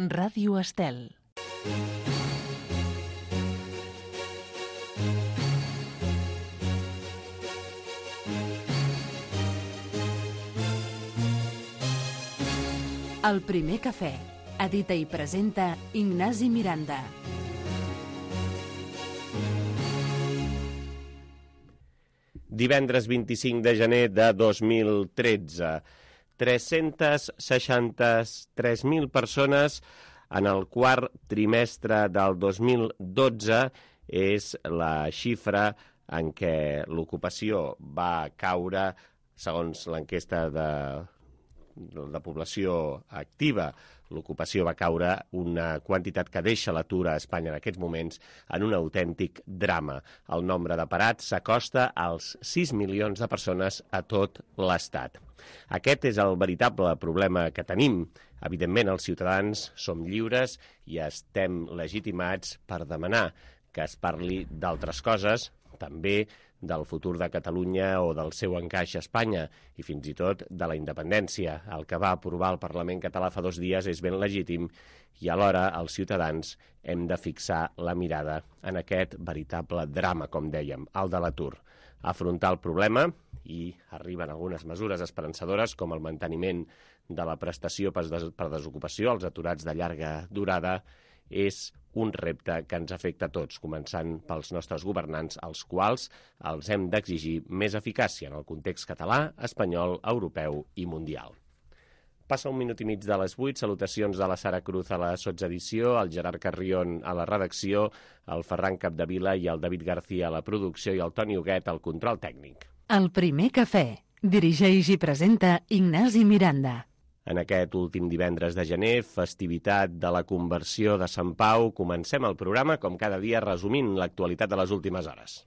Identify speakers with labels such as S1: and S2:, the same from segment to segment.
S1: Ràdio Estel. El primer cafè. Edita i presenta Ignasi Miranda.
S2: Divendres 25 de gener de 2013. 363.000 persones en el quart trimestre del 2012 és la xifra en què l'ocupació va caure, segons l'enquesta de població activa. L'ocupació va caure una quantitat que deixa l'atur a Espanya en aquests moments en un autèntic drama. El nombre de parats s'acosta als 6 milions de persones a tot l'Estat. Aquest és el veritable problema que tenim. Evidentment, els ciutadans som lliures i estem legitimats per demanar que es parli d'altres coses, també del futur de Catalunya o del seu encaix a Espanya i fins i tot de la independència. El que va aprovar el Parlament català fa 2 dies és ben legítim i alhora els ciutadans hem de fixar la mirada en aquest veritable drama, com dèiem, el de l'atur. Afrontar el problema, i arriben algunes mesures esperançadores com el manteniment de la prestació per desocupació als aturats de llarga durada, és un repte que ens afecta a tots, començant pels nostres governants, als quals els hem d'exigir més eficàcia en el context català, espanyol, europeu i mundial. Passa 1 minut i mig de les 8, salutacions de la Sara Cruz a la sotsedició, el Gerard Carrion a la redacció, el Ferran Capdevila i el David García a la producció i el Toni Huguet al control tècnic.
S1: El primer cafè. Dirigeix i presenta Ignasi Miranda.
S2: En aquest últim divendres de gener, festivitat de la conversió de Sant Pau, comencem el programa, com cada dia, resumint l'actualitat de les últimes hores.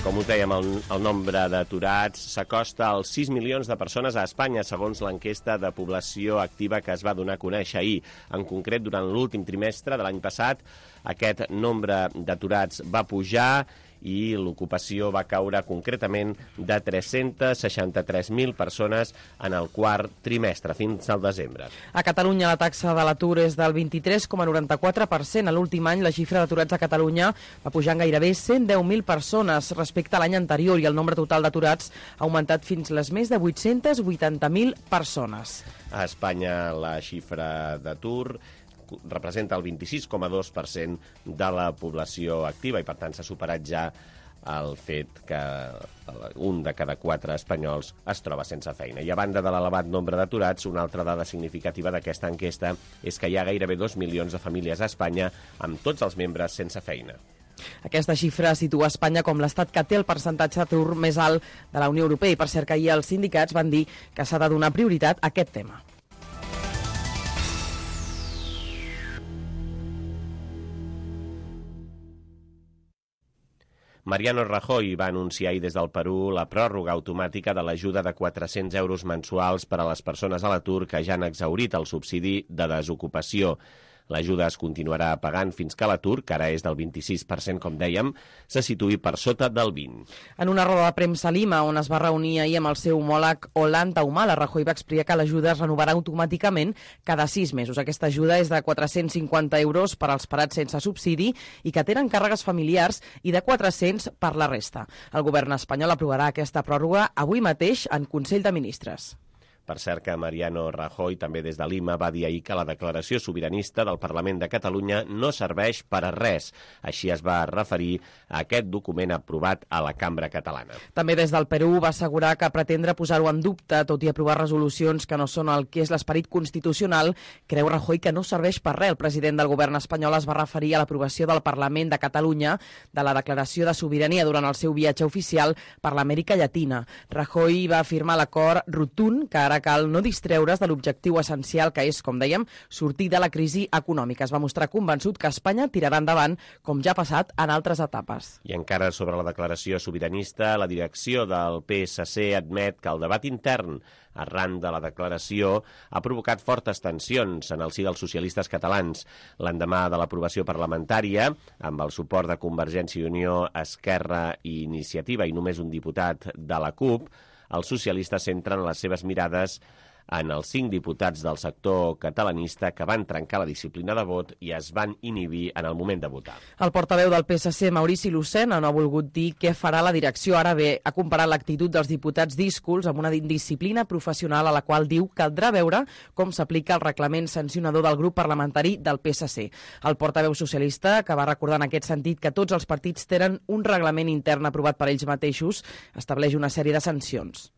S2: Com us dèiem, el nombre d'aturats s'acosta als 6 milions de persones a Espanya, segons l'enquesta de població activa que es va donar a conèixer ahir. En concret, durant l'últim trimestre de l'any passat, aquest nombre d'aturats va pujar i l'ocupació va caure concretament de 363.000 persones en el quart trimestre, fins al desembre.
S3: A Catalunya la taxa de l'atur és del 23,94%. A l'últim any la xifra d'aturats a Catalunya va pujar en gairebé 110.000 persones respecte a l'any anterior i el nombre total d'aturats ha augmentat fins les més de 880.000 persones.
S2: A Espanya la xifra d'atur representa el 26,2% de la població activa i, per tant, s'ha superat ja el fet que 1 de cada 4 espanyols es troba sense feina. I a banda de l'elevat nombre d'aturats, una altra dada significativa d'aquesta enquesta és que hi ha gairebé 2 milions de famílies a Espanya amb tots els membres sense feina.
S3: Aquesta xifra situa Espanya com l'estat que té el percentatge d'atur més alt de la Unió Europea i, per cert, que ahir els sindicats van dir que s'ha de donar prioritat a aquest tema.
S2: Mariano Rajoy va anunciar ahir des del Perú la pròrroga automàtica de l'ajuda de 400 euros mensuals per a les persones a l'atur que ja han exhaurit el subsidi de desocupació. L'ajuda es continuarà pagant fins que l'atur, que ara és del 26%, com dèiem, se situï per sota del 20%.
S3: En una roda de premsa a Lima, on es va reunir ahir amb el seu homòleg Ollanta Humala, Rajoy va explicar que l'ajuda es renovarà automàticament cada 6 mesos. Aquesta ajuda és de 450 euros per als parats sense subsidi i que tenen càrregues familiars i de 400 per la resta. El govern espanyol aprovarà aquesta pròrroga avui mateix en Consell de Ministres.
S2: Per cert que Mariano Rajoy, també des de Lima, va dir ahir que la declaració sobiranista del Parlament de Catalunya no serveix per a res. Així es va referir a aquest document aprovat a la Cambra Catalana.
S3: També des del Perú va assegurar que pretendre posar-ho en dubte, tot i aprovar resolucions que no són el que és l'esperit constitucional, creu Rajoy que no serveix per res. El president del govern espanyol es va referir a l'aprovació del Parlament de Catalunya de la declaració de sobirania durant el seu viatge oficial per l'Amèrica Llatina. Rajoy va afirmar l'acord rotund que ara ara cal no distreure's de l'objectiu essencial que és, com dèiem, sortir de la crisi econòmica. Es va mostrar convençut que Espanya tirarà endavant, com ja ha passat en altres etapes.
S2: I encara sobre la declaració sobiranista, la direcció del PSC admet que el debat intern arran de la declaració ha provocat fortes tensions en el si dels socialistes catalans. L'endemà de l'aprovació parlamentària, amb el suport de Convergència i Unió, Esquerra i Iniciativa i només un diputat de la CUP, els socialistes centren les seves mirades en els 5 diputats del sector catalanista que van trencar la disciplina de vot i es van inhibir en el moment de votar.
S3: El portaveu del PSC, Maurici Lucena, no ha volgut dir què farà la direcció. Ara bé, ha comparat l'actitud dels diputats díscols amb una disciplina professional a la qual diu caldrà veure com s'aplica el reglament sancionador del grup parlamentari del PSC. El portaveu socialista, que va recordar en aquest sentit que tots els partits tenen un reglament intern aprovat per ells mateixos, estableix una sèrie de sancions.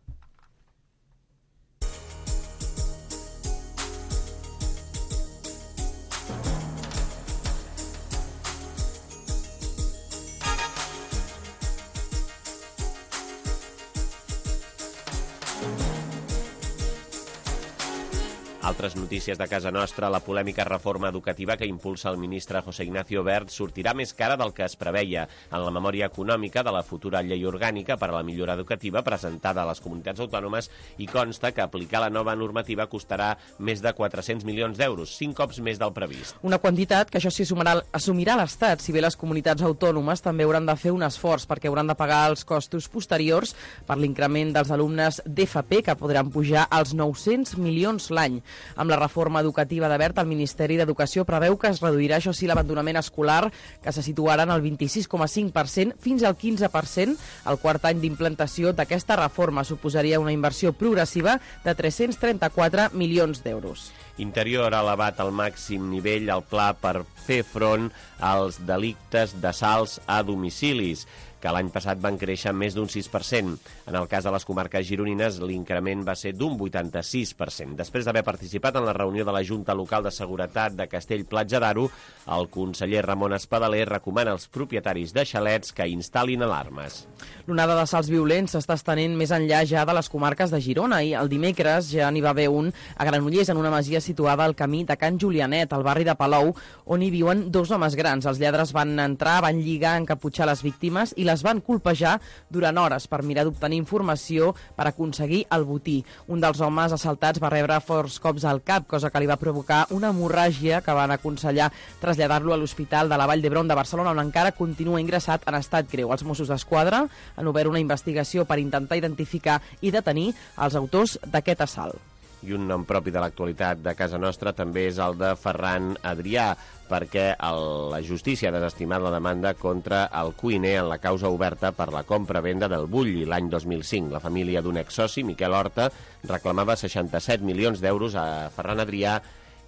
S2: Altres notícies de casa nostra, la polèmica reforma educativa que impulsa el ministre José Ignacio Wert sortirà més cara del que es preveia. En la memòria econòmica de la futura llei orgànica per a la millora educativa presentada a les comunitats autònomes hi consta que aplicar la nova normativa costarà més de 400 milions d'euros, 5 cops més del previst.
S3: Una quantitat que això s'hi assumirà l'Estat, si bé les comunitats autònomes també hauran de fer un esforç perquè hauran de pagar els costos posteriors per l'increment dels alumnes d'FP, que podran pujar als 900 milions l'any. Amb la reforma educativa de Wert, el Ministeri d'Educació preveu que es reduirà, això sí, l'abandonament escolar, que se situarà en el 26,5% fins al 15%. El quart any d'implantació d'aquesta reforma suposaria una inversió progressiva de 334 milions d'euros.
S2: Interior ha elevat al màxim nivell el pla per fer front als delictes d'assalts a domicilis, que l'any passat van créixer més d'un 6%. En el cas de les comarques gironines, l'increment va ser d'un 86%. Després d'haver participat en la reunió de la Junta Local de Seguretat de Castell-Platja d'Aro, el conseller Ramon Espadaler recomana als propietaris de xalets que instal·lin alarmes.
S3: L'onada d'assalts violents s'està estenent més enllà ja de les comarques de Girona i el dimecres ja n'hi va haver un a Granollers, en una masia situada al camí de Can Julianet, al barri de Palou, on hi viuen 2 homes grans. Els lladres van entrar, van lligar, encaputxar les víctimes i les van colpejar durant hores per mirar d'obtenir informació per aconseguir el botí. Un dels homes assaltats va rebre forts cops al cap, cosa que li va provocar una hemorràgia que van aconsellar traslladar-lo a l'Hospital de la Vall d'Hebron de Barcelona, on encara continua ingressat en estat greu. Els Mossos d'Esquadra han obert una investigació per intentar identificar i detenir els autors d'aquest assalt.
S2: I un nom propi de l'actualitat de casa nostra també és el de Ferran Adrià, perquè la justícia ha desestimat la demanda contra el cuiner en la causa oberta per la compra-venda del Bulli l'any 2005. La família d'un exsoci, Miquel Horta, reclamava 67 milions d'euros a Ferran Adrià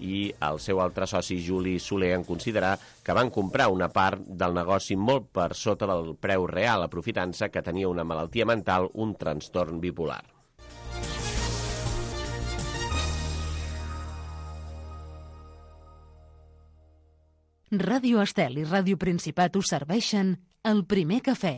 S2: i el seu altre soci, Juli Soler, en considerar que van comprar una part del negoci molt per sota del preu real, aprofitant-se que tenia una malaltia mental, un trastorn bipolar.
S1: Ràdio Estel i Ràdio Principat us serveixen el primer cafè.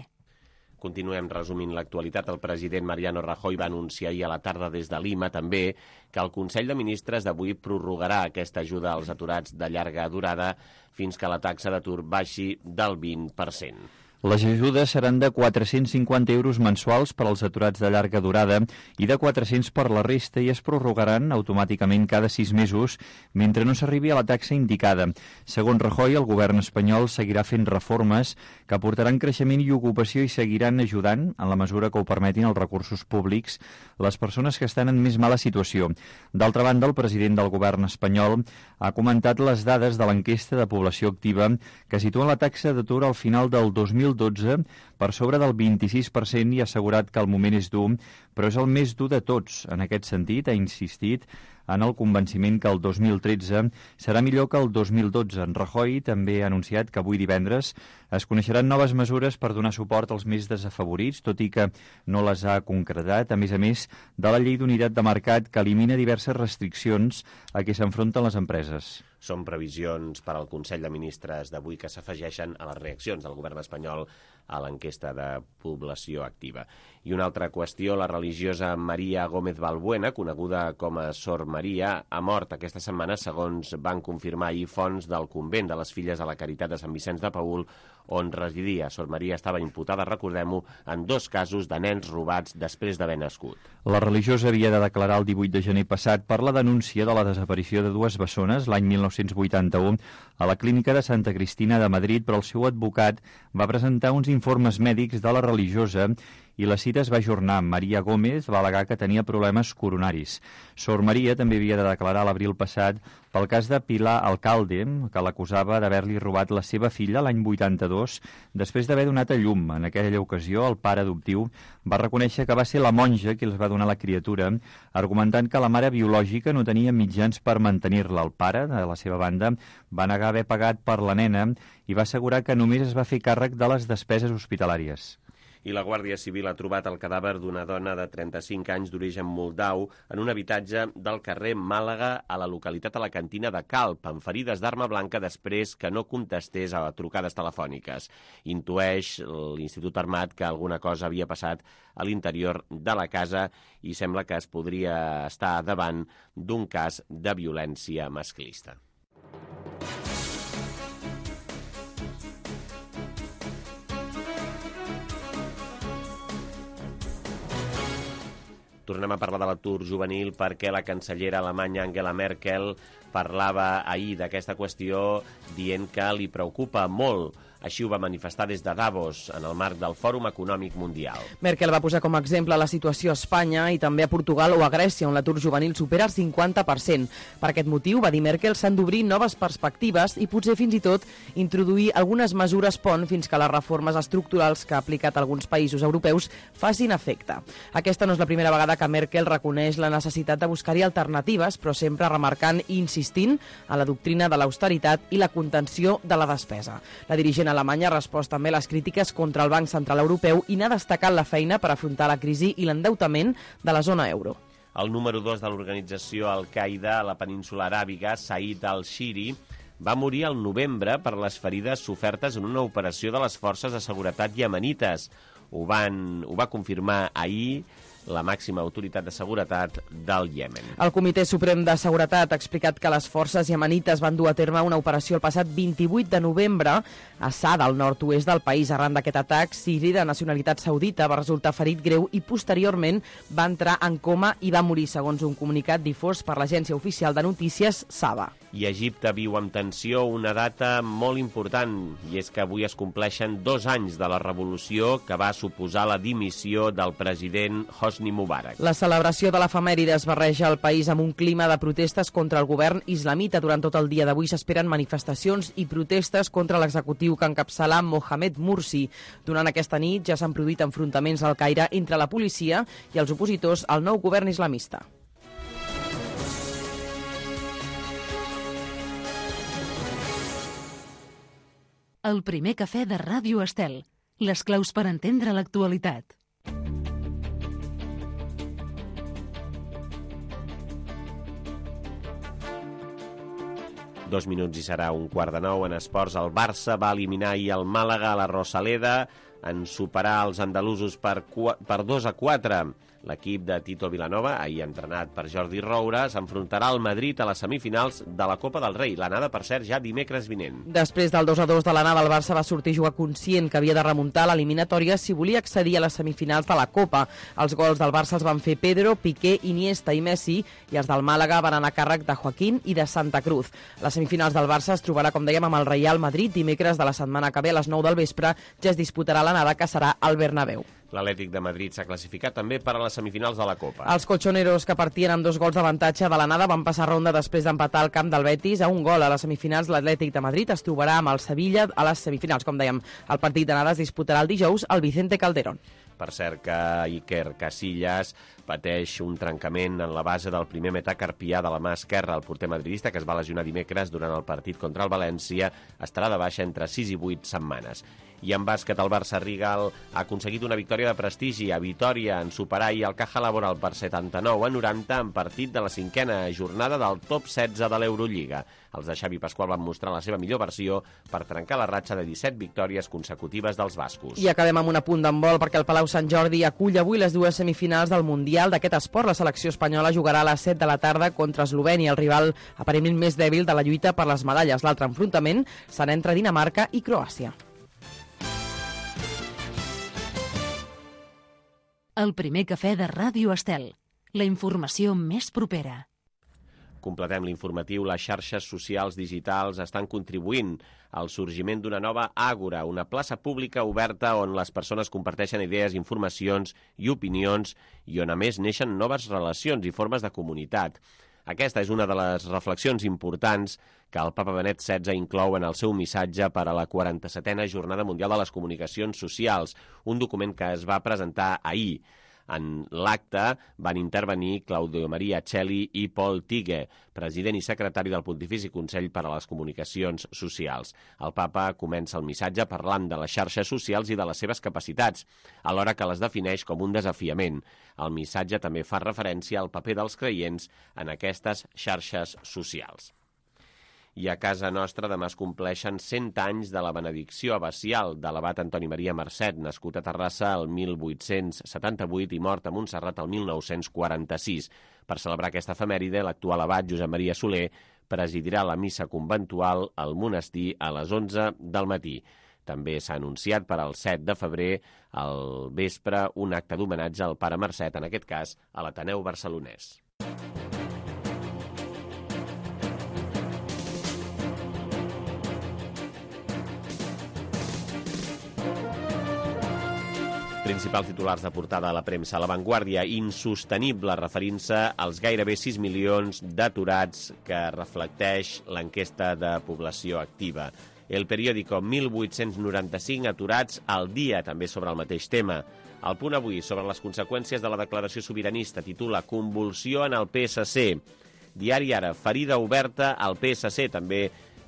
S2: Continuem resumint l'actualitat. El president Mariano Rajoy va anunciar ahir a la tarda des de Lima també que el Consell de Ministres d'avui prorrogarà aquesta ajuda als aturats de llarga durada fins que la taxa d'atur baixi del 20%.
S4: Les ajudes seran de 450 euros mensuals per als aturats de llarga durada i de 400 per la resta i es prorrogaran automàticament cada 6 mesos mentre no s'arribi a la taxa indicada. Segons Rajoy, el govern espanyol seguirà fent reformes que aportaran creixement i ocupació i seguiran ajudant, en la mesura que ho permetin els recursos públics, les persones que estan en més mala situació. D'altra banda, el president del govern espanyol ha comentat les dades de l'enquesta de població activa que situen la taxa d'atur al final del 2012 per sobre del 26% i ha assegurat que el moment és dur, però és el més dur de tots. En aquest sentit, ha insistit en el convenciment que el 2013 serà millor que el 2012. En Rajoy també ha anunciat que avui divendres es coneixeran noves mesures per donar suport als més desafavorits, tot i que no les ha concretat, a més de la llei d'unitat de mercat que elimina diverses restriccions a què s'enfronten les empreses.
S2: Són previsions per al Consell de Ministres d'avui que s'afegeixen a les reaccions del govern espanyol a l'enquesta de població activa. I una altra qüestió, la religiosa Maria Gómez Balbuena, coneguda com a Sor Maria, ha mort aquesta setmana, segons van confirmar ahir fonts del convent de les Filles de la Caritat de Sant Vicenç de Paül, on residia. Sor Maria estava imputada, recordem-ho, en 2 casos de nens robats després d'haver nascut.
S4: La religiosa havia de declarar el 18 de gener passat per la denúncia de la desaparició de 2 bessones l'any 1981 a la clínica de Santa Cristina de Madrid, però el seu advocat va presentar uns informes mèdics de la religiosa i la cita es va ajornar. Maria Gómez va al·legar que tenia problemes coronaris. Sor Maria també havia de declarar l'abril passat pel cas de Pilar Alcalde, que l'acusava d'haver-li robat la seva filla l'any 82, després d'haver donat a llum. En aquella ocasió, el pare adoptiu va reconèixer que va ser la monja qui els va donar la criatura, argumentant que la mare biològica no tenia mitjans per mantenir-la. El pare, de la seva banda, va negar haver pagat per la nena i va assegurar que només es va fer càrrec de les despeses hospitalàries.
S2: I la Guàrdia Civil ha trobat el cadàver d'una dona de 35 anys d'origen moldau en un habitatge del carrer Màlaga a la localitat alacantina de Calp, amb ferides d'arma blanca després que no contestés a trucades telefòniques. Intueix l'Institut Armat que alguna cosa havia passat a l'interior de la casa i sembla que es podria estar davant d'un cas de violència masclista. Tornem a parlar de l'atur juvenil perquè la cancellera alemanya Angela Merkel parlava ahir d'aquesta qüestió dient que li preocupa molt. Així ho va manifestar des de Davos, en el marc del Fòrum Econòmic Mundial.
S3: Merkel va posar com a exemple la situació a Espanya i també a Portugal o a Grècia, on l'atur juvenil supera el 50%. Per aquest motiu, va dir Merkel, s'han d'obrir noves perspectives i potser fins i tot introduir algunes mesures pont fins que les reformes estructurals que ha aplicat alguns països europeus facin efecte. Aquesta no és la primera vegada que Merkel reconeix la necessitat de buscar-hi alternatives, però sempre remarcant i insistint en la doctrina de l'austeritat i la contenció de la despesa. La dirigent alemanya ha respost també a les crítiques contra el Banc Central Europeu i n'ha destacat la feina per afrontar la crisi i l'endeutament de la zona euro.
S2: El número 2 de l'organització Al-Qaeda a la península aràbiga, Said al-Shiri, va morir al novembre per les ferides sofertes en una operació de les forces de seguretat iemenites. Ho va confirmar ahir la màxima autoritat de seguretat del Iemen.
S3: El Comitè Suprem de Seguretat ha explicat que les forces iemenites van dur a terme una operació el passat 28 de novembre a Sada, al nord-oest del país. Arran d'aquest atac, Siri, de nacionalitat saudita, va resultar ferit greu i posteriorment va entrar en coma i va morir, segons un comunicat difós per l'agència oficial de notícies Saba.
S2: I Egipte viu amb tensió una data molt important, i és que avui es compleixen 2 anys de la revolució que va suposar la dimissió del president Hosni Mubarak.
S3: La celebració de l'efemèride es barreja al país amb un clima de protestes contra el govern islamita. Durant tot el dia d'avui s'esperen manifestacions i protestes contra l'executiu que encapçala Mohamed Mursi. Durant aquesta nit ja s'han produït enfrontaments al Caire entre la policia i els opositors al nou govern islamista.
S1: El primer cafè de Ràdio Estel. Les claus per entendre l'actualitat.
S2: Dos minuts i serà 8:45 en esports. El Barça va eliminar ahir el Màlaga a la Rosaleda en superar els andalusos per 2-4. L'equip de Tito Vilanova, ahir entrenat per Jordi Roura, s'enfrontarà al Madrid a les semifinals de la Copa del Rei. L'anada, per cert, ja dimecres vinent.
S3: Després del 2-2 de l'anada, el Barça va sortir a jugar conscient que havia de remuntar l'eliminatòria si volia accedir a les semifinals de la Copa. Els gols del Barça els van fer Pedro, Piqué, Iniesta i Messi, i els del Màlaga van anar a càrrec de Joaquín i de Santa Cruz. Les semifinals del Barça es trobarà, com dèiem, amb el Real Madrid dimecres de la setmana que ve a les 9 del vespre. Ja es disputarà l'anada, que serà al Bernabéu.
S2: L'Atlètic de Madrid s'ha classificat també per a les semifinals de la Copa.
S3: Els colchoneros, que partien amb 2 gols d'avantatge de l'anada, van passar ronda després d'empatar al camp del Betis a 1 gol. A les semifinals, l'Atlètic de Madrid es trobarà amb el Sevilla a les semifinals. Com dèiem, el partit d'anada es disputarà el dijous al Vicente Calderón.
S2: Per cert, que Iker Casillas pateix un trencament en la base del primer metacarpià de la mà esquerra. El porter madridista, que es va lesionar dimecres durant el partit contra el València, estarà de baixa entre 6 i 8 setmanes. I en bàsquet, el Barça Rigal ha aconseguit una victòria de prestigi a Vitòria en superar ahir el Caja Laboral per 79-90 en partit de la 5a jornada del top 16 de l'Eurolliga. Els de Xavi Pasqual van mostrar la seva millor versió per trencar la ratxa de 17 victòries consecutives dels bascos.
S3: I acabem amb un apunt d'handbol perquè el Palau Sant Jordi acull avui les dues semifinals del Mundial d'aquest esport. La selecció espanyola jugarà a les 7 de la tarda contra Eslovènia, el rival aparentment més dèbil de la lluita per les medalles. L'altre enfrontament serà entre Dinamarca i Croàcia.
S1: El primer cafè de Ràdio Estel. La informació més propera.
S2: Completem l'informatiu. Les xarxes socials digitals estan contribuint al sorgiment d'una nova àgora, una plaça pública oberta on les persones comparteixen idees, informacions i opinions i on a més neixen noves relacions i formes de comunitat. Aquesta és una de les reflexions importants que el Papa Benet XVI inclou en el seu missatge per a la 47a Jornada Mundial de les Comunicacions Socials, un document que es va presentar ahir. En l'acte van intervenir Claudio Maria Celli i Paul Tighe, president i secretari del Pontifici Consell per a les Comunicacions Socials. El papa comença el missatge parlant de les xarxes socials i de les seves capacitats, alhora que les defineix com un desafiament. El missatge també fa referència al paper dels creients en aquestes xarxes socials. I a casa nostra demà es compleixen 100 anys de la benedicció abacial de l'abat Antoni Maria Marcet, nascut a Terrassa el 1878 i mort a Montserrat el 1946. Per celebrar aquesta efemèride, l'actual abat Josep Maria Soler presidirà la missa conventual al monestir a les 11 del matí. També s'ha anunciat per al 7 de febrer al vespre un acte d'homenatge al pare Marcet, en aquest cas a l'Ateneu Barcelonès. Principals titulars de portada a la premsa. La Vanguardia, insostenible, referint-se als gairebé 6 milions d'aturats que reflecteix l'enquesta de població activa. El periòdico, 1.895 aturats al dia, també sobre el mateix tema. El Punt Avui, sobre les conseqüències de la declaració sobiranista, titula Convulsió en el PSC. Diari Ara, ferida oberta al PSC, també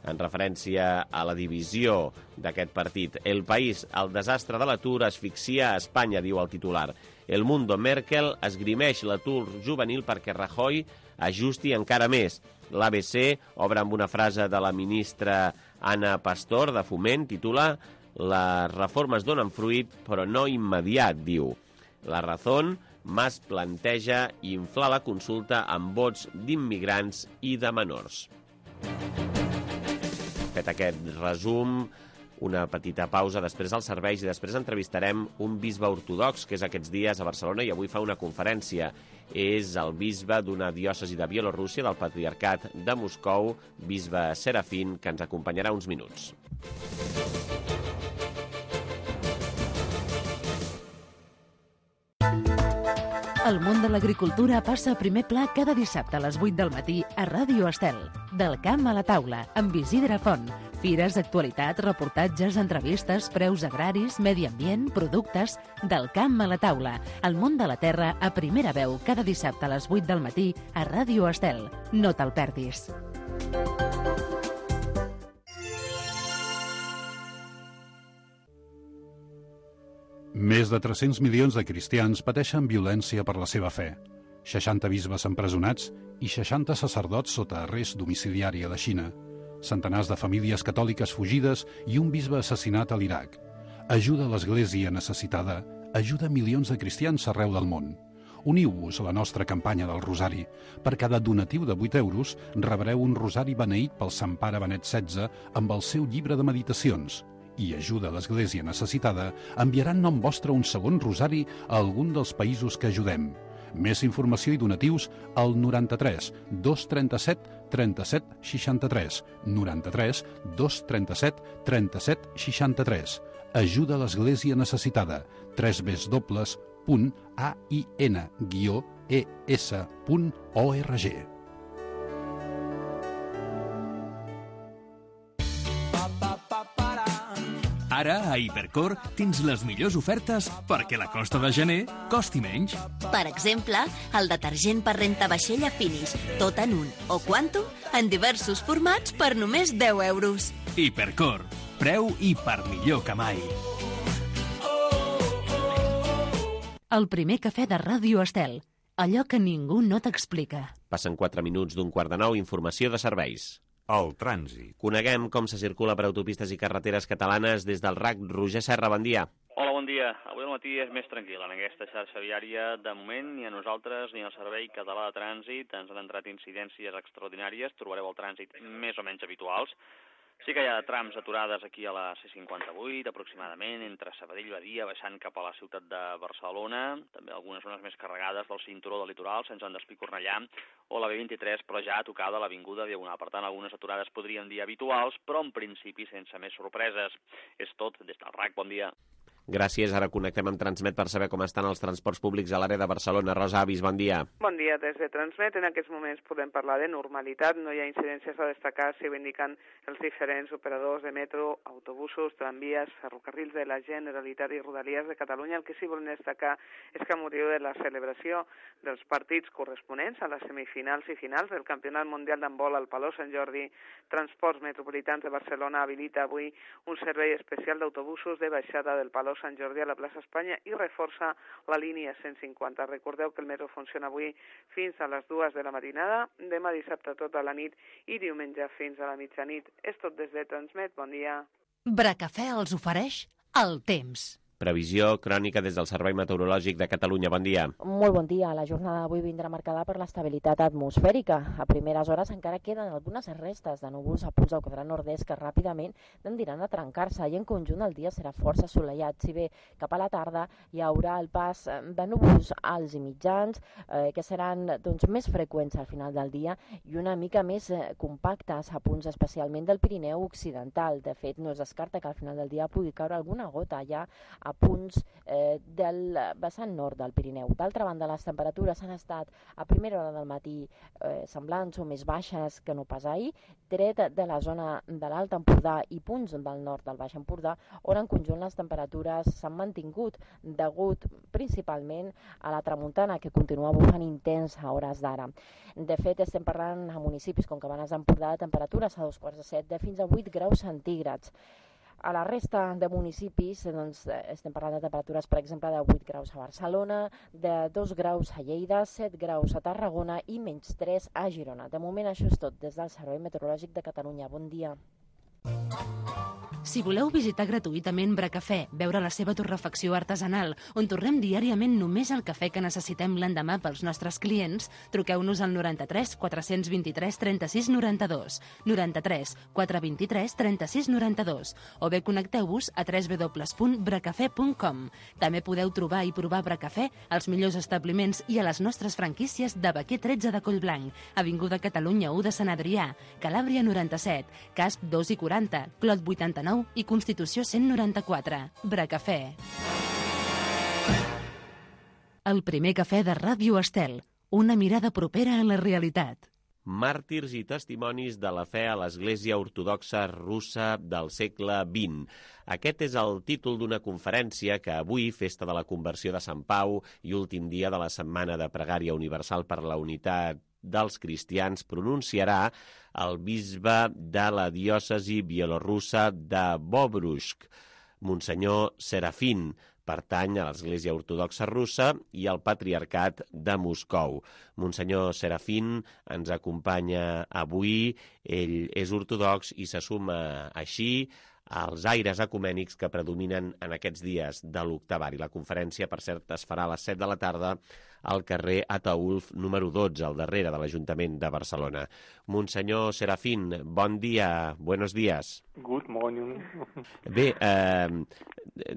S2: en referència a la divisió d'aquest partit. El País, el desastre de l'atur asfixia a Espanya, diu el titular. El Mundo, Merkel esgrimeix l'atur juvenil perquè Rajoy ajusti encara més. L'ABC obre amb una frase de la ministra Ana Pastor, de Foment, titula Les reformes donen fruit, però no immediat, diu. La Razón, Mas planteja inflar la consulta amb vots d'immigrants i de menors. Fet aquest resum, una petita pausa, després dels serveis i després entrevistarem un bisbe ortodox que és aquests dies a Barcelona i avui fa una conferència. És el bisbe d'una diòcesi de Bielorússia, del Patriarcat de Moscou, bisbe Serafín, que ens acompanyarà uns minuts.
S1: El món de l'agricultura passa a primer pla cada dissabte a les 8 del matí a Ràdio Estel. Del camp a la taula, amb Isidre Font. Fires, actualitat, reportatges, entrevistes, preus agraris, medi ambient, productes... Del camp a la taula. El món de la terra a primera veu cada dissabte a les 8 del matí a Ràdio Estel. No te'l perdis.
S5: Més de 300 milions de cristians pateixen violència per la seva fe. 60 bisbes empresonats i 60 sacerdots sota arrest domiciliari a la Xina. Centenars de famílies catòliques fugides i un bisbe assassinat a l'Iraq. Ajuda a l'Església necessitada, ajuda milions de cristians arreu del món. Uniu-vos a la nostra campanya del Rosari. Per cada donatiu de 8 euros rebreu un rosari beneït pel Sant Pare Benet XVI amb el seu llibre de meditacions. I ajuda a l'Església necessitada enviarà en nom vostre un segon rosari a algun dels països que ajudem. Més informació i donatius al 93 237 37 63. 93 237 37 63. Ajuda a l'Església necessitada. www.ain-es.org.
S6: Ara, a Hipercor, tens les millors ofertes perquè la costa de gener costi menys.
S7: Per exemple, el detergent per rentavaixella Finish, tot en un, o Quantum, en diversos formats per només 10 euros.
S6: Hipercor, preu i per millor que mai.
S1: El primer cafè de Ràdio Estel. Allò que ningú no t'explica.
S2: Passen 4 minuts d'un 8:45, informació de serveis.
S8: El trànsit.
S2: Coneguem com se circula per autopistes i carreteres catalanes des del RAC. Roger Serra, bon dia.
S9: Hola, bon dia. Avui al matí és més tranquil. En aquesta xarxa viària, de moment, ni a nosaltres ni al Servei Català de Trànsit ens han entrat incidències extraordinàries. Trobareu el trànsit més o menys habituals. Sí que hi ha trams aturades aquí a la C58, aproximadament, entre Sabadell i Badia, baixant cap a la ciutat de Barcelona. També algunes zones més carregades del cinturó del litoral, sense Sant Despí Cornellà, o la B23, però ja tocada l'avinguda Diagonal. Per tant, algunes aturades podrien dir habituals, però en principi sense més sorpreses. És tot des del RAC. Bon dia.
S2: Gràcies. Ara connectem amb Transmet per saber com estan els transports públics a l'àrea de Barcelona. Rosa Avis, bon dia.
S10: Bon dia des de Transmet. En aquests moments podem parlar de normalitat. No hi ha incidències a destacar, si ho indiquen els diferents operadors de metro, autobusos, tramvies, ferrocarrils de la Generalitat i Rodalies de Catalunya. El que sí volem destacar és que a motiu de la celebració dels partits corresponents a les semifinals i finals del Campionat Mundial d'Handbol al Palau Sant Jordi, Transports Metropolitans de Barcelona habilita avui un servei especial d'autobusos de baixada del Palau Sant Jordi a la plaça Espanya i reforça la línia 150. Recordeu que el metro funciona avui fins a les 2 de la matinada, demà dissabte tota la nit i diumenge fins a la mitjanit. És tot des de Transmet. Bon dia.
S1: Bracafè els ofereix el temps.
S2: Previsió crònica des del Servei Meteorològic de Catalunya. Bon dia.
S11: Molt bon dia. La jornada d'avui vindrà marcada per l'estabilitat atmosfèrica. A primeres hores encara queden algunes restes de núvols a punts del quadrant nord-est que ràpidament tendiran a trencar-se i en conjunt el dia serà força assolellat. Si bé cap a la tarda hi haurà el pas de núvols alts i mitjans que seran més freqüents al final del dia i una mica més compactes a punts especialment del Pirineu occidental. De fet, no es descarta que al final del dia pugui caure alguna gota ja a punts del vessant nord del Pirineu. D'altra banda, les temperatures han estat a primera hora del matí semblants o més baixes que no pas ahir, tret de la zona de l'Alt Empordà i punts del nord del Baix Empordà, on en conjunt les temperatures s'han mantingut degut principalment a la tramuntana que continua bufant intens a hores d'ara. De fet, estem parlant a municipis com Cabanes d'Empordà de temperatures a 2:45 de fins a 8 graus centígrads. A la resta de municipis estem parlant de temperatures, per exemple, de 8 graus a Barcelona, de 2 graus a Lleida, 7 graus a Tarragona i menys 3 a Girona. De moment això és tot des del Servei Meteorològic de Catalunya. Bon dia.
S1: Si voleu visitar gratuïtament Bracafè, veure la seva torrefacció artesanal, on torrem diàriament només el cafè que necessitem l'endemà pels nostres clients, truqueu-nos al 93 423 36 92, 93 423 36 92, o bé connecteu-vos a www.bracafè.com. També podeu trobar i provar Bracafè als millors establiments i a les nostres franquícies de Baquer 13 de Collblanc, Avinguda Catalunya 1 de Sant Adrià, Calàbria 97, Casp 2 i 40, Clot 89 i Constitució 194. Bracafè. El primer cafè de Ràdio Estel. Una mirada propera a la realitat.
S2: Màrtirs i testimonis de la fe a l'Església Ortodoxa Russa del segle XX. Aquest és el títol d'una conferència que avui, festa de la conversió de Sant Pau i últim dia de la Setmana de Pregària Universal per la Unitat dels Cristians, pronunciarà el bisbe de la diòcesi bielorussa de Bobruisk, Monsenyor Serafín. Pertany a l'Església Ortodoxa Russa i al Patriarcat de Moscou. Monsenyor Serafín ens acompanya avui. Ell és ortodox i se suma així als aires ecumènics que predominen en aquests dies de l'octavari. La conferència, per cert, es farà a les 7 de la tarda al carrer Ataulf número 12, al darrere de l'Ajuntament de Barcelona. Monsenyor Serafín, bon dia, buenos días.
S12: Good morning.
S2: Bé,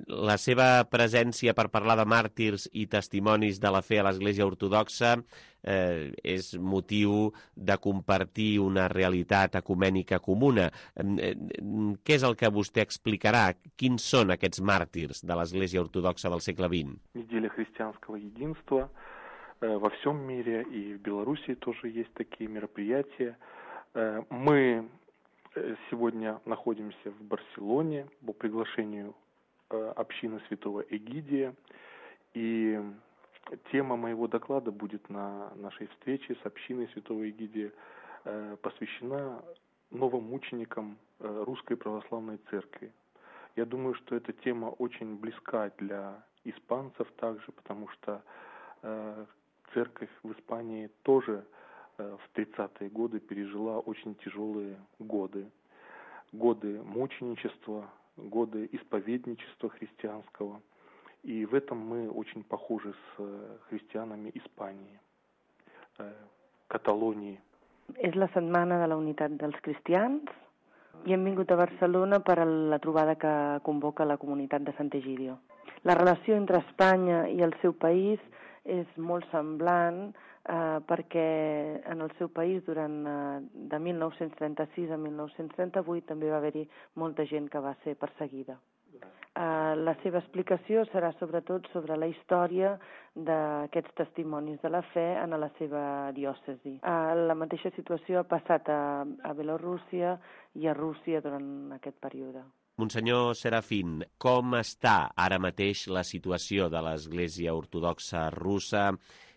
S2: la seva presència per parlar de màrtirs i testimonis de la fe a l'Església Ortodoxa és motiu de compartir una realitat ecumènica comuna. Què és el que vostè explicarà? Quins són aquests màrtirs de l'Església Ortodoxa del segle XX?
S12: Неделя христианского единства. Во всем мире и в Беларуси тоже есть такие мероприятия. Мы Сегодня находимся в Барселоне по приглашению общины Святого Эгидия. И тема моего доклада будет на нашей встрече с общиной Святого Эгидия посвящена новомученикам Русской Православной Церкви. Я думаю, что эта тема очень близка для испанцев также, потому что церковь в Испании тоже в 30-е годы пережила очень тяжелые годы. Годы мученичества, годы исповедничества христианского. И в этом мы очень похожи с христианами Испании, Catalonии.
S8: És la setmana de la unitat dels cristians i hem vingut a Barcelona per a la trobada que convoca la comunitat de Sant'Egidio. La relació entre Espanya i el seu país és molt semblant perquè en el seu país de 1936 a 1938 també va haver-hi molta gent que va ser perseguida. La seva explicació serà sobretot sobre la història d'aquests testimonis de la fe en la seva diòcesi. La mateixa situació ha passat a Bielorússia i a Rússia durant aquest període.
S2: Monsenyor Serafín, com està ara mateix la situació de l'Església Ortodoxa russa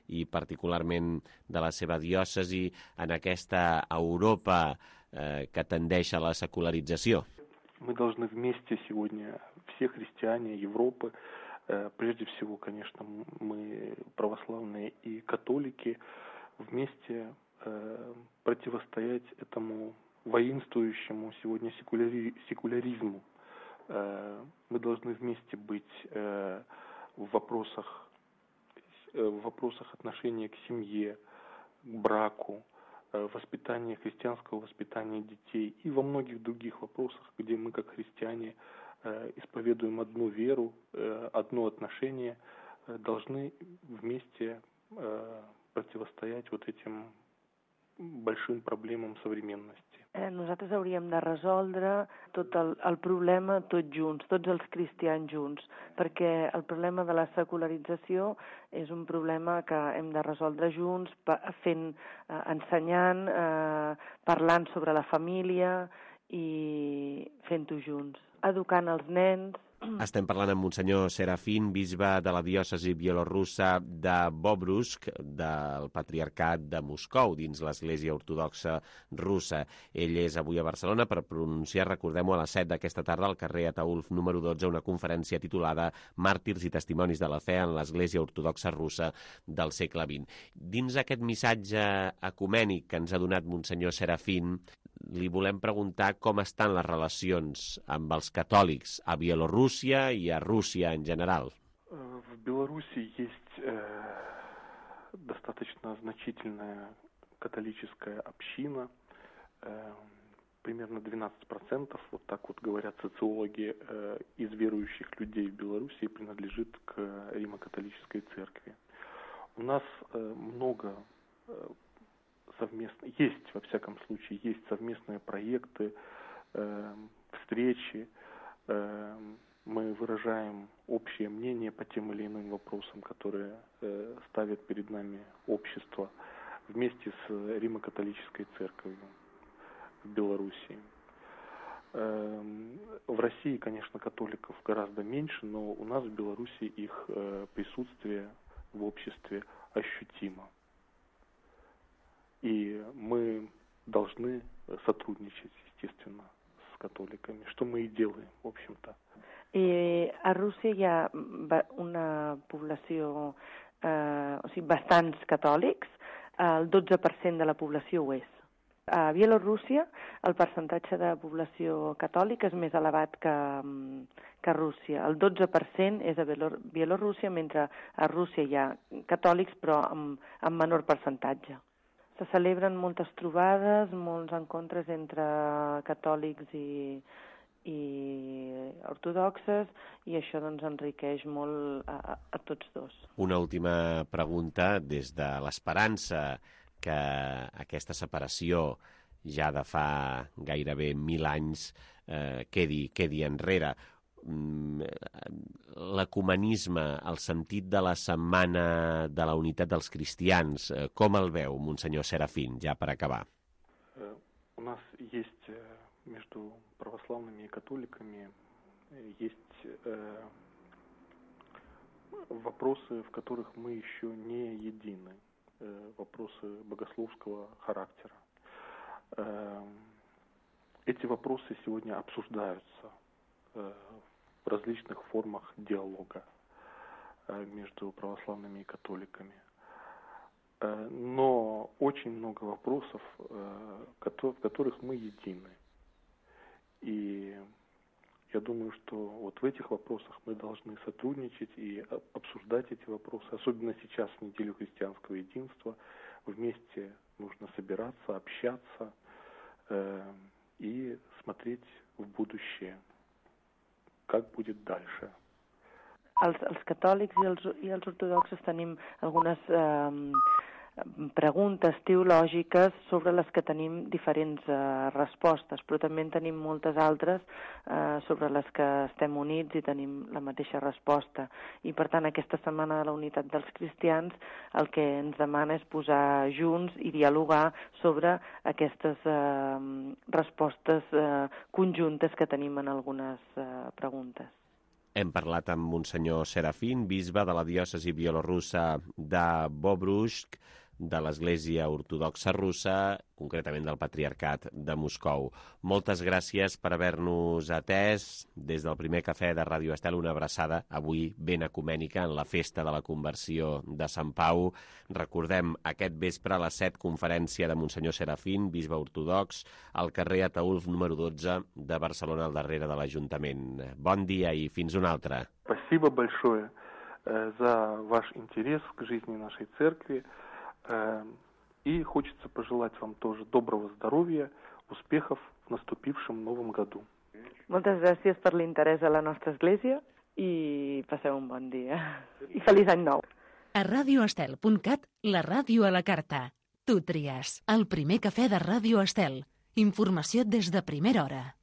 S2: i particularment de la seva diòcesi en aquesta Europa que tendeix a la secularització?
S12: Мы должны вместе сегодня, все христиане Европы, прежде всего, конечно, мы православные и католики, вместе противостоять этому воинствующему сегодня секуляризму. Мы должны вместе быть в вопросах отношения к семье, к браку, воспитания, христианского воспитания детей и во многих других вопросах, где мы как христиане исповедуем одну веру, одно отношение, должны вместе противостоять вот этим большим проблемам современности.
S8: Nosaltres hauríem de resoldre tot el problema tots junts, tots els cristians junts, perquè el problema de la secularització és un problema que hem de resoldre junts, ensenyant, parlant sobre la família i fent-ho junts, educant els nens.
S2: Estem parlant amb Monsenyor Serafín, bisbe de la diòcesi bielorussa de Bobrusk, del Patriarcat de Moscou, dins l'Església Ortodoxa russa. Ell és avui a Barcelona per pronunciar, recordem-ho, a les 7 d'aquesta tarda al carrer Ataulf número 12, una conferència titulada Màrtirs i testimonis de la fe en l'Església Ortodoxa russa del segle XX. Dins aquest missatge ecumènic que ens ha donat Monsenyor Serafín, li volem preguntar com estan les relacions amb els catòlics a Bielorússia и a Русия en general.
S12: В Беларуси есть достаточно значительная католическая община, примерно 12%, вот так вот говорят социологи, из верующих людей в Беларуси принадлежит к Римо-католической церкви. У нас много совместно, есть, во всяком случае, есть совместные проекты, встречи, мы выражаем общее мнение по тем или иным вопросам, которые ставит перед нами общество вместе с Римо-католической церковью в Белоруссии. В России, конечно, католиков гораздо меньше, но у нас в Беларуси их присутствие в обществе ощутимо. И мы должны сотрудничать, естественно, с католиками, что мы и делаем, в общем-то.
S8: A Rússia hi ha una població, o sigui, bastants catòlics, el 12% de la població ho és. A Bielorússia el percentatge de població catòlica és més elevat que a Rússia. El 12% és a Bielorússia, mentre a Rússia hi ha catòlics però amb menor percentatge. Se celebren moltes trobades, molts encontres entre catòlics i ortodoxes, i això doncs enriqueix molt a tots dos.
S2: Una última pregunta, des de l'esperança que aquesta separació ja de fa gairebé 1000 anys quedi enrere. L'ecumenisme, el sentit de la setmana de la unitat dels cristians, com el veu, Monsenyor Serafín, ja per acabar?
S12: У нас есть между православными и католиками есть вопросы, в которых мы еще не едины, вопросы богословского характера. Эти вопросы сегодня обсуждаются в различных формах диалога между православными и католиками. Но очень много вопросов, в которых мы едины. И я думаю, что вот в этих вопросах мы должны сотрудничать и обсуждать эти вопросы, особенно сейчас, в неделю христианского единства. Вместе нужно собираться, общаться и смотреть в будущее, как будет дальше.
S8: Els catòlics i els ortodoxos tenim algunes preguntes teològiques sobre les que tenim diferents respostes, però també en tenim moltes altres sobre les que estem units i tenim la mateixa resposta. I per tant, aquesta Setmana de la Unitat dels Cristians el que ens demana és posar junts i dialogar sobre aquestes respostes conjuntes que tenim en algunes preguntes.
S2: Hem parlat amb Monsenyor Serafín, bisbe de la diòcesi bielorussa de Bobruisk, de l'Església Ortodoxa Russa, concretament del Patriarcat de Moscou. Moltes gràcies per haver-nos atès. Des del primer cafè de Ràdio Estel, una abraçada avui ben ecumènica en la festa de la conversió de Sant Pau. Recordem aquest vespre a les 7, conferència de Monsenyor Serafín, bisbe ortodox, al carrer Ataulf número 12 de Barcelona, al darrere de l'Ajuntament. Bon dia i fins una altra.
S12: Спасибо большое за ваш интерес к жизни нашей церкви. И хочется пожелать вам тоже доброго здоровья, успехов в наступившем новом году.
S8: Moltes gràcies per l'interès a la nostra església i passeu un bon dia. I feliç any nou.
S1: A radioestel.cat, la ràdio a la carta. Tu tries. El primer cafè de Ràdio Estel. Informació des de primera hora.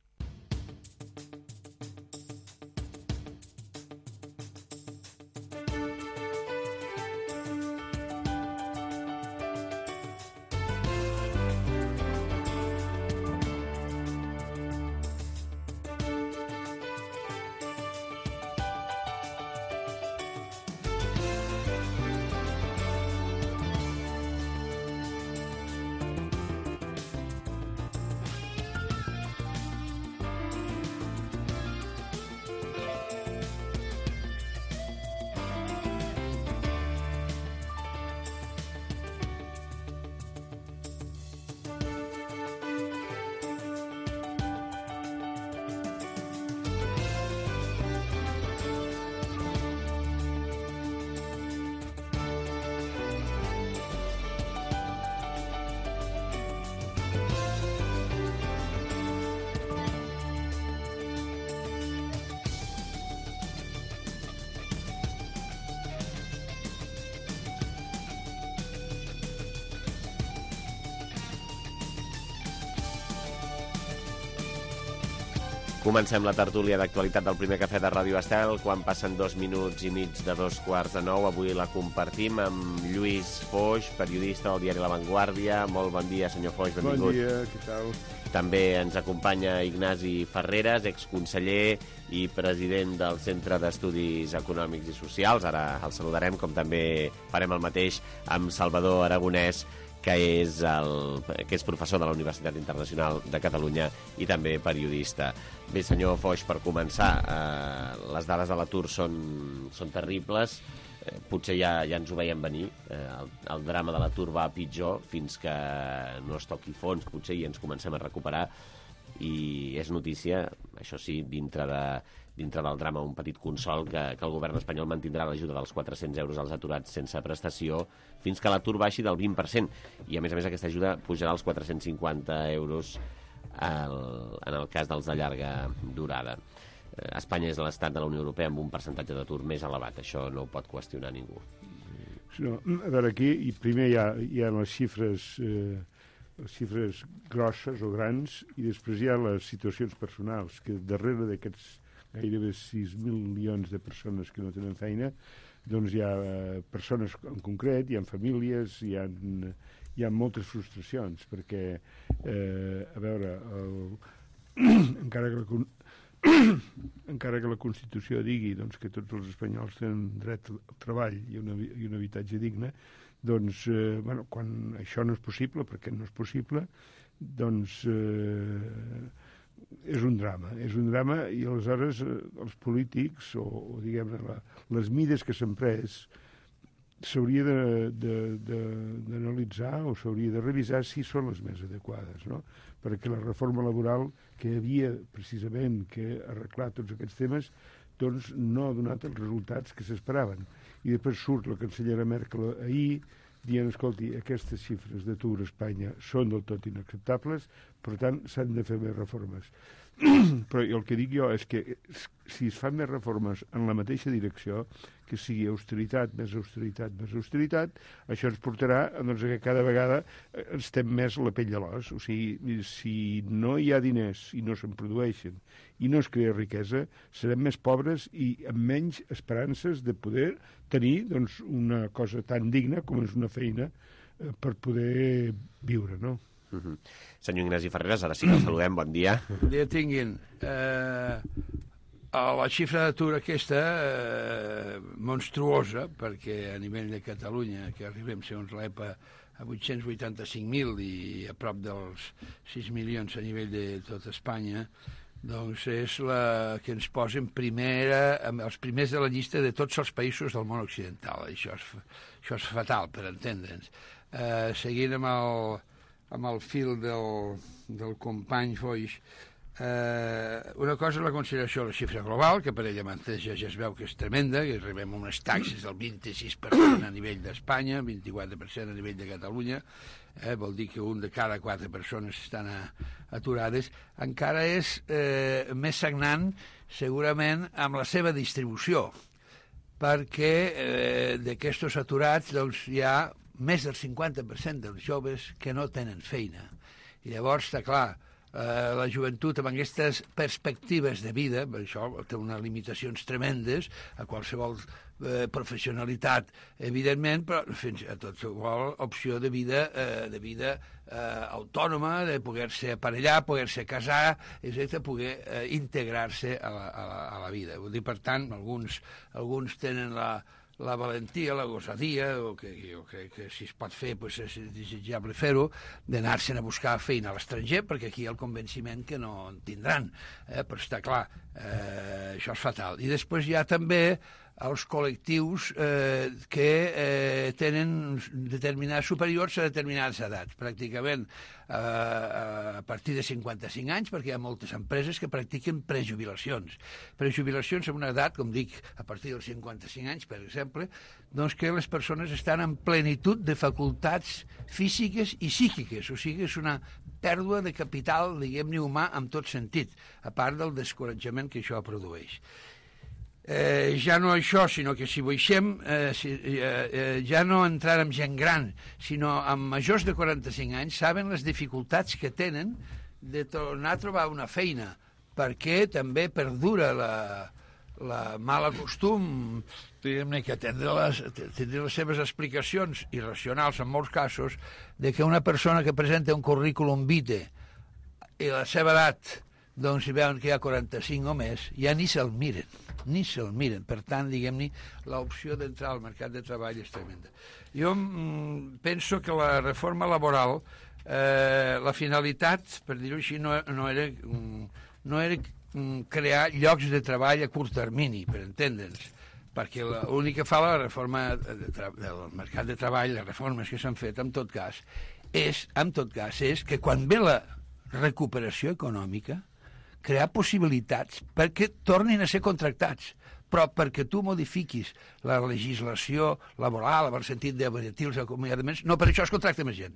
S2: Comencem la tertúlia d'actualitat del primer cafè de Ràdio Estel, quan passen 2 minuts i mig de 8:45. Avui la compartim amb Lluís Foix, periodista del diari La Vanguardia. Molt bon dia, senyor Foix, benvingut.
S13: Bon dia, què tal?
S2: També ens acompanya Ignasi Ferreres, exconseller i president del Centre d'Estudis Econòmics i Socials. Ara el saludarem, com també farem el mateix amb Salvador Aragonès, que és professor de la Universitat Internacional de Catalunya i també periodista. Bé, senyor Foix, per començar, les dades de l'atur són terribles. Potser ja ens ho veiem venir. El drama de l'atur va a pitjor fins que no es toqui fons, potser, i ens comencem a recuperar. I és notícia, això sí, dintre del drama, un petit consol, que el govern espanyol mantindrà l'ajuda dels 400 euros als aturats sense prestació fins que l'atur baixi del 20%. I, a més, aquesta ajuda pujarà als 450 euros en el cas dels de llarga durada. Espanya és l'estat de la Unió Europea amb un percentatge d'atur més elevat. Això no ho pot qüestionar ningú.
S13: No, a veure, aquí primer hi ha les xifres grosses o grans, i després hi ha les situacions personals, que darrere d'aquests gairebé 6.000 milions de persones que no tenen feina, doncs hi ha persones en concret, hi ha famílies, hi ha moltes frustracions, perquè, a veure, encara que la Constitució digui doncs, que tots els espanyols tenen dret al treball i un habitatge digne, doncs, quan això no és possible, perquè no és possible, doncs és un drama i aleshores els polítics o diguem-ne les mides que s'han pres s'hauria d'analitzar o s'hauria de revisar si són les més adequades, no? Perquè la reforma laboral que havia precisament que arreglar tots aquests temes doncs no ha donat els resultats que s'esperaven. I després surt la cancellera Merkel ahir dient, escolti, aquestes xifres d'atur a Espanya són del tot inacceptables, per tant, s'han de fer més reformes. Però el que dic jo és que si es fan més reformes en la mateixa direcció, que sigui austeritat, més austeritat, més austeritat, això ens portarà doncs, que cada vegada estem més a la pell de l'os. O sigui, si no hi ha diners i no se'n produeixen i no es crea riquesa, serem més pobres i amb menys esperances de poder tenir doncs, una cosa tan digna com és una feina per poder viure, no?
S2: Senyor Ignasi Ferreras, ara sí que el saludem, bon dia.
S14: Bon dia tinguin. La xifra d'atur aquesta monstruosa, perquè a nivell de Catalunya, que arribem, segons l'EPA, a 885.000 i a prop dels 6 milions a nivell de tot Espanya, doncs és la que ens posa els primers de la llista de tots els països del món occidental. Això és fatal, per entendre'ns. Seguint amb el fil del company Foix, una cosa és la consideració de la xifra global, que per ella mateixa ja es veu que és tremenda, que arribem a unes taxes del 26% a nivell d'Espanya, 24% a nivell de Catalunya, vol dir que un de cada 4 persones estan aturades. Encara és més sagnant, segurament, amb la seva distribució, perquè d'aquests aturats doncs, hi ha més del 50% dels joves que no tenen feina. I llavors, està clar, la joventut amb aquestes perspectives de vida, això té unes limitacions tremendes a qualsevol professionalitat, evidentment, però fins a qualsevol opció de vida autònoma, de poder-se aparellar, poder-se casar, etc., poder integrar-se a la vida. Vull dir, per tant, alguns tenen la valentia, la gosadia, o que jo crec que si es pot fer doncs és desitjable fer-ho, d'anar-se'n a buscar feina a l'estranger, perquè aquí hi ha el convenciment que no en tindran. Però està clar, això és fatal. I després hi ha també els col·lectius que tenen determinats superiors a determinades edats, pràcticament a partir de 55 anys, perquè hi ha moltes empreses que practiquen prejubilacions. Prejubilacions amb una edat, com dic, a partir dels 55 anys, per exemple, doncs que les persones estan en plenitud de facultats físiques i psíquiques, o sigui, és una pèrdua de capital, diguem-ne, humà en tot sentit, a part del descoratjament que això produeix. Ja no això, sinó que si baixem, ja no entrar amb gent gran, sinó amb majors de 45 anys, saben les dificultats que tenen de tornar a trobar una feina, perquè també perdura la mala costum, diguem-ne, que tindrà les seves explicacions irracionals en molts casos, de que una persona que presenta un currículum vitae i la seva edat, doncs si veuen que hi ha 45 o més, ja ni se'l miren. Per tant, diguem-ne, l'opció d'entrar al mercat de treball és tremenda. Jo penso que la reforma laboral, la finalitat, per dir-ho així, no era crear llocs de treball a curt termini, per entendre'ns, perquè l'únic que fa la reforma del mercat de treball, les reformes que s'han fet, en tot cas, és que quan ve la recuperació econòmica, crear possibilitats perquè tornin a ser contractats, però perquè tu modifiquis la legislació laboral, en el sentit d'abaratir els acomiadaments, no per això es contracta més gent.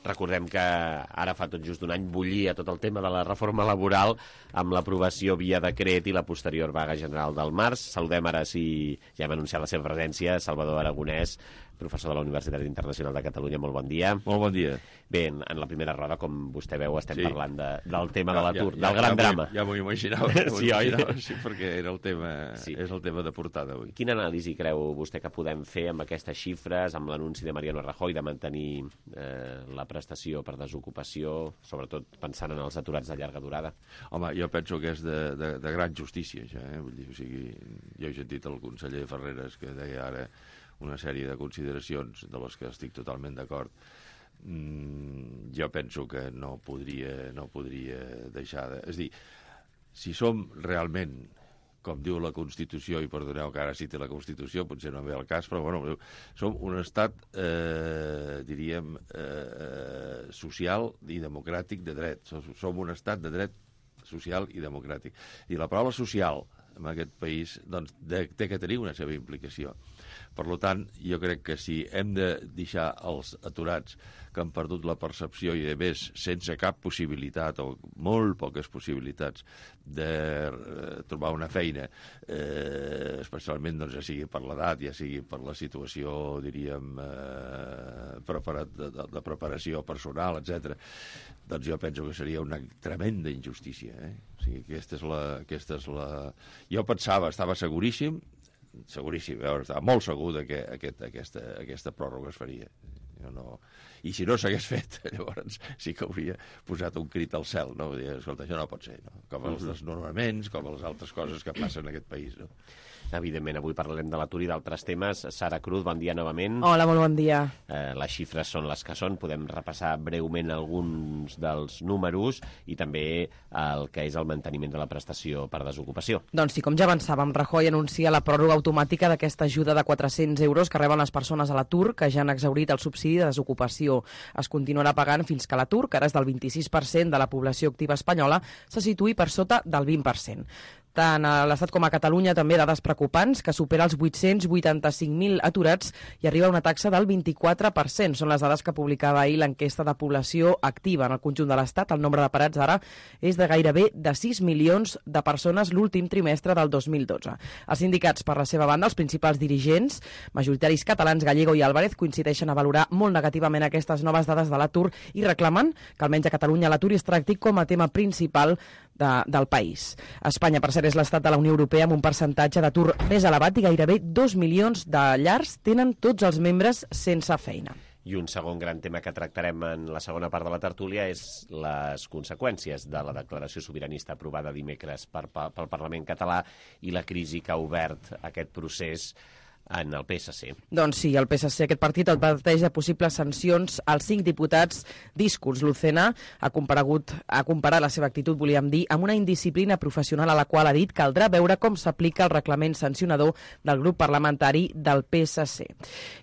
S2: Recordem que ara fa tot just un any bullia tot el tema de la reforma laboral amb l'aprovació via decret i la posterior vaga general del març. Saludem ara, si ja hem anunciat la seva presència, Salvador Aragonès, professor de la Universitat Internacional de Catalunya. Molt bon dia.
S15: Molt bon dia.
S2: Bé, en la primera roda, com vostè veu, estem parlant del tema de l'atur, del gran drama.
S15: Ja m'ho imaginava.
S2: Sí, oi?
S15: Sí, perquè era el tema, és el tema de portada avui.
S2: Quina anàlisi creu vostè que podem fer amb aquestes xifres, amb l'anunci de Mariano Rajoy de mantenir la prestació per desocupació, sobretot pensant en els aturats de llarga durada?
S15: Home, jo penso que és de gran justícia, ja. Vull dir, o sigui, jo he sentit el conseller Ferreres que deia ara una sèrie de consideracions de les que estic totalment d'acord. Jo penso que no podria deixar de... És a dir, si som realment, com diu la Constitució, i perdoneu que ara citi la Constitució, potser no ve el cas, però bueno, som un estat, diríem, social i democràtic de dret. Som un estat de dret social i democràtic. I la paraula social en aquest país doncs, té que tenir una seva implicació. Per tant, jo crec que si hem de deixar els aturats que han perdut la percepció i, a més, sense cap possibilitat o molt poques possibilitats de trobar una feina, especialment doncs, ja sigui per l'edat, ja sigui per la situació, diríem, de preparació personal, etc. Doncs jo penso que seria una tremenda injustícia. O sigui, aquesta és la... Jo pensava, estava seguríssim, estava molt segur que aquesta pròrroga es faria. I si no s'hagués fet, llavors sí que hauria posat un crit al cel, no? Dir, escolta, això no pot ser, no? Com els desnonaments, com les altres coses que passen en aquest país, no?
S2: Evidentment, avui parlarem de l'atur i d'altres temes. Sara Cruz, bon dia novament.
S3: Hola, molt bon dia.
S2: Les xifres són les que són. Podem repassar breument alguns dels números i també el que és el manteniment de la prestació per desocupació.
S3: Doncs sí, com ja avançàvem, Rajoy anuncia la pròrroga automàtica d'aquesta ajuda de 400 euros que reben les persones a l'atur que ja han exhaurit el subsidi de desocupació. Es continuarà pagant fins que l'atur, que ara és del 26% de la població activa espanyola, se situï per sota del 20%. Tant a l'Estat com a Catalunya també dades preocupants, que supera els 885.000 aturats i arriba a una taxa del 24%. Són les dades que publicava ahir l'enquesta de població activa. En el conjunt de l'Estat, el nombre de parats ara és de gairebé de 6 milions de persones l'últim trimestre del 2012. Els sindicats, per la seva banda, els principals dirigents, majoritaris catalans, Gallego i Álvarez, coincideixen a valorar molt negativament aquestes noves dades de l'atur i reclamen que almenys a Catalunya l'atur es tracti com a tema principal del país. Espanya, per cert, és l'estat de la Unió Europea amb un percentatge d'atur més elevat i gairebé 2 milions de llars tenen tots els membres sense feina.
S2: I un segon gran tema que tractarem en la segona part de la tertúlia és les conseqüències de la declaració sobiranista aprovada dimecres pel Parlament català i la crisi que ha obert aquest procés en el PSC.
S3: Doncs sí, el PSC, aquest partit, adverteix de possibles sancions als 5 diputats d'Iscurs. Lucena ha comparat la seva actitud, volíem dir, amb una indisciplina professional a la qual ha dit que caldrà veure com s'aplica el reglament sancionador del grup parlamentari del PSC.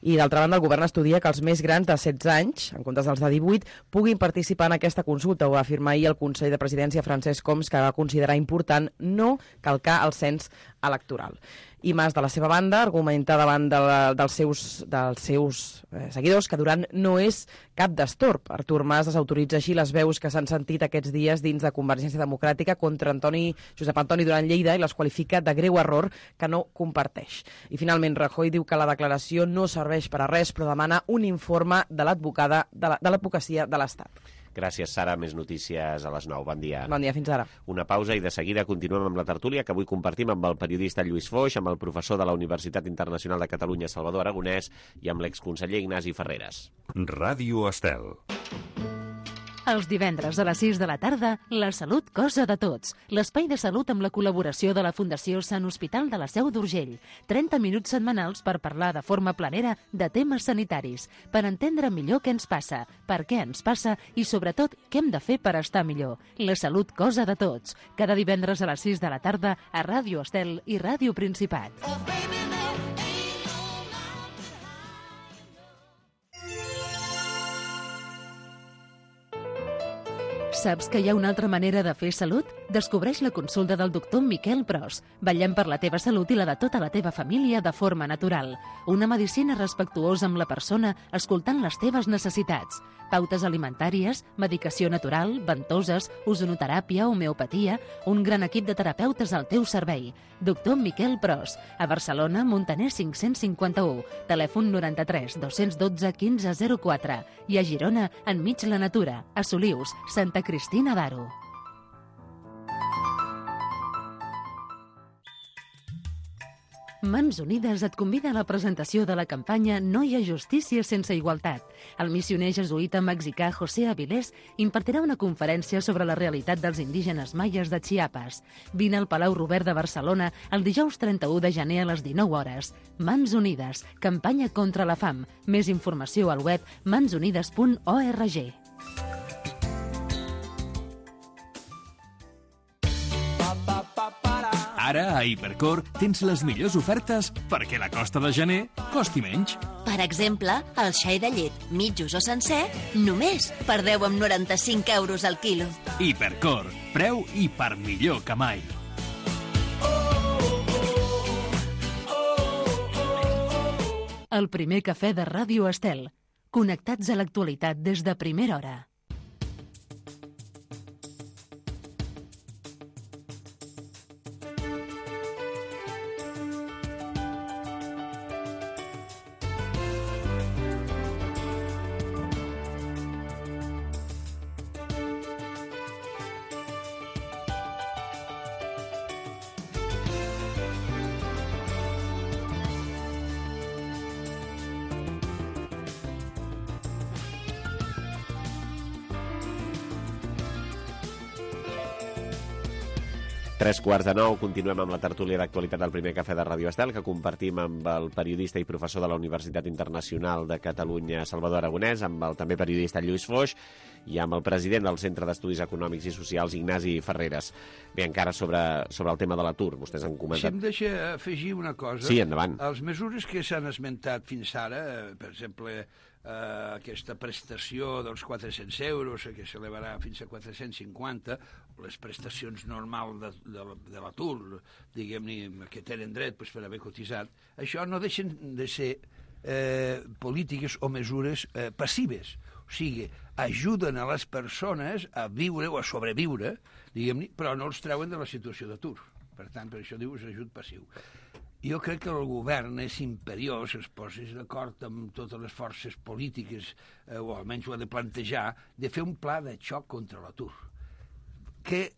S3: I d'altra banda, el govern estudia que els més grans de 16 anys, en comptes dels de 18, puguin participar en aquesta consulta. Ho va afirmar ahir el conseller de Presidència, Francesc Homs, que va considerar important no calcar el cens electoral. I Mas, de la seva banda, argumenta davant dels seus seguidors que Duran no és cap destorb. Artur Mas desautoritza així les veus que s'han sentit aquests dies dins de Convergència Democràtica contra Josep Antoni Duran Lleida i les qualifica de greu error que no comparteix. I finalment Rajoy diu que la declaració no serveix per a res, però demana un informe de l'advocacia de l'Estat.
S2: Gràcies, Sara. Més notícies a les 9. Bon dia.
S3: Bon dia, fins ara.
S2: Una pausa i de seguida continuem amb la tertúlia que avui compartim amb el periodista Lluís Foix, amb el professor de la Universitat Internacional de Catalunya, Salvador Aragonès, i amb l'exconseller Ignasi Ferreres.
S16: Ràdio Estel.
S1: Els divendres a les 6 de la tarda, La Salut, cosa de tots. L'espai de salut amb la col·laboració de la Fundació Sant Hospital de la Seu d'Urgell. 30 minuts setmanals per parlar de forma planera de temes sanitaris, per entendre millor què ens passa, per què ens passa i, sobretot, què hem de fer per estar millor. La Salut, cosa de tots. Cada divendres a les 6 de la tarda a Ràdio Estel i Ràdio Principat. Saps que hi ha una altra manera de fer salut? Descobreix la consulta del doctor Miquel Pros. Vetllem per la teva salut i la de tota la teva família de forma natural. Una medicina respectuosa amb la persona, escoltant les teves necessitats. Pautes alimentàries, medicació natural, ventoses, ozonoteràpia, homeopatia, un gran equip de terapeutes al teu servei. Doctor Miquel Pros, a Barcelona, Montaner 551, telèfon 93 212 1504 i a Girona, enmig la natura, a Solius, Santa Cristina d'Aro. Mans Unides et convida a la presentació de la campanya No hi ha justícia sense igualtat. El missioner jesuïta mexicà José Avilés impartirà una conferència sobre la realitat dels indígenes maies de Chiapas. Vine al Palau Robert de Barcelona el dijous 31 de gener a les 19 hores. Mans Unides, campanya contra la fam. Més informació al web mansunides.org.
S6: Ara, a Hipercor, tens les millors ofertes perquè la costa de gener costi menys.
S7: Per exemple, el xai de llet, mitjos o sencer, només per 10,95 euros al quilo.
S6: Hipercor, preu i per millor que mai.
S1: El primer cafè de Ràdio Estel. Connectats a l'actualitat des de primera hora.
S2: Tres quarts de nou, continuem amb la tertúlia d'actualitat del primer cafè de Ràdio Estel, que compartim amb el periodista i professor de la Universitat Internacional de Catalunya, Salvador Aragonès, amb el també periodista Lluís Foix i amb el president del Centre d'Estudis Econòmics i Socials, Ignasi Ferreres. Bé, encara sobre el tema de l'atur, vostès han comentat...
S14: Si em deixa afegir una cosa...
S2: Sí, endavant.
S14: Les mesures que s'han esmentat fins ara, per exemple, aquesta prestació dels 400 euros, que s'elevarà fins a 450, les prestacions normals de l'atur, diguem-ne, que tenen dret per haver cotitzat, això no deixen de ser polítiques o mesures passives. O sigui, ajuden a les persones a viure o a sobreviure, diguem-ne, però no els treuen de la situació d'atur. Per tant, per això diu és ajut passiu. Jo crec que el govern és imperiós, es posés d'acord amb totes les forces polítiques, o almenys ho ha de plantejar, de fer un pla de xoc contra l'atur, que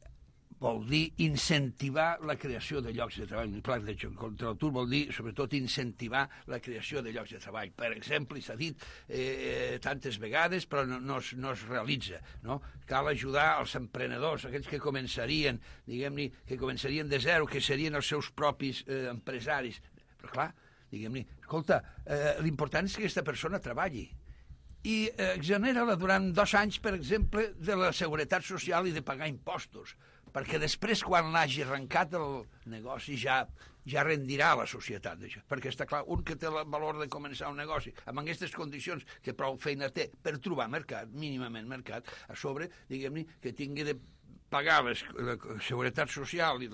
S14: vol dir incentivar la creació de llocs de treball. Un pla de xoc contra l'atur vol dir, sobretot, incentivar la creació de llocs de treball. Per exemple, s'ha dit tantes vegades, però no es realitza, no? Cal ajudar els emprenedors, aquells que començarien, diguem-ne, que començarien de zero, que serien els seus propis empresaris. Però clar, diguem-ne, escolta, l'important és que aquesta persona treballi i exonera-la durant 2 anys, per exemple, de la seguretat social i de pagar impostos, perquè després, quan l'hagi arrencat el negoci, ja rendirà a la societat d'això. Perquè està clar, un que té el valor de començar un negoci amb aquestes condicions, que prou feina té per trobar mercat, mínimament mercat, a sobre, diguem-ne, que tingui de pagar la seguretat social i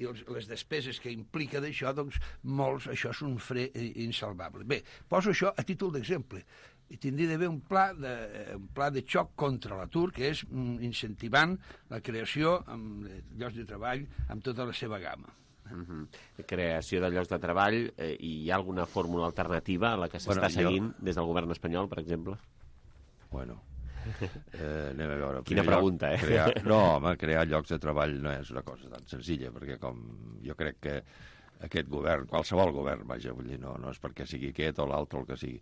S14: les despeses que implica d'això, doncs molts, això és un fre insalvable. Bé, poso això a títol d'exemple. I tindria d'haver un pla de xoc contra l'atur, que és incentivant la creació de llocs de treball amb tota la seva gamma.
S2: Creació de llocs de treball, i hi ha alguna fórmula alternativa a la que s'està seguint des del govern espanyol, per exemple?
S15: Bueno, anem a veure.
S2: Quina pregunta,
S15: crear llocs de treball no és una cosa tan senzilla, perquè com jo crec que aquest govern, qualsevol govern, vaja, vull dir, no és perquè sigui aquest o l'altre o el que sigui.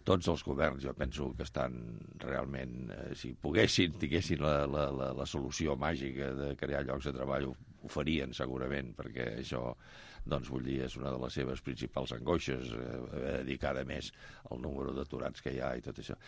S15: Tots els governs, jo penso que estan realment, si poguessin, tinguessin la solució màgica de crear llocs de treball, ho farien segurament, perquè això, doncs, vull dir, és una de les seves principals angoixes, dedicada més al número d'aturats que hi ha i tot això.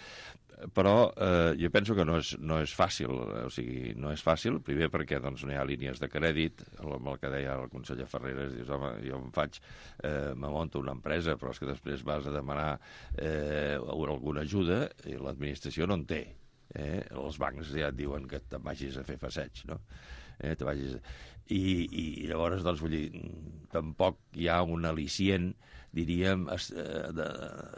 S15: Però jo penso que no és fàcil, o sigui, no és fàcil, primer perquè doncs, no hi ha línies de crèdit, amb el que deia el conseller Ferreres, dius, home, jo me monto una empresa, però és que després vas a demanar alguna ajuda i l'administració no en té. Els bancs ja et diuen que te'n vagis a fer passeig, no? I llavors, doncs, vull dir, tampoc hi ha un al·licient, diríem,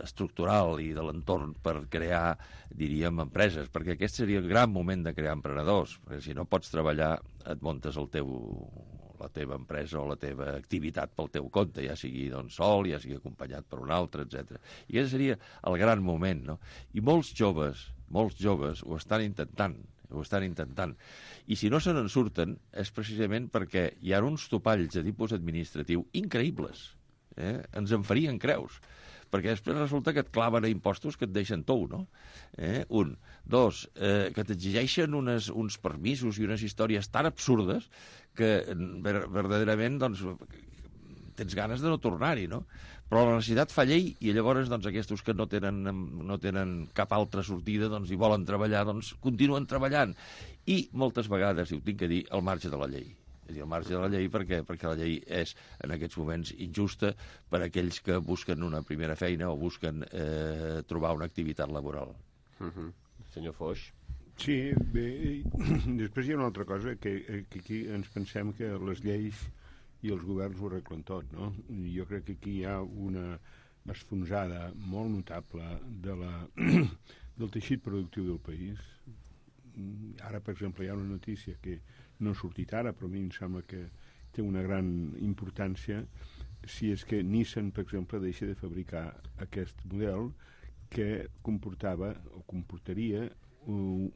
S15: estructural i de l'entorn per crear, diríem, empreses, perquè aquest seria el gran moment de crear emprenedors, perquè si no pots treballar, et muntes la teva empresa o la teva activitat pel teu compte, ja sigui doncs, sol, ja sigui acompanyat per un altre, etc. I aquest seria el gran moment, no? I molts joves ho estan intentant, I si no se n'en surten és precisament perquè hi ha uns topalls de tipus administratiu increïbles. Ens en farien creus. Perquè després resulta que et claven a impostos que et deixen tou, no? Un. Dos, que t'exigeixen uns permisos i unes històries tan absurdes que verdaderament doncs, tens ganes de no tornar-hi, no? Però la necessitat fa llei i llavors doncs, aquests que no tenen cap altra sortida doncs, i volen treballar, doncs continuen treballant. I moltes vegades, i ho tinc que dir, al marge de la llei. És a dir, al marge de la llei perquè la llei és en aquests moments injusta per a aquells que busquen una primera feina o busquen trobar una activitat laboral.
S2: Senyor Foix.
S13: Sí, bé, després hi ha una altra cosa, que aquí ens pensem que les lleis i els governs ho arreglen tot, no? Jo crec que aquí hi ha una esfonsada molt notable del teixit productiu del país. Ara, per exemple, hi ha una notícia que no ha sortit ara, però a mi em sembla que té una gran importància, si és que Nissan, per exemple, deixa de fabricar aquest model que comportaria 1.000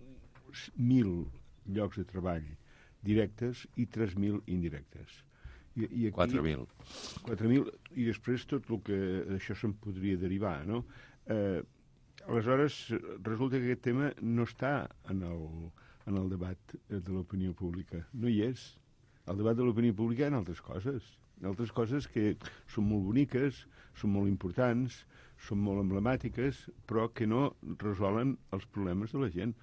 S13: llocs de treball directes i 3.000 indirectes. I aquí,
S15: 4.000.
S13: 4.000, i després tot el que d'això se'n podria derivar, no? Aleshores, resulta que aquest tema no està en el debat de l'opinió pública. No hi és. El debat de l'opinió pública hi ha altres coses que són molt boniques, són molt importants, són molt emblemàtiques, però que no resolen els problemes de la gent.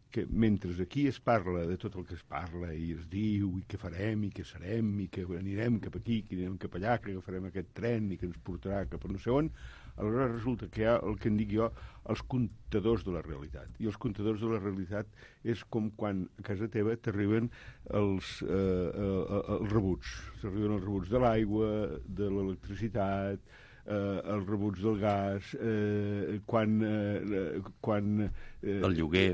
S13: Que mentre aquí es parla de tot el que es parla i es diu i què farem i què serem i que anirem cap aquí, que anirem cap allà, que agafarem aquest tren i que ens portarà cap a no sé on, aleshores resulta que hi ha el que en dic jo els comptadors de la realitat. I els comptadors de la realitat és com quan a casa teva t'arriben els rebuts. T'arriben els rebuts de l'aigua, de l'electricitat, els rebuts del gas,
S15: el
S13: lloguer,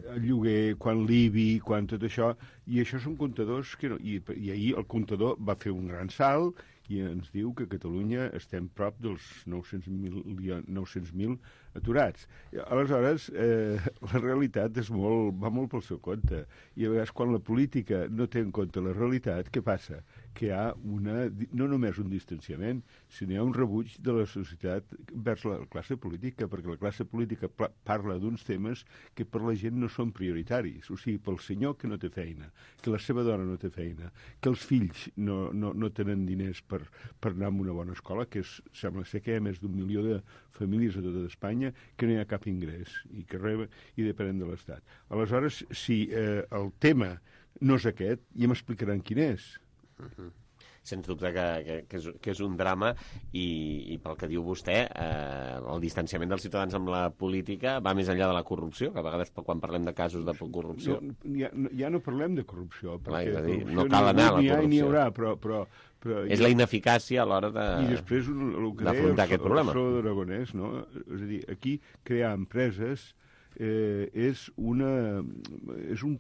S13: quan l'IBI, quan tot això, i això són comptadors que no, i ahir el comptador va fer un gran salt i ens diu que a Catalunya estem prop dels 900.000 aturats. Aleshores, la realitat va molt pel seu compte, i a vegades quan la política no té en compte la realitat, què passa? Que hi ha no només un distanciament, sinó hi ha un rebuig de la societat vers la classe política, perquè la classe política parla d'uns temes que per la gent no són prioritaris. O sigui, pel senyor que no té feina, que la seva dona no té feina, que els fills no tenen diners per anar a una bona escola, que sembla ser que hi ha més d'1 milió de famílies a tota Espanya que no hi ha cap ingrés i que reben i depenen de l'Estat. Aleshores, si el tema no és aquest, ja m'explicaran quin és.
S2: Sens dubte que és un drama i pel que diu vostè, el distanciament dels ciutadans amb la política va més enllà de la corrupció, que a vegades quan parlem de casos de corrupció...
S13: Ja no parlem de corrupció, perquè
S2: no cal anar a la corrupció.
S13: N'hi haurà, però
S2: és la ineficàcia a l'hora d'afrontar aquest problema.
S13: El professor d'Aragonès, no? És a dir, aquí crear empreses és un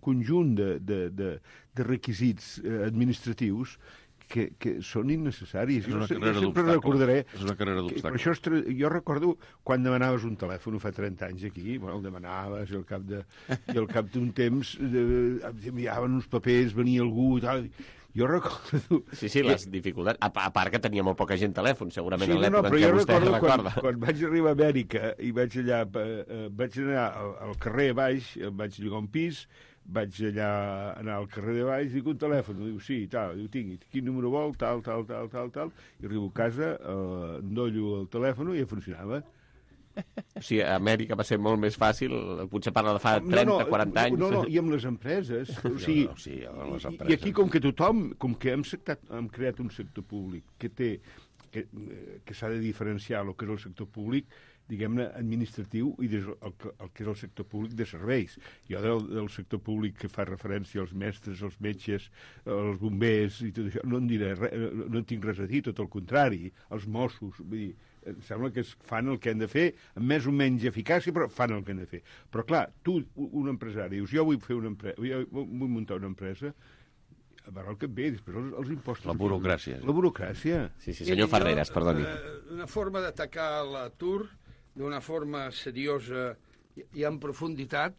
S13: conjunt de requisits administratius que són innecessaris.
S15: És una carrera d'obstacles.
S13: Per això jo recordo quan demanaves un telèfon fa 30 anys aquí, el demanaves i al cap d'un temps enviaven uns papers, venia algú i tal... Jo recordo...
S2: Sí, les dificultats. A part que tenia molt poca gent telèfon, segurament en
S13: en
S2: l'època
S13: què vostè
S2: recorda.
S13: Quan vaig arribar a Amèrica i vaig anar al carrer baix, vaig llogar un pis, vaig anar al carrer de baix, dic un telèfon, diu sí, tal, diu tinc, quin número vol, tal, i arribo a casa, endollo el telèfon i ja funcionava.
S2: O sigui, a Amèrica va ser molt més fàcil, potser parla de fa 30-40 anys.
S13: No, i amb les empreses. I aquí, com que hem creat un sector públic que s'ha de diferenciar el que és el sector públic diguem-ne, administratiu i el que és el sector públic de serveis. Jo del sector públic que fa referència als mestres, als metges, als bombers i tot això, no en diré res, no en tinc res a dir, tot el contrari, els Mossos, vull dir, em sembla que fan el que han de fer, amb més o menys eficàcia, però fan el que han de fer. Però clar, tu, un empresari, dius, jo vull muntar una empresa, a veure el que et ve, després els impostos...
S2: La burocràcia.
S13: La burocràcia.
S2: Sí, senyor Ferreras, perdoni.
S14: Una forma d'atacar l'atur d'una forma seriosa i en profunditat,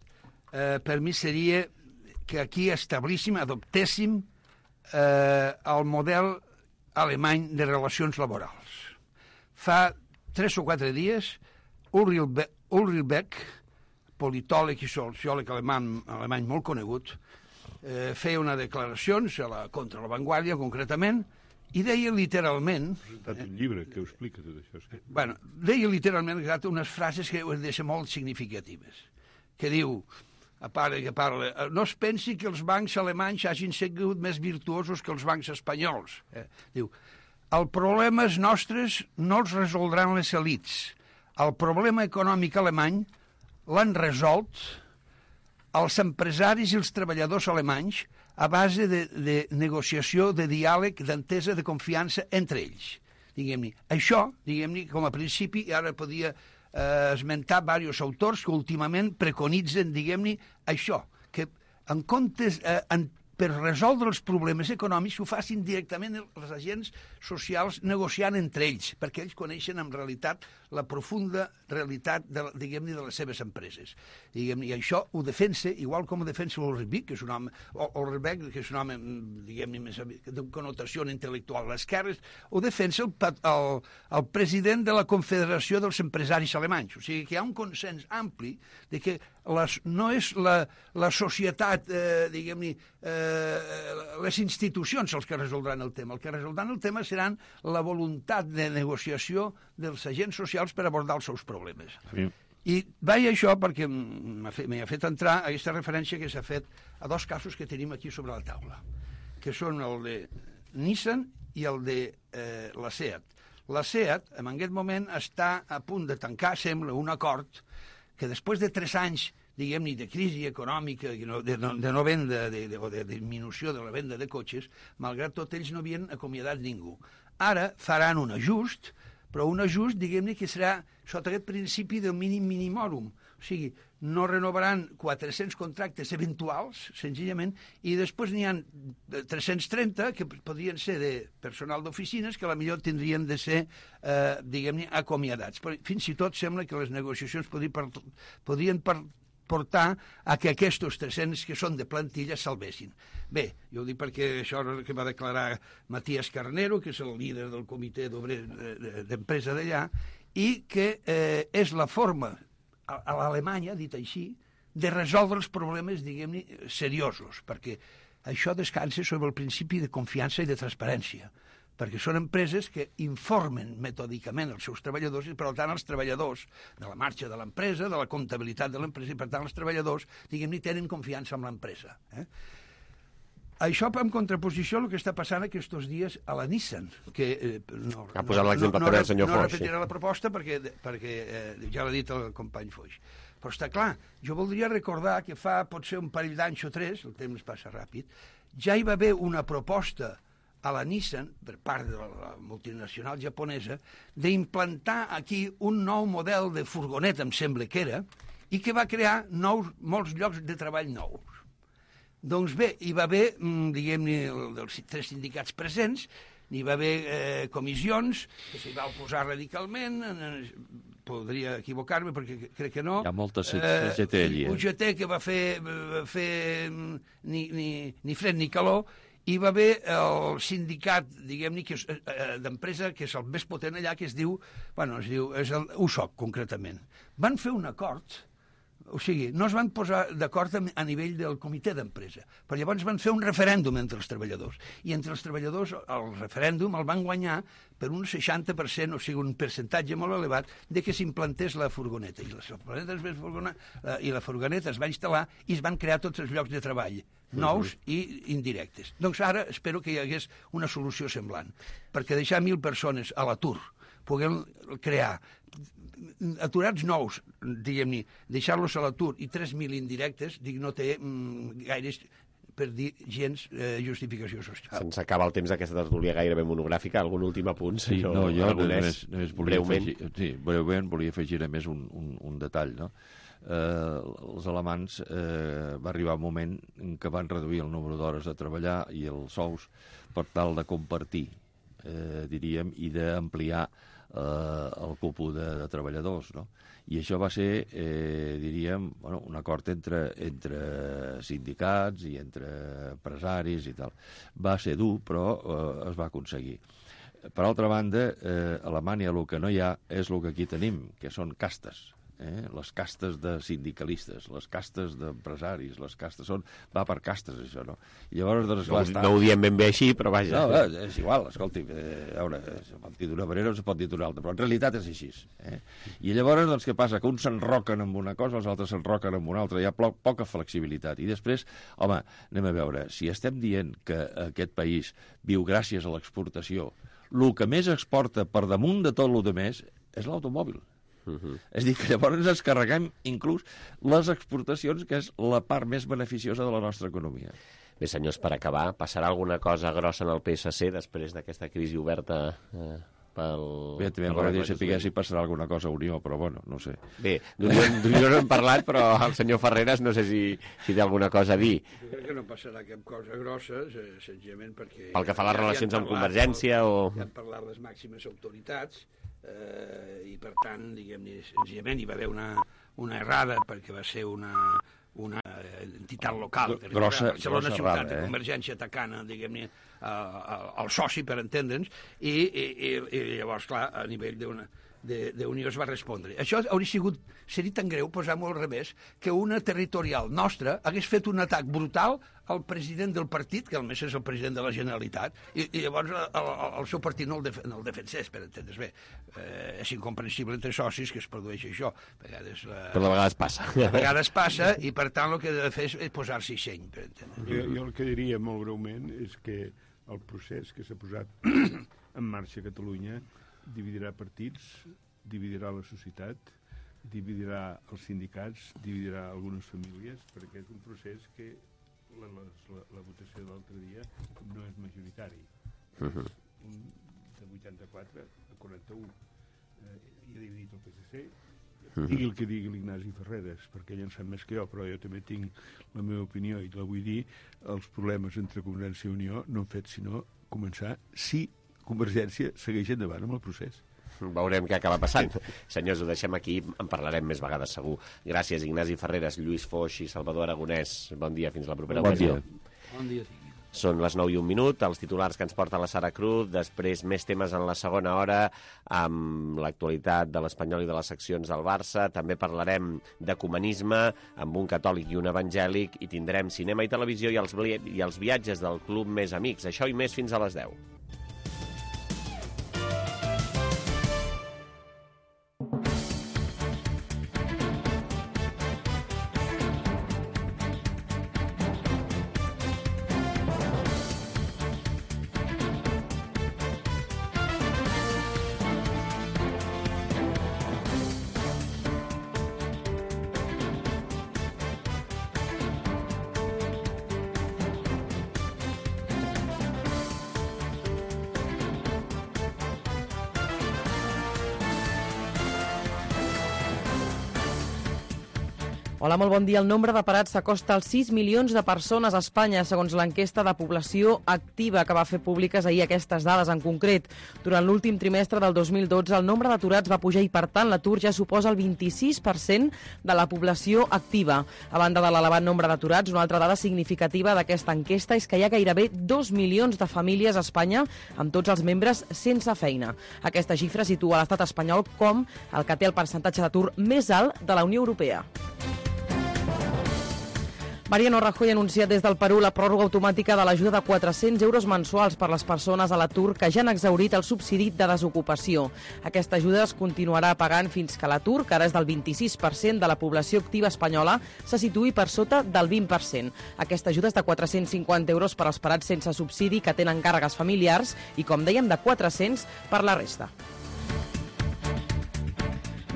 S14: per mi seria que aquí establíssim, adoptéssim el model alemany de relacions laborals. Fa 3 o 4 dies, Ulrich Beck, politòleg i sociòleg alemany molt conegut, feia unes declaracions contra la Vanguardia, concretament, i deia literalment...
S13: Ha presentat un llibre que ho explica tot això. Sí.
S14: Bueno, deia literalment unes frases que ho deixen molt significatives, que diu, a part que parla, no es pensi que els bancs alemanys hagin sigut més virtuosos que els bancs espanyols. Diu, el problema nostres no els resoldran les elits. El problema econòmic alemany l'han resolt els empresaris i els treballadors alemanys a base de negociació, de diàleg, d'entesa, de confiança entre ells. Diguem-ne, això, diguem-ne, com a principi, ara podia esmentar diversos autors que últimament preconitzen, diguem-ne, això, que en comptes, per resoldre els problemes econòmics ho facin directament els agents socials negociant entre ells, perquè ells coneixen en realitat la profunda realitat, diguem-ne, de les seves empreses. I això ho defensa, igual com ho defensa Ulrich Beck, que és un home, diguem-ne, més de connotació intel·lectual a l'esquerra, ho defensa el president de la Confederació dels Empresaris Alemanys. O sigui que hi ha un consens ampli de que no és la societat, diguem-ne, les institucions els que resoldran el tema. El que resoldran el tema seran la voluntat de negociació dels agents socials per abordar els seus problemes. Sí. I vaig això perquè m'ha fet entrar a aquesta referència que s'ha fet a 2 casos que tenim aquí sobre la taula, que són el de Nissan i el de la SEAT. La SEAT, en aquest moment, està a punt de tancar, sembla, un acord que després de 3 anys, diguem-ne, de crisi econòmica, de no venda, o de disminució de la venda de cotxes, malgrat tot ells no havien acomiadat ningú. Ara faran un ajust, però un ajust, diguem-ne, que serà sota aquest principi del mínim minimorum. O sigui, no renovaran 400 contractes eventuals, senzillament, i després n'hi ha 330 que podrien ser de personal d'oficines que potser tindrien de ser, diguem-ne, acomiadats. Però fins i tot sembla que les negociacions podrien portar a que aquests 300 que són de plantilla salvessin. Bé, jo ho dic perquè això que va declarar Matías Carnero, que és el líder del comitè d'empresa d'allà, i que és la forma a l'Alemanya, dit així, de resoldre els problemes, diguem-ne, seriosos, perquè això descansa sobre el principi de confiança i de transparència, perquè són empreses que informen metòdicament els seus treballadors i, per tant, els treballadors de la marxa de l'empresa, de la comptabilitat de l'empresa, i, per tant, els treballadors, diguem-ne, tenen confiança en l'empresa. Això en contraposició al que està passant aquests dies a la Nissan, que
S2: ha posat l'exemple també el senyor Foix.
S14: No repetiré la proposta perquè ja l'ha dit el company Foix. Però està clar, jo voldria recordar que fa potser un parell d'anys o 3, el temps passa ràpid, ja hi va haver una proposta a la Nissan, per part de la multinacional japonesa, d'implantar aquí un nou model de furgoneta, em sembla que era, i que va crear molts llocs de treball nous. Doncs bé, hi va haver, diguem-ne, dels 3 sindicats presents, n'hi va haver comissions que s'hi va oposar radicalment, podria equivocar-me perquè crec que no.
S15: Hi ha moltes UGT allí.
S14: UGT que va fer ni fred ni calor, hi va haver el sindicat, diguem-ne, d'empresa, que és el més potent allà, que es diu, és el USOC, concretament. Van fer un acord, o sigui, no es van posar d'acord a nivell del comitè d'empresa, però llavors van fer un referèndum entre els treballadors, i entre els treballadors el referèndum el van guanyar per un 60%, o sigui, un percentatge molt elevat, de que s'implantés la furgoneta. I la furgoneta es va instal·lar i es van crear tots els llocs de treball, nous i indirectes. Doncs ara espero que hi hagués una solució semblant, perquè deixar 1.000 persones a l'atur puguem crear aturats nous, diguem-ne, deixar-los a l'atur i 3.000 indirectes, dic, no té gaires, per dir, gens justificació social.
S2: Se'ns acaba el temps d'aquesta tertúlia gairebé monogràfica. Algun últim apunt, senyor
S15: Aragonès?
S2: Breument.
S15: Breument volia afegir a més un detall, no? Els alemans va arribar un moment en què van reduir el número d'hores de treballar i els sous per tal de compartir, diríem, i d'ampliar el cúpul de treballadors, no? I això va ser, diríem, un acord entre sindicats i entre empresaris i tal. Va ser dur, però es va aconseguir. Per altra banda, a Alemanya el que no hi ha és el que aquí tenim, que són castes. Les castes de sindicalistes, les castes d'empresaris, les castes va per castes, això, no? I llavors, doncs,
S2: no ho diem ben bé així, però vaja.
S15: No, és igual, escolti, a veure, se pot dir d'una manera o se pot dir d'una altra, però en realitat és així. I llavors, doncs, què passa? Que uns s'enroquen amb una cosa, els altres s'enroquen amb una altra, hi ha poca flexibilitat. I després, home, anem a veure, si estem dient que aquest país viu gràcies a l'exportació, el que més exporta per damunt de tot el que més és l'automòbil. És a dir, que llavors ens carreguem inclús les exportacions, que és la part més beneficiosa de la nostra economia.
S2: Bé, senyors, per acabar, passarà alguna cosa grossa en el PSC després d'aquesta crisi oberta pel...
S15: Bé, també m'agradaria saber si passarà alguna cosa a Unió, però bueno, no sé.
S2: Bé, d'Unió no hem parlat, però el senyor Ferreras no sé si té alguna cosa a dir.
S14: Jo crec que no passarà cap cosa grossa, senzillament perquè...
S2: Pel que fa a les relacions amb Convergència o...
S14: Ja han parlat les màximes autoritats, i per tant, diguem-ne, senzillament hi va haver una errada perquè va ser una entitat local, Barcelona Ciutat de Convergència atacant, diguem-ne, el soci, per entendre'ns, i llavors, clar, a nivell d'Unió es va respondre. Això seria tan greu, posar-m'ho al revés, que una territorial nostra hagués fet un atac brutal al president del partit, que a més és el president de la Generalitat, i llavors el seu partit no el defensés, per entendre's bé. És incomprensible entre socis que es produeix això.
S2: Però de vegades passa.
S14: De vegades passa, i per tant el que ha de fer és posar-s'hi seny, per entendre's.
S13: Jo el que diria molt breument és que el procés que s'ha posat en marxa a Catalunya dividirà partits, dividirà la societat, dividirà els sindicats, dividirà algunes famílies, perquè és un procés que la votació de l'altre dia no és majoritari. De 84 a 41. I ha dividit el PSC. Digui el que digui l'Ignasi Ferreras, perquè ell en sap més que jo, però jo també tinc la meva opinió i la vull dir. Els problemes entre Convergència i Unió no han fet sinó començar si Convergència segueix endavant amb el procés.
S2: Veurem què acaba passant. Senyors, ho deixem aquí, en parlarem més vegades segur. Gràcies, Ignasi Ferreras, Lluís Foix i Salvador Aragonès. Bon dia, fins la propera ocasió.
S14: Bon dia.
S2: Són les 9:01, els titulars que ens porta la Sara Cruz, després més temes en la segona hora, amb l'actualitat de l'Espanyol i de les seccions del Barça, també parlarem d'ecumenisme, amb un catòlic i un evangèlic, i tindrem cinema i televisió i els viatges del Club Més Amics. Això i més fins a les 10.
S3: Hola, molt bon dia. El nombre de parats s'acosta als 6 milions de persones a Espanya, segons l'enquesta de població activa que va fer públiques ahir aquestes dades en concret. Durant l'últim trimestre del 2012, el nombre d'aturats va pujar i, per tant, l'atur ja suposa el 26% de la població activa. A banda de l'elevat nombre d'aturats, una altra dada significativa d'aquesta enquesta és que hi ha gairebé 2 milions de famílies a Espanya amb tots els membres sense feina. Aquesta xifra situa l'estat espanyol com el que té el percentatge d'atur més alt de la Unió Europea. Mariano Rajoy ha anunciat des del Perú la pròrroga automàtica de l'ajuda de 400 euros mensuals per les persones a l'atur que ja han exhaurit el subsidi de desocupació. Aquesta ajuda es continuarà pagant fins que l'atur, que ara és del 26% de la població activa espanyola, se situï per sota del 20%. Aquesta ajuda és de 450 euros per als parats sense subsidi que tenen càrregues familiars i, com dèiem, de 400 per la resta.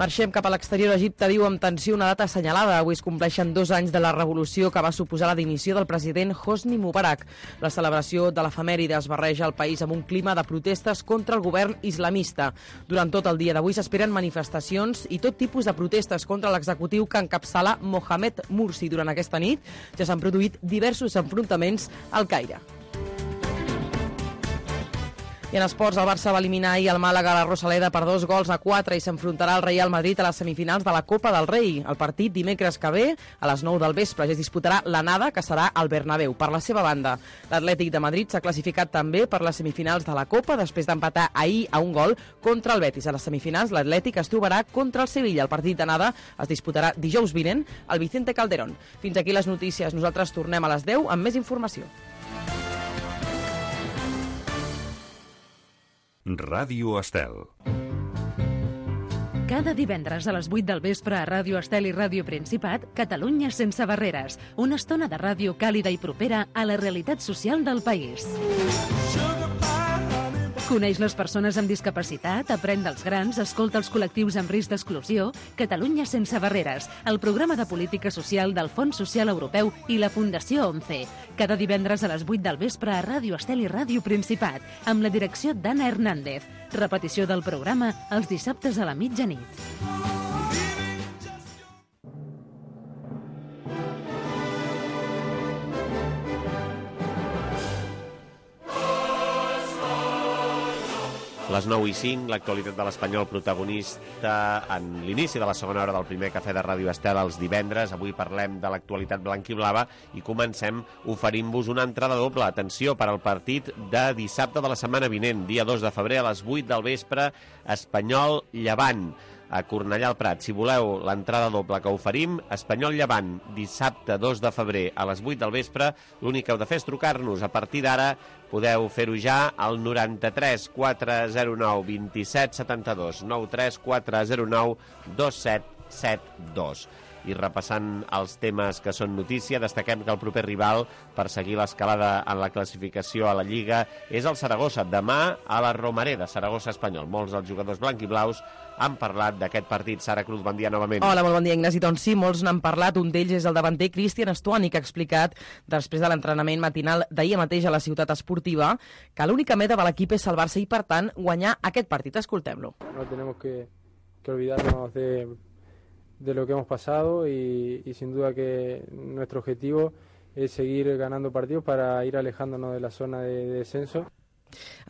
S3: Marxem cap a l'exterior. Egipte viu amb tensió una data assenyalada. Avui es compleixen 2 anys de la revolució que va suposar la dimissió del president Hosni Mubarak. La celebració de l'efemèride es barreja al país amb un clima de protestes contra el govern islamista. Durant tot el dia d'avui s'esperen manifestacions i tot tipus de protestes contra l'executiu que encapçala Mohamed Morsi. Durant aquesta nit ja s'han produït diversos enfrontaments al Caire. I en esports, el Barça va eliminar ahir el Màlaga a la Rosaleda per 2-4 i s'enfrontarà al Real Madrid a les semifinals de la Copa del Rei. El partit dimecres que ve, a les 9 del vespre, ja es disputarà l'anada, que serà al Bernabéu. Per la seva banda, l'Atlètic de Madrid s'ha classificat també per les semifinals de la Copa després d'empatar ahir a un gol contra el Betis. A les semifinals, l'Atlètic es trobarà contra el Sevilla. El partit d'anada es disputarà dijous vinent al Vicente Calderón. Fins aquí les notícies. Nosaltres tornem a les 10 amb més informació.
S16: Ràdio Estel.
S1: Cada divendres a les 8 del vespre a Ràdio Estel i Ràdio Principat, Catalunya sense barreres. Una estona de ràdio càlida i propera a la realitat social del país. Coneix les persones amb discapacitat, aprèn dels grans, escolta els col·lectius amb risc d'exclusió. Catalunya sense barreres, el programa de política social del Fons Social Europeu i la Fundació ONCE. Cada divendres a les 8 del vespre a Ràdio Estel i Ràdio Principat, amb la direcció d'Anna Hernández. Repetició del programa els dissabtes a la mitjanit.
S2: Les 9:05, l'actualitat de l'Espanyol protagonista en l'inici de la segona hora del primer cafè de Ràdio Estel els divendres. Avui parlem de l'actualitat blanquiblava i comencem oferint-vos una entrada doble. Atenció, per al partit de dissabte de la setmana vinent, dia 2 de febrer a les 8 del vespre, Espanyol-Llevant a Cornellà al Prat. Si voleu l'entrada doble que oferim, Espanyol-Llevant, dissabte 2 de febrer a les 8 del vespre, l'únic que heu de fer és trucar-nos. A partir d'ara podeu fer-ho ja al 93 409 27 72, 93 409 2772. I repassant els temes que són notícia, destaquem que el proper rival per seguir l'escalada en la classificació a la Lliga és el Saragossa. Demà a la Romareda, Saragossa Espanyol. Molts dels jugadors blanquiblaus han parlat d'aquest partit. Sara Cruz, bon dia novament.
S3: Hola, molt bon dia, Ignasi. Doncs sí, molts n'han parlat. Un d'ells és el davanter Cristian Stuani, que ha explicat, després de l'entrenament matinal d'ahir mateix a la ciutat esportiva, que l'única meta de l'equip és salvar-se i, per tant, guanyar aquest partit. Escoltem-lo.
S17: No tenemos que olvidarnos de lo que hemos pasado y sin duda que nuestro objetivo es seguir ganando partidos para ir alejándonos de la zona de descenso.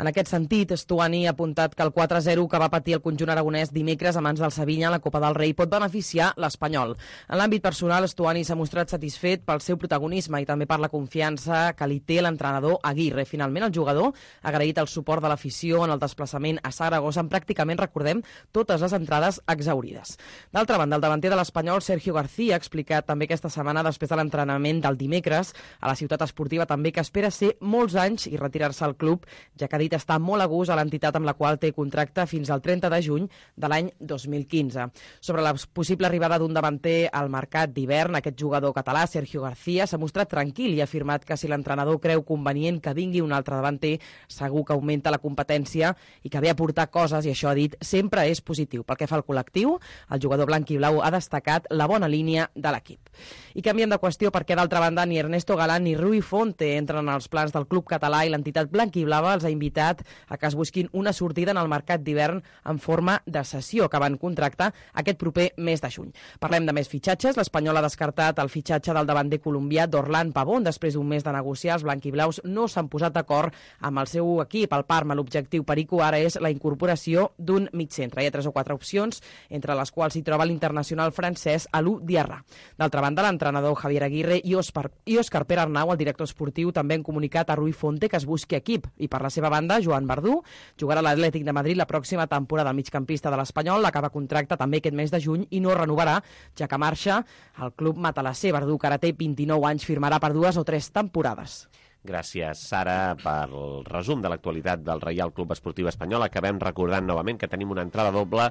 S3: En aquest sentit, Stuani ha apuntat que el 4-0 que va patir el conjunt aragonès dimecres a mans del Sevilla en la Copa del Rei pot beneficiar l'Espanyol. En l'àmbit personal, Stuani s'ha mostrat satisfet pel seu protagonisme i també per la confiança que li té l'entrenador Aguirre. Finalment, el jugador ha agraït el suport de l'afició en el desplaçament a Saragossa, amb pràcticament, recordem, totes les entrades exaurides. D'altra banda, el davanter de l'Espanyol, Sergio García, ha explicat també aquesta setmana, després de l'entrenament del dimecres a la ciutat esportiva, també que espera ser molts anys i retirar-se al club, ja que ha dit estar molt a gust a l'entitat amb la qual té contracte fins al 30 de juny de l'any 2015. Sobre la possible arribada d'un davanter al mercat d'hivern, aquest jugador català, Sergio García, s'ha mostrat tranquil i ha afirmat que si l'entrenador creu convenient que vingui un altre davanter, segur que augmenta la competència i que ve a portar coses, i això ha dit, sempre és positiu. Pel que fa al col·lectiu, el jugador blanc i blau ha destacat la bona línia de l'equip. I canviem de qüestió perquè, d'altra banda, ni Ernesto Galán ni Rui Fonte entren als plans del club català i l'entitat blanc i blava els ha invitat a que es busquin una sortida en el mercat d'hivern en forma de cessió, que van contractar aquest proper mes de juny. Parlem de més fitxatges. L'Espanyol ha descartat el fitxatge del davanter colombià d'Orlán Pavón. Després d'un mes de negociar, els blanquiblaus no s'han posat d'acord amb el seu equip, el Parma. L'objectiu perico ara és la incorporació d'un migcentre. Hi ha 3 o 4 opcions, entre les quals s'hi troba l'internacional francès Alou Diarra. D'altra banda, l'entrenador Javier Aguirre i Òscar Pere Arnau, el director esportiu, també han comunicat a Rui Fonte que es busqui equip. I per la seva banda, Joan Verdú jugarà a l'Atlètic de Madrid la pròxima temporada. El migcampista de l'Espanyol acaba contracte també aquest mes de juny i no renovarà, ja que marxa al club matalasser. Verdú, que ara té 29 anys, firmarà per 2 o 3 temporades.
S2: Gràcies, Sara, pel resum de l'actualitat del Reial Club Esportiu Espanyol. Acabem recordant novament que tenim una entrada doble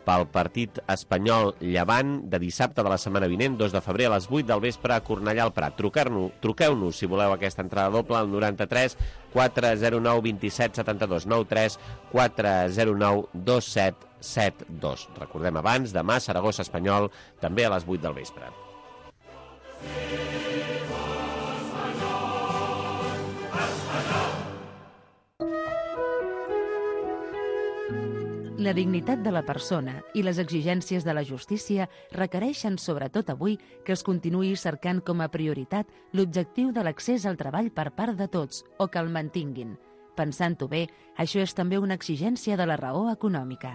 S2: pel partit espanyol Llevant de dissabte de la setmana vinent, 2 de febrer a les 8 del vespre a Cornellà al Prat. Truqueu-nos si voleu aquesta entrada doble al 93 409 27 72 93 409 27 72. Recordem abans, demà Saragossa Espanyol, també a les 8 del vespre.
S1: La dignitat de la persona i les exigències de la justícia requereixen, sobretot avui, que es continuï cercant com a prioritat l'objectiu de l'accés al treball per part de tots o que el mantinguin. Pensant-ho bé, això és també una exigència de la raó econòmica.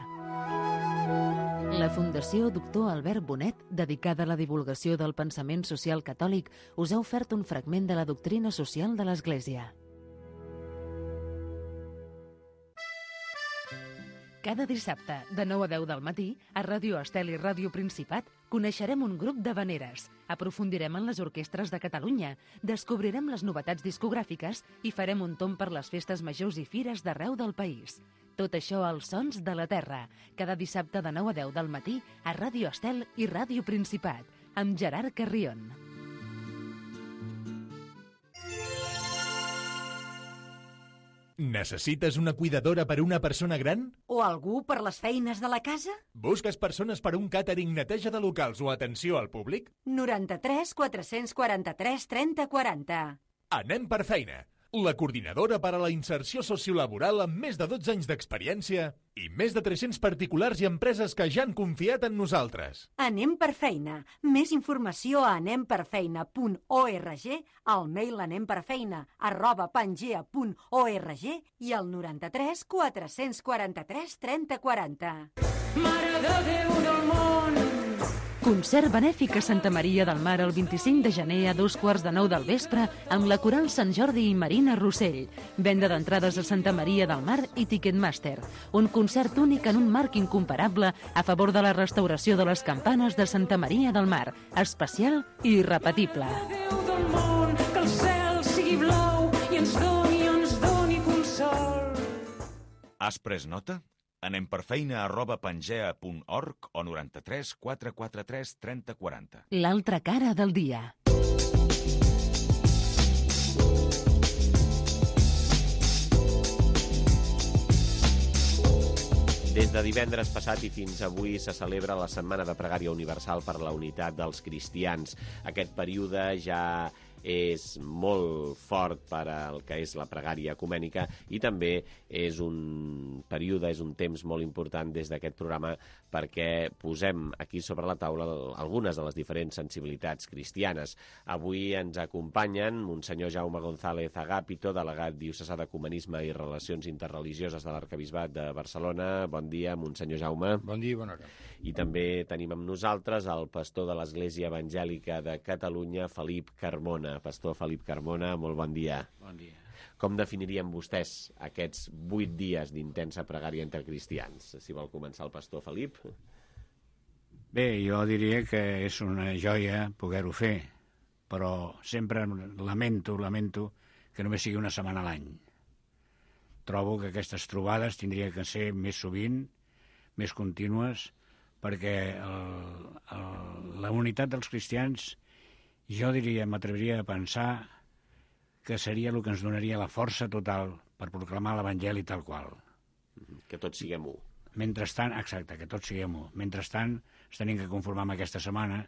S1: La Fundació Doctor Albert Bonet, dedicada a la divulgació del pensament social catòlic, us ha ofert un fragment de la doctrina social de l'Església. Cada dissabte, de 9 a 10 del matí, a Ràdio Estel i Ràdio Principat, coneixerem un grup d'havaneres, aprofundirem en les orquestres de Catalunya, descobrirem les novetats discogràfiques i farem un tomb per les festes majors i fires d'arreu del país. Tot això als Sons de la Terra, cada dissabte de 9 a 10 del matí, a Ràdio Estel i Ràdio Principat, amb Gerard Carrion.
S18: Necessites una cuidadora per a una persona gran?
S19: O algú per les feines de la casa?
S18: Busques persones per a un càtering, neteja de locals o atenció al públic?
S19: 93 443 30 40.
S18: Anem per feina. La coordinadora per a la inserció sociolaboral amb més de 12 anys d'experiència i més de 300 particulars i empreses que ja han confiat en nosaltres.
S19: Anem per feina. Més informació a anemperfeina.org, al mail anemperfeina@pangea.org i al 93 443 30 40.
S1: Mare de Déu del món! Concert benèfic a Santa Maria del Mar el 25 de gener a 8:45 del vespre amb la Coral Sant Jordi i Marina Rossell. Venda d'entrades a Santa Maria del Mar i Ticketmaster. Un concert únic en un marc incomparable a favor de la restauració de les campanes de Santa Maria del Mar. Especial i irrepetible.
S20: Déu del món, que el cel sigui blau i ens doni consol.
S21: Has pres nota? anemperfeina@pangea.org o 93 443 30 40.
S1: L'altra cara del dia.
S2: Des de divendres passat i fins avui se celebra la Setmana de Pregària Universal per la Unitat dels Cristians. Aquest període ja és molt fort per al que és la pregària ecumènica i també és un període, és un temps molt important des d'aquest programa perquè posem aquí sobre la taula algunes de les diferents sensibilitats cristianes. Avui ens acompanyen Monsenyor Jaume González Agapito, delegat diocesà d'Ecumenisme i Relacions Interreligioses de l'Arquebisbat de Barcelona. Bon dia, Monsenyor Jaume.
S22: Bon dia i bona hora.
S2: I també tenim amb nosaltres el pastor de l'Església Evangèlica de Catalunya, Felip Carmona. Pastor Felip Carmona, molt bon dia.
S22: Bon dia.
S2: Com definirien vostès aquests 8 dies d'intensa pregària entre cristians? Si vol començar el pastor Felip.
S22: Bé, jo diria que és una joia poder-ho fer, però sempre lamento que només sigui una setmana a l'any. Trobo que aquestes trobades tindrien que ser més sovint, més contínues, perquè la unitat dels cristians, jo diria, m'atreviria a pensar que seria el que ens donaria la força total per proclamar l'Evangeli tal qual.
S2: Que tots siguem u.
S22: Mentrestant, exacte, que tots siguem u. Mentrestant, ens tenim que conformar amb aquesta setmana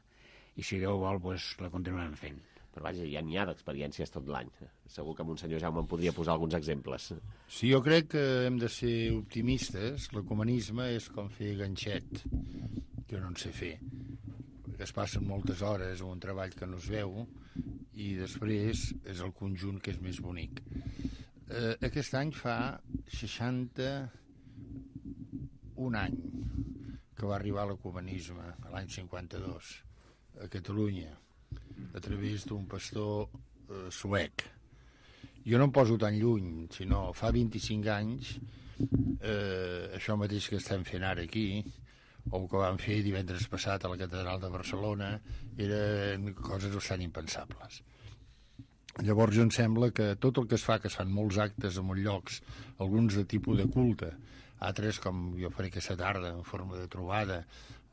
S22: i, si Déu vol, doncs, la continuem fent.
S2: Però vaja, ja n'hi ha d'experiències tot l'any. Segur que Monsenyor Jaume em podria posar alguns exemples.
S22: Sí, jo crec que hem de ser optimistes. L'ecumenisme és com fer ganxet. Jo no en sé fer. Es passen moltes hores en un treball que no es veu i després és el conjunt que és més bonic. Aquest any fa 61 any que va arribar l'ecumenisme, l'any 52, a Catalunya, a través d'un pastor suec. Jo no em poso tan lluny, sinó fa 25 anys, això mateix que estem fent ara aquí, o que vam fer divendres passat a la Catedral de Barcelona, eren coses bastant impensables. Llavors jo em sembla que tot el que es fa, que es fan molts actes en molts llocs, alguns de tipus de culte,
S4: altres, com jo faré aquesta tarda, en forma de trobada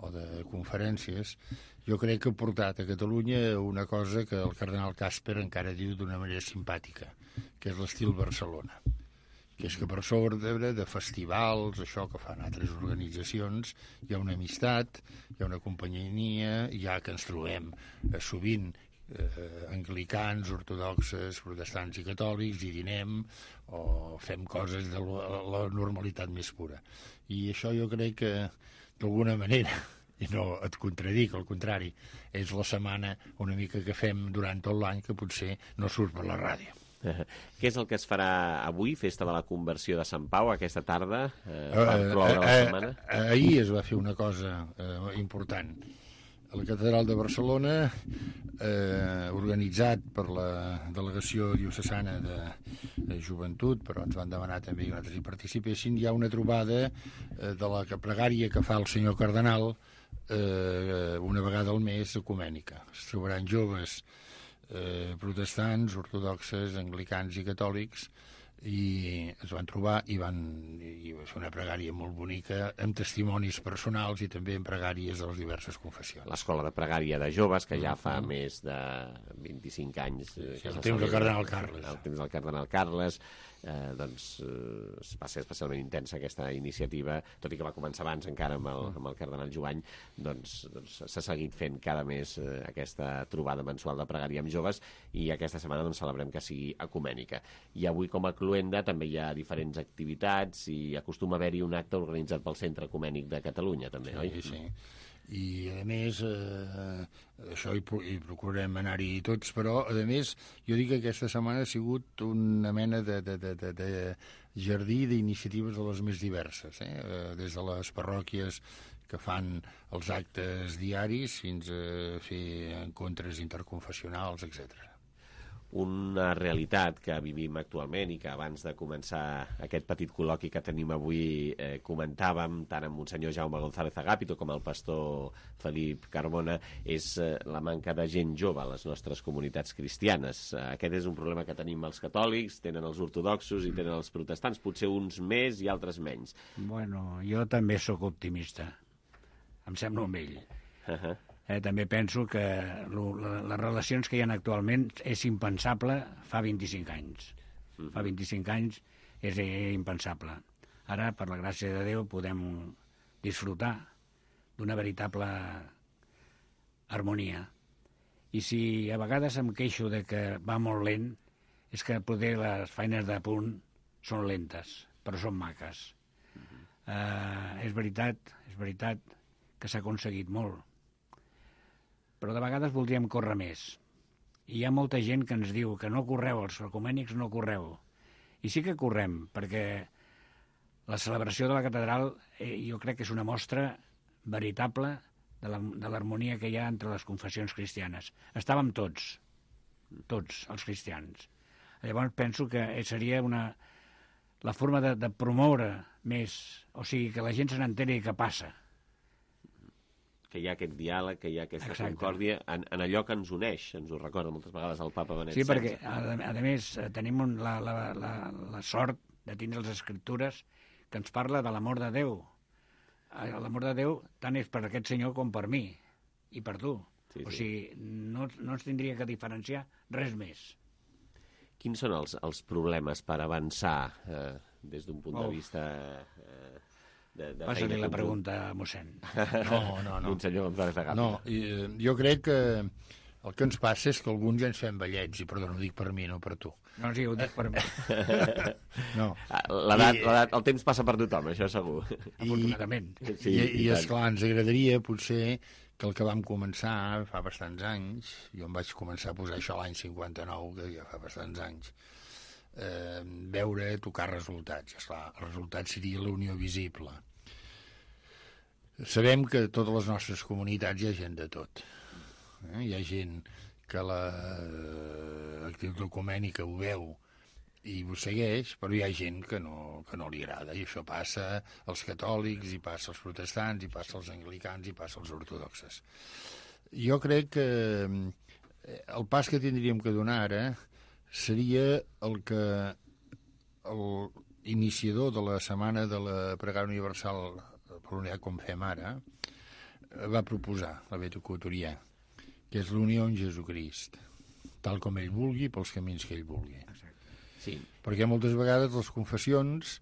S4: o de conferències, jo crec que ha portat a Catalunya una cosa que el cardenal Casper encara diu d'una manera simpàtica, que és l'estil Barcelona, que és que per sobre de festivals, això que fan altres organitzacions, hi ha una amistat, hi ha una companyia, ja que ens trobem sovint anglicans, ortodoxes, protestants i catòlics, i dinem o fem coses de la normalitat més pura. I això jo crec que, d'alguna manera, i no et contradic, al contrari, és la setmana una mica que fem durant tot l'any que potser no surt per la ràdio.
S2: Què és el que es farà avui, Festa de la Conversió de Sant Pau, aquesta tarda? La setmana?
S4: Ahir es va fer una cosa important. A la Catedral de Barcelona, organitzat per la Delegació Diocesana de Joventut, però ens van demanar també que nosaltres hi participessin, hi ha una trobada de la pregària que fa el senyor cardenal una vegada al mes ecumènica. Es trobaran joves protestants, ortodoxes, anglicans i catòlics, i es van trobar i va fer una pregària molt bonica amb testimonis personals i també amb pregàries de les diverses confessions.
S2: L'escola de pregària de joves, que ja fa més de 25 anys...
S4: El temps del cardenal Carles.
S2: El temps del cardenal Carles, va ser especialment intensa aquesta iniciativa, tot i que va començar abans encara amb el cardenal Jovany, doncs s'ha seguit fent cada mes aquesta trobada mensual de pregària amb joves, i aquesta setmana celebrem que sigui ecumènica. I avui, com a cluenda, també hi ha diferents activitats i acostuma a haver-hi un acte organitzat pel Centre Ecumènic de Catalunya, també, oi?
S4: Sí. I, a més, això hi procurem anar-hi tots, però, a més, jo dic que aquesta setmana ha sigut una mena de jardí d'iniciatives de les més diverses, des de les parròquies que fan els actes diaris fins a fer encontres interconfessionals, etc.
S2: Una realitat que vivim actualment i que abans de començar aquest petit col·loqui que tenim avui comentàvem tant amb Monsenyor Jaume González Agapito com el pastor Felip Carbona, és la manca de gent jove a les nostres comunitats cristianes. Aquest és un problema que tenim els catòlics, tenen els ortodoxos i tenen els protestants, potser uns més i altres menys.
S22: Bueno, jo també sóc optimista. Em sembla un vell. També penso que les relacions que hi ha actualment és impensable fa 25 anys. Fa 25 anys és impensable. Ara, per la gràcia de Déu, podem disfrutar d'una veritable harmonia. I si a vegades em queixo de que va molt lent, és que poder les feines de punt són lentes, però són maques. És veritat que s'ha aconseguit molt, però de vegades voldríem córrer més. I hi ha molta gent que ens diu que no correu, els ecumènics no correu. I sí que correm, perquè la celebració de la catedral jo crec que és una mostra veritable de l'harmonia que hi ha entre les confessions cristianes. Estàvem tots els cristians. Llavors penso que seria la forma de promoure més, o sigui, que la gent se n'enteri què passa.
S2: Que hi ha aquest diàleg, que hi ha aquesta concòrdia en allò que ens uneix, ens ho recorda moltes vegades el papa Benet XVI.
S22: Sí, perquè, a més, tenim la sort de tindre les escriptures que ens parla de l'amor de Déu. L'amor de Déu tant és per aquest senyor com per mi i per tu. O sigui, no ens tindria que diferenciar res més.
S2: Quins són els problemes per avançar des d'un punt de vista...
S22: Passa-li la pregunta, mossèn.
S4: No.
S2: Monsenyor González Agapito.
S4: No, jo crec que el que ens passa és que alguns ja ens fem vellets, i perdó, no ho dic per mi, no per tu.
S22: No, sí, ho dic per mi.
S4: No.
S2: El temps passa per tothom, això segur.
S22: Afortunadament.
S4: I esclar, ens agradaria potser que el que vam començar fa bastants anys, jo em vaig començar a posar això l'any 59, que ja fa bastants anys, tocar resultats. Esclar, el resultat seria la unió visible. Sabem que a totes les nostres comunitats hi ha gent de tot. Hi ha gent que l'activitat ecumènica ho veu i ho segueix, però hi ha gent que no li agrada, i això passa als catòlics, i passa als protestants, i passa als anglicans, i passa als ortodoxes. Jo crec que el pas que tindríem que donar ara seria el que iniciador de la setmana de la Pregària Universal per l'Unitat, com fem ara, va proposar la Beato Couturier, que és l'unió amb Jesucrist, tal com ell vulgui, pels camins que ell vulgui.
S2: Sí.
S4: Perquè moltes vegades les confessions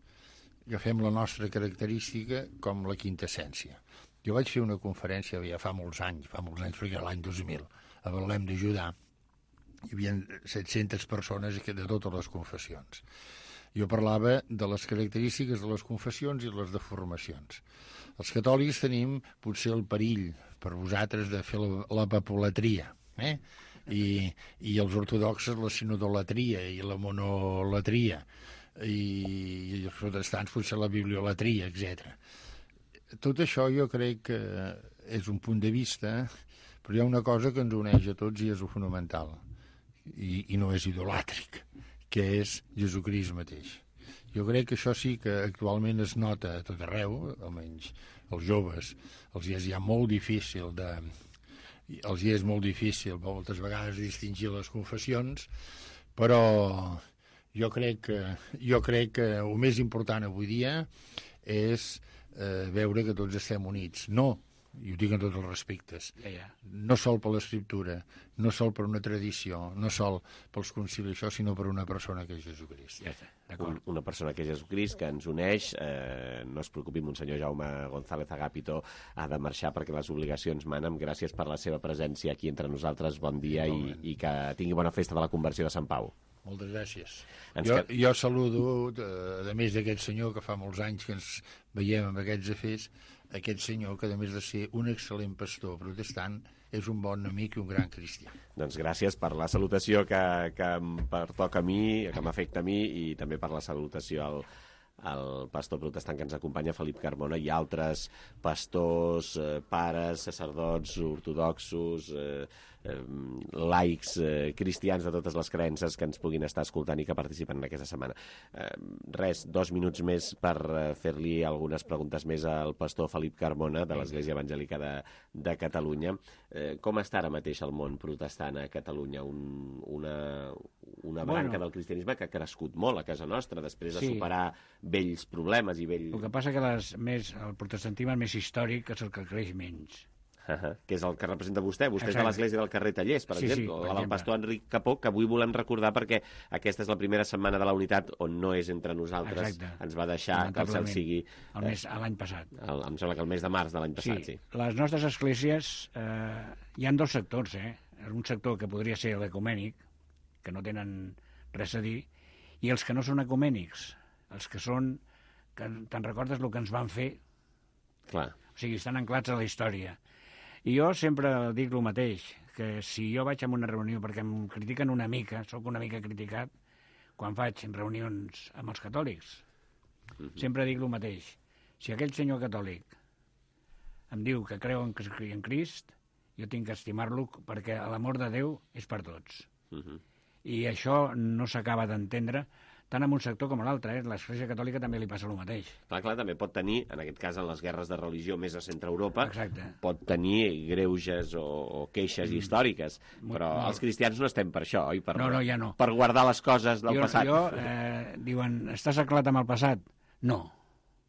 S4: agafem la nostra característica com la quintessència. Jo vaig fer una conferència ja fa molts anys, perquè l'any 2000, a Betlem de Judà, hi havia 700 persones de totes les confessions. Jo parlava de les característiques de les confessions i les deformacions. Els catòlics tenim potser el perill per vosaltres de fer la papolatria, i els ortodoxes la sinodolatria i la monolatria, i els protestants potser la bibliolatria, etc. Tot això jo crec que és un punt de vista, però hi ha una cosa que ens uneix a tots i és el fonamental, i no és idolàtric, que és Jesucrist mateix. Jo crec que això sí que actualment es nota a tot arreu, almenys els joves, els hi és ja molt difícil moltes vegades distingir les confessions, però jo crec que el més important avui dia és veure que tots estem units. No, i ho dic en tots els respectes, no sol per l'escriptura, no sol per una tradició, no sol pels concilis, això, sinó per una persona que és Jesucrist.
S2: Una persona que és Jesucrist, que ens uneix. No es preocupi, Monsenyor Jaume González Agapito ha de marxar perquè les obligacions manen. Gràcies per la seva presència aquí entre nosaltres. Bon dia i que tingui bona festa de la conversió de Sant Pau.
S4: Moltes gràcies. Jo saludo, a més d'aquest senyor que fa molts anys que ens veiem amb aquests afers, aquest senyor que, a més de ser un excel·lent pastor protestant, és un bon amic i un gran cristià.
S2: Doncs gràcies per la salutació que em pertoca a mi, que m'afecta a mi, i també per la salutació al pastor protestant que ens acompanya, Felip Carmona, i altres pastors, pares, sacerdots, ortodoxos, laics, cristians de totes les creences que ens puguin estar escoltant i que participen en aquesta setmana. 2 minuts més per fer-li algunes preguntes més al pastor Felip Carmona, de l'Església Evangèlica de Catalunya. Com està ara mateix el món protestant a Catalunya? Una branca del cristianisme que ha crescut molt a casa nostra, després de superar vells problemes i vells...
S22: El que passa que el protestantisme més històric és el que creix menys.
S2: Que és el que representa vostè. Vostè és de l'Església del carrer Tallers, per exemple, la del pastor Enric Capó, que avui volem recordar perquè aquesta és la primera setmana de la unitat on no és entre nosaltres. Ens va deixar, que el cel sigui...
S22: L'any passat.
S2: Em sembla que el mes de març de l'any passat, sí.
S22: Les nostres esglésies, hi ha 2 sectors, un sector que podria ser l'ecumènic, que no tenen res a dir, i els que no són ecumènics, els que són... que te'n recordes el que ens van fer?
S2: Clar.
S22: O sigui, estan anclats a la història. I jo sempre dic el mateix, que si jo vaig a una reunió perquè em critiquen una mica, sóc una mica criticat, quan faig reunions amb els catòlics, sempre dic el mateix. Si aquell senyor catòlic em diu que creu en Crist, jo tinc que estimar-lo perquè l'amor de Déu és per tots. I això no s'acaba d'entendre tant en un sector com a l'altre. L'Església Catòlica també li passa el mateix.
S2: Clar, també pot tenir, en aquest cas en les guerres de religió més a Centre-Europa,
S22: exacte,
S2: pot tenir greuges o queixes històriques, però els cristians no estem per això, oi?
S22: Ja no.
S2: Per guardar les coses del passat.
S22: Diuen, estàs anclat amb el passat? No.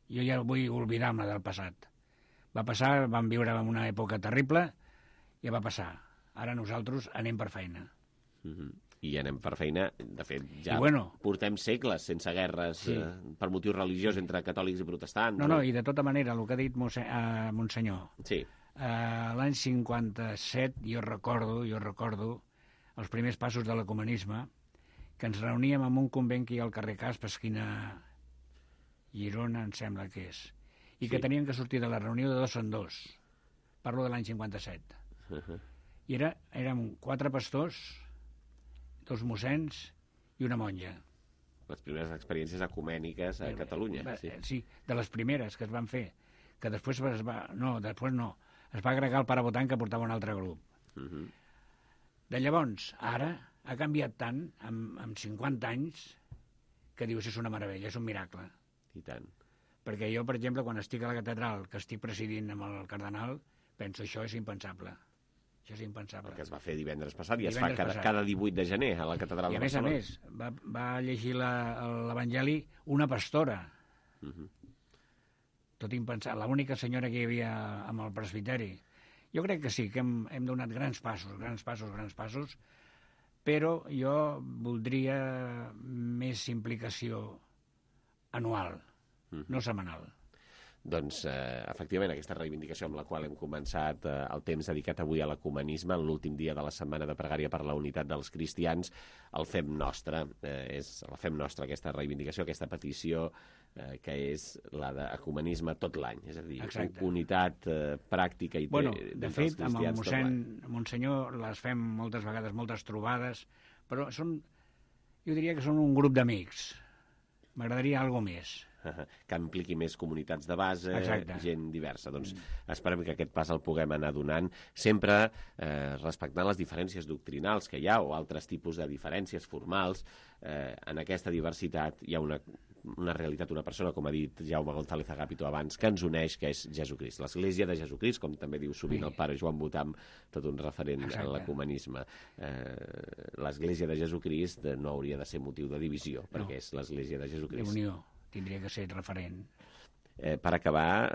S22: Jo ja vull oblidar-me del passat. Va passar, vam viure en una època terrible, ja va passar. Ara nosaltres anem per feina.
S2: I anem per feina, de fet, ja portem segles sense guerres per motius religiosos entre catòlics i protestants.
S22: No, i de tota manera, el que ha dit Monsenyor, l'any 57 jo recordo els primers passos de l'ecumenisme, que ens reuníem en un convent que hi ha al carrer Casp, esquina Girona, em sembla que és, i que teníem que sortir de la reunió de 2 en 2. Parlo de l'any 57. I érem 4 pastors, 2 mossens i una monja.
S2: Les primeres experiències ecumèniques a Catalunya.
S22: Sí, de les primeres que es van fer, que després es va agregar el pare Botan, que portava un altre grup. De llavors, ara ha canviat tant, amb 50 anys, que dius, és una meravella, és un miracle.
S2: I tant.
S22: Perquè jo, per exemple, quan estic a la catedral, que estic presidint amb el cardenal, penso, això és impensable. Això és impensable.
S2: El que es va fer divendres passat i es fa cada 18 de gener a la catedral de Barcelona.
S22: I a més, va llegir l'Evangeli una pastora. Tot impensable. L'única senyora que hi havia amb el presbiteri. Jo crec que sí, que hem donat grans passos, però jo voldria més implicació anual, no setmanal.
S2: Doncs, efectivament, aquesta reivindicació amb la qual hem començat el temps dedicat avui a l'ecumenisme, en l'últim dia de la setmana de pregària per la unitat dels cristians, el fem nostre. La fem nostra, aquesta reivindicació, aquesta petició, que és la d'ecumenisme tot l'any. És a dir, unitat pràctica i
S22: de fet, amb el Monsenyor les fem moltes vegades, moltes trobades, però jo diria que són un grup d'amics. M'agradaria alguna més.
S2: Que impliqui més comunitats de base, gent diversa. Doncs esperem que aquest pas el puguem anar donant, sempre respectant les diferències doctrinals que hi ha o altres tipus de diferències formals. En aquesta diversitat hi ha una realitat, una persona, com ha dit Jaume González Agapito abans, que ens uneix, que és Jesucrist. L'Església de Jesucrist, com també diu sovint el pare Joan Botam, tot un referent en l'ecumenisme. L'Església de Jesucrist no hauria de ser motiu de divisió, perquè és l'Església de Jesucrist.
S22: Unió. Tindria que ser referent.
S2: Per acabar,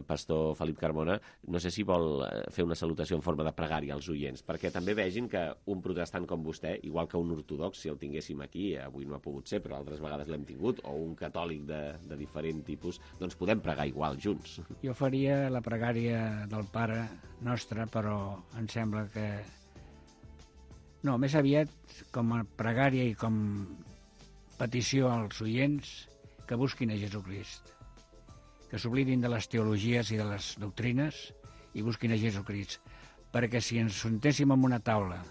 S2: pastor Felip Carmona, no sé si vol fer una salutació en forma de pregària als oients, perquè també vegin que un protestant com vostè, igual que un ortodox, si el tinguéssim aquí, avui no ha pogut ser, però altres vegades l'hem tingut, o un catòlic de diferent tipus, doncs podem pregar igual junts.
S22: Jo faria la pregària del Pare Nostre, però em sembla que... No, més aviat com a pregària i com petició als oients que busquin a Jesucrist, que s'oblidin de les teologies i de les doctrines i busquin a Jesucrist, perquè si ens juntéssim en una taula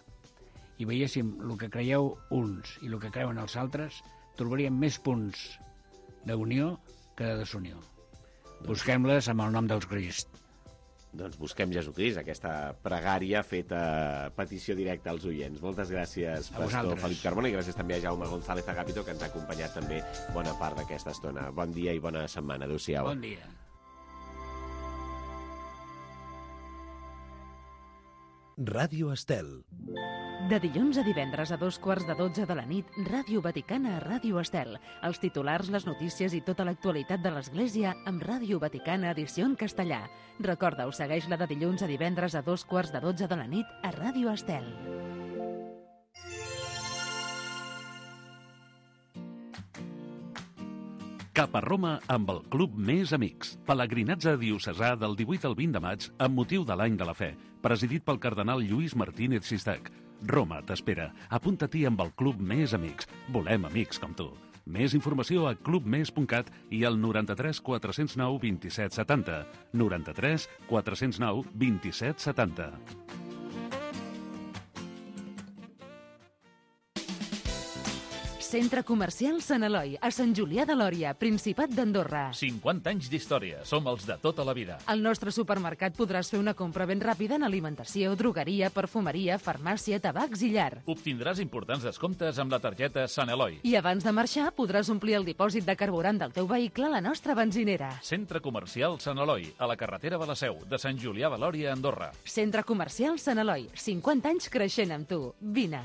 S22: i veiéssim el que creieu uns i el que creuen els altres, trobaríem més punts d'unió que de desunió. Busquem-les amb el nom del Crist.
S2: Doncs busquem Jesucrist, aquesta pregària feta a petició directa als oients. Moltes gràcies, pastor Felip Carmona, i gràcies també a Jaume González Agapito, que ens ha acompanyat també bona part d'aquesta estona. Bon dia i bona setmana. Adéu-siau.
S22: Bon dia.
S5: Ràdio Estel.
S1: De dilluns a divendres a 12:15 de la nit, Ràdio Vaticana a Ràdio Estel. Els titulars, les notícies i tota l'actualitat de l'Església amb Ràdio Vaticana edició en castellà. Recorda-ho, segueix-la de dilluns a divendres a 12:15 de la nit a Ràdio Estel.
S9: Cap a Roma amb el Club Més Amics. Pelegrinatge diocesà del 18 al 20 de maig amb motiu de l'Any de la Fe, presidit pel cardenal Lluís Martínez Sistac. Roma t'espera. Apunta-t'hi amb el Club Més Amics. Volem amics com tu. Més informació a clubmes.cat i al 93 409 27 70. 93 409 27 70.
S1: Centre Comercial Sant Eloi, a Sant Julià de Lòria, Principat d'Andorra.
S18: 50 anys d'història, som els de tota la vida.
S1: Al nostre supermercat podràs fer una compra ben ràpida en alimentació, drogueria, perfumeria, farmàcia, tabacs i llar.
S18: Obtindràs importants descomptes amb la targeta Sant Eloi.
S1: I abans de marxar podràs omplir el dipòsit de carburant del teu vehicle a la nostra benzinera.
S18: Centre Comercial Sant Eloi, a la carretera de la Seu, de Sant Julià de Lòria, Andorra.
S1: Centre Comercial Sant Eloi, 50 anys creixent amb tu. Vine.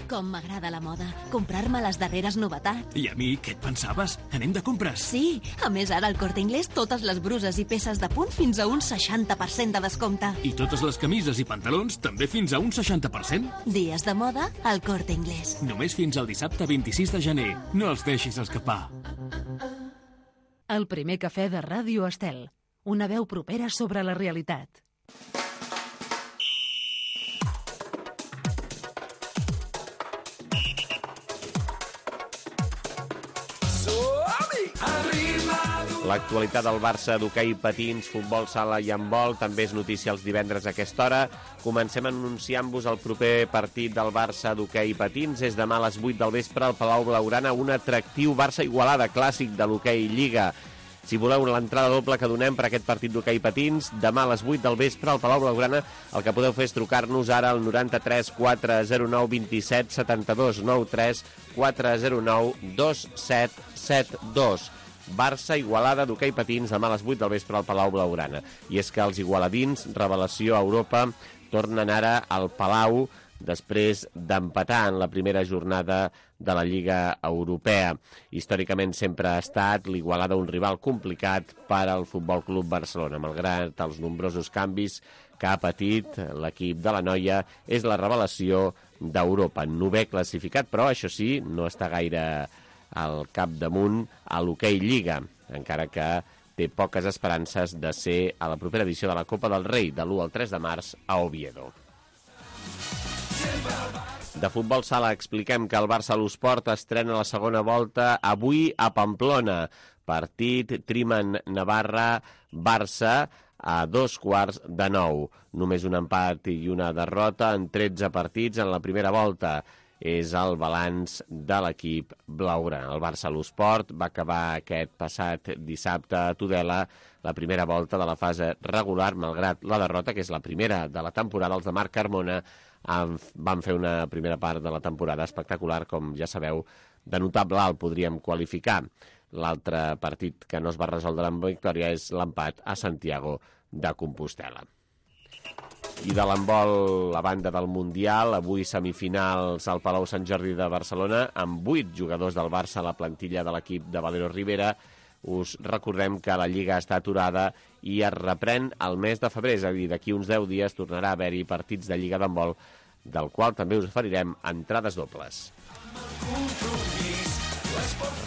S7: Com m'agrada la moda. Comprar-me les darreres novetats.
S6: I a mi, què et pensaves? Anem de compres?
S7: Sí, a més ara al Corte Inglés totes les bruses i peces de punt fins a un 60% de descompte.
S6: I totes les camises i pantalons també fins a un 60%?
S7: Dies de moda al Corte Inglés.
S6: Només fins al dissabte 26 de gener. No els deixis escapar.
S1: El primer cafè de Ràdio Estel. Una veu propera sobre la realitat.
S2: L'actualitat del Barça d'hoquei patins, futbol sala i handbol també és notícia els divendres a aquesta hora. Comencem anunciant-vos el proper partit del Barça d'hoquei patins. És demà a les 8 del vespre al Palau Blaugrana, un atractiu Barça-Igualada clàssic de l'hoquei Lliga. Si voleu l'entrada doble que donem per aquest partit d'hoquei patins, demà a les 8 del vespre al Palau Blaugrana, el que podeu fer és trucar-nos ara al 93 409 27 72, 93 409 2772. Barça-Igualada d'hoquei patins demà a les 8 del vespre al Palau Blaugrana. I és que els igualadins, revelació a Europa, tornen ara al Palau després d'empatar en la primera jornada de la Lliga Europea. Històricament sempre ha estat l'Igualada un rival complicat per al Futbol Club Barcelona. Malgrat els nombrosos canvis que ha patit l'equip de la noia, és la revelació d'Europa. 9è classificat, però això sí, no està gaire al capdamunt a l'hoquei Lliga, encara que té poques esperances de ser a la propera edició de la Copa del Rei, de l'1 al 3 de març a Oviedo. De futbol sala expliquem que el Barça l'Esport estrena la segona volta avui a Pamplona. Partit Triman-Navarra-Barça a 8:45. Només un empat i una derrota en 13 partits en la primera volta. És el balanç de l'equip blaugrana. El Barça l'Esport va acabar aquest passat dissabte a Tudela la primera volta de la fase regular, malgrat la derrota, que és la primera de la temporada. Els de Marc Carmona van fer una primera part de la temporada espectacular, com ja sabeu, de notable alt podríem qualificar. L'altre partit que no es va resoldre amb victòria és l'empat a Santiago de Compostela. I de l'handbol, a banda del Mundial, avui semifinals al Palau Sant Jordi de Barcelona, amb 8 jugadors del Barça a la plantilla de l'equip de Valero Rivera. Us recordem que la Lliga està aturada i es reprèn el mes de febrer, és a dir, d'aquí uns 10 dies tornarà a haver-hi partits de Lliga d'handbol, del qual també us oferirem entrades dobles.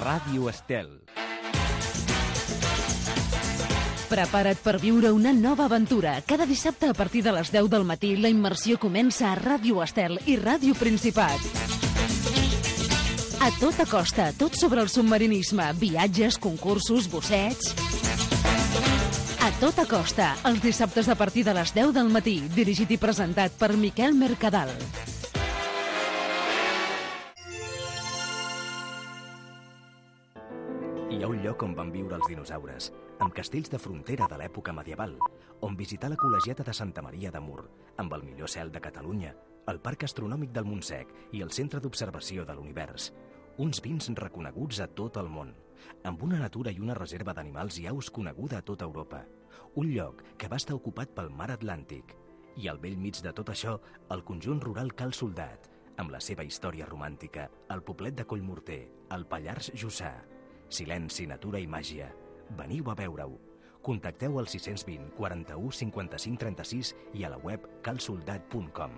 S21: Ràdio Estel.
S1: Prepara't per viure una nova aventura. Cada dissabte a partir de les 10 del matí la immersió comença a Ràdio Estel i Ràdio Principat. A tota costa, tot sobre el submarinisme, viatges, concursos, bussets... A tota costa, els dissabtes a partir de les 10 del matí, dirigit i presentat per Miquel Mercadal.
S10: Hi ha un lloc on van viure els dinosaures, amb castells de frontera de l'època medieval, on visitar la col·legiata de Santa Maria de Mur, amb el millor cel de Catalunya, el Parc Astronòmic del Montsec i el Centre d'Observació de l'Univers. Uns vins reconeguts a tot el món, amb una natura i una reserva d'animals i aus coneguda a tota Europa. Un lloc que va estar ocupat pel mar Atlàntic. I al bell mig de tot això, el conjunt rural Cal Soldat, amb la seva història romàntica, el poblet de Collmorter, el Pallars Jussà. Silenci, natura i màgia. Veniu a veure-ho. Contacteu al 620 41 55 36 i a la web calsoldat.com.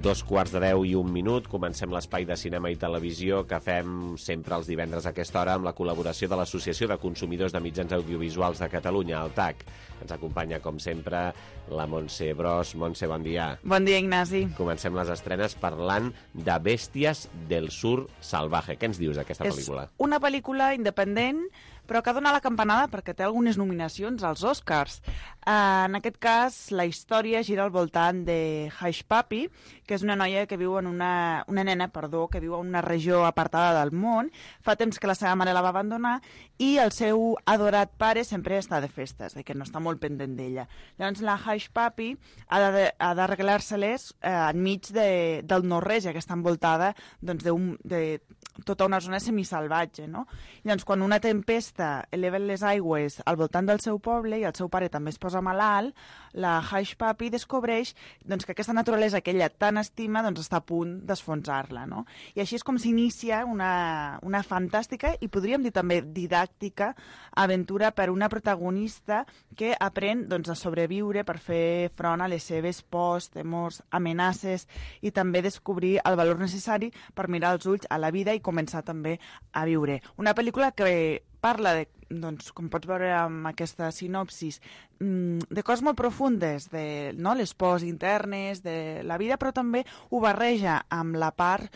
S2: Dos quarts de 10 i un minut. Comencem l'espai de cinema i televisió que fem sempre els divendres a aquesta hora amb la col·laboració de l'Associació de Consumidors de Mitjans Audiovisuals de Catalunya, el TAC. Ens acompanya, com sempre, la Montse Bros. Montse, bon dia.
S11: Bon dia, Ignasi.
S2: Comencem les estrenes parlant de Bèsties del Sur Salvaje. Què ens dius d'aquesta pel·lícula?
S11: És una pel·lícula independent, però que dona la campanada perquè té algunes nominacions als Oscars. En aquest cas, la història gira al voltant de Hush Puppy, que és una noia que viu en una nena que viu en una regió apartada del món. Fa temps que la seva mare la va abandonar i el seu adorat pare sempre està de festes, que no està molt pendent d'ella. Llavors la Hush Puppy ha d'arreglar-se-les enmig del no-res, ja que està envoltada de tota una zona semisalvatge, no? Llavors, quan una tempesta eleva les aigües al voltant del seu poble i el seu pare també es posa malalt, la Hush Puppy descobreix que aquesta naturalesa que ella tan estima està a punt d'esfonsar-la, no? I així és com s'inicia una fantàstica i podríem dir també didàctica aventura per una protagonista que aprèn a sobreviure per fer front a les seves pors, temors, amenaces i també descobrir el valor necessari per mirar als ulls a la vida i començar també a viure. Una pel·lícula que parla de, doncs, com pots veure amb aquesta sinopsis, de coses molt profundes, de les pors internes, de la vida, però també ho barreja amb la part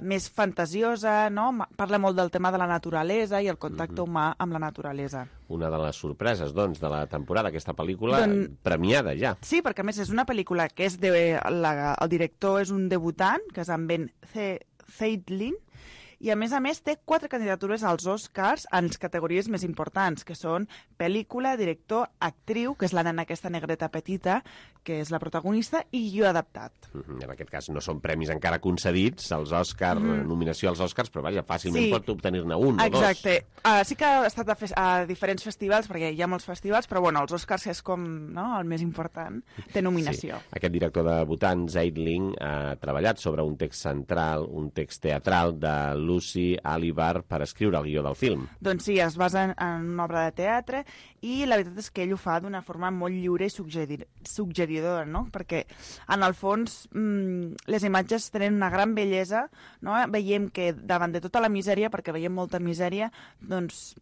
S11: més fantasiosa, no? Parla molt del tema de la naturalesa i el contacte humà amb la naturalesa.
S2: Una de les sorpreses, doncs, de la temporada, aquesta pel·lícula premiada ja.
S11: Sí, perquè a més és una pel·lícula que és el director és un debutant, que és en Ben Zeitlin, i a més té 4 candidatures als Oscars en les categories més importants, que són pel·lícula, director, actriu, que és la nena aquesta negreta petita, que és la protagonista, i guió adaptat.
S2: En aquest cas no són premis encara concedits, als Oscars, nominació als Oscars, però vaja, fàcilment pot obtenir-ne un o dos.
S11: Exacte. Sí que ha estat a diferents festivals, perquè hi ha molts festivals, però bueno, els Oscars és com el més important, té nominació.
S2: Sí. Aquest director debutant, Zeitlin, ha treballat sobre un text central, un text teatral de Lucy Alibar per escriure el guió del film.
S11: Doncs sí, es basa en una obra de teatre i la veritat és que ell ho fa d'una forma molt lliure i suggeridora, no? Perquè en el fons les imatges tenen una gran bellesa, no? Veiem que davant de tota la misèria, perquè veiem molta misèria, doncs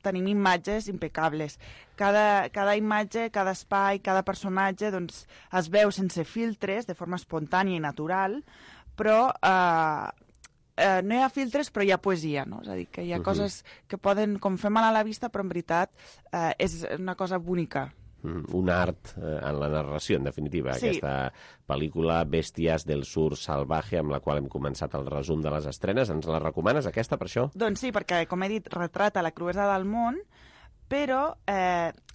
S11: tenim imatges impecables. Cada imatge, cada espai, cada personatge doncs, es veu sense filtres, de forma espontània i natural, però no hi ha filtres, però hi ha poesia, no? És a dir, que hi ha coses que poden, com fer mal a la vista, però en veritat és una cosa bonica.
S2: Un art en la narració, en definitiva. Sí. Aquesta pel·lícula Bèsties del Sur Salvaje, amb la qual hem començat el resum de les estrenes. Ens la recomanes, aquesta, per això?
S11: Doncs sí, perquè, com he dit, retrata la cruesa del món, però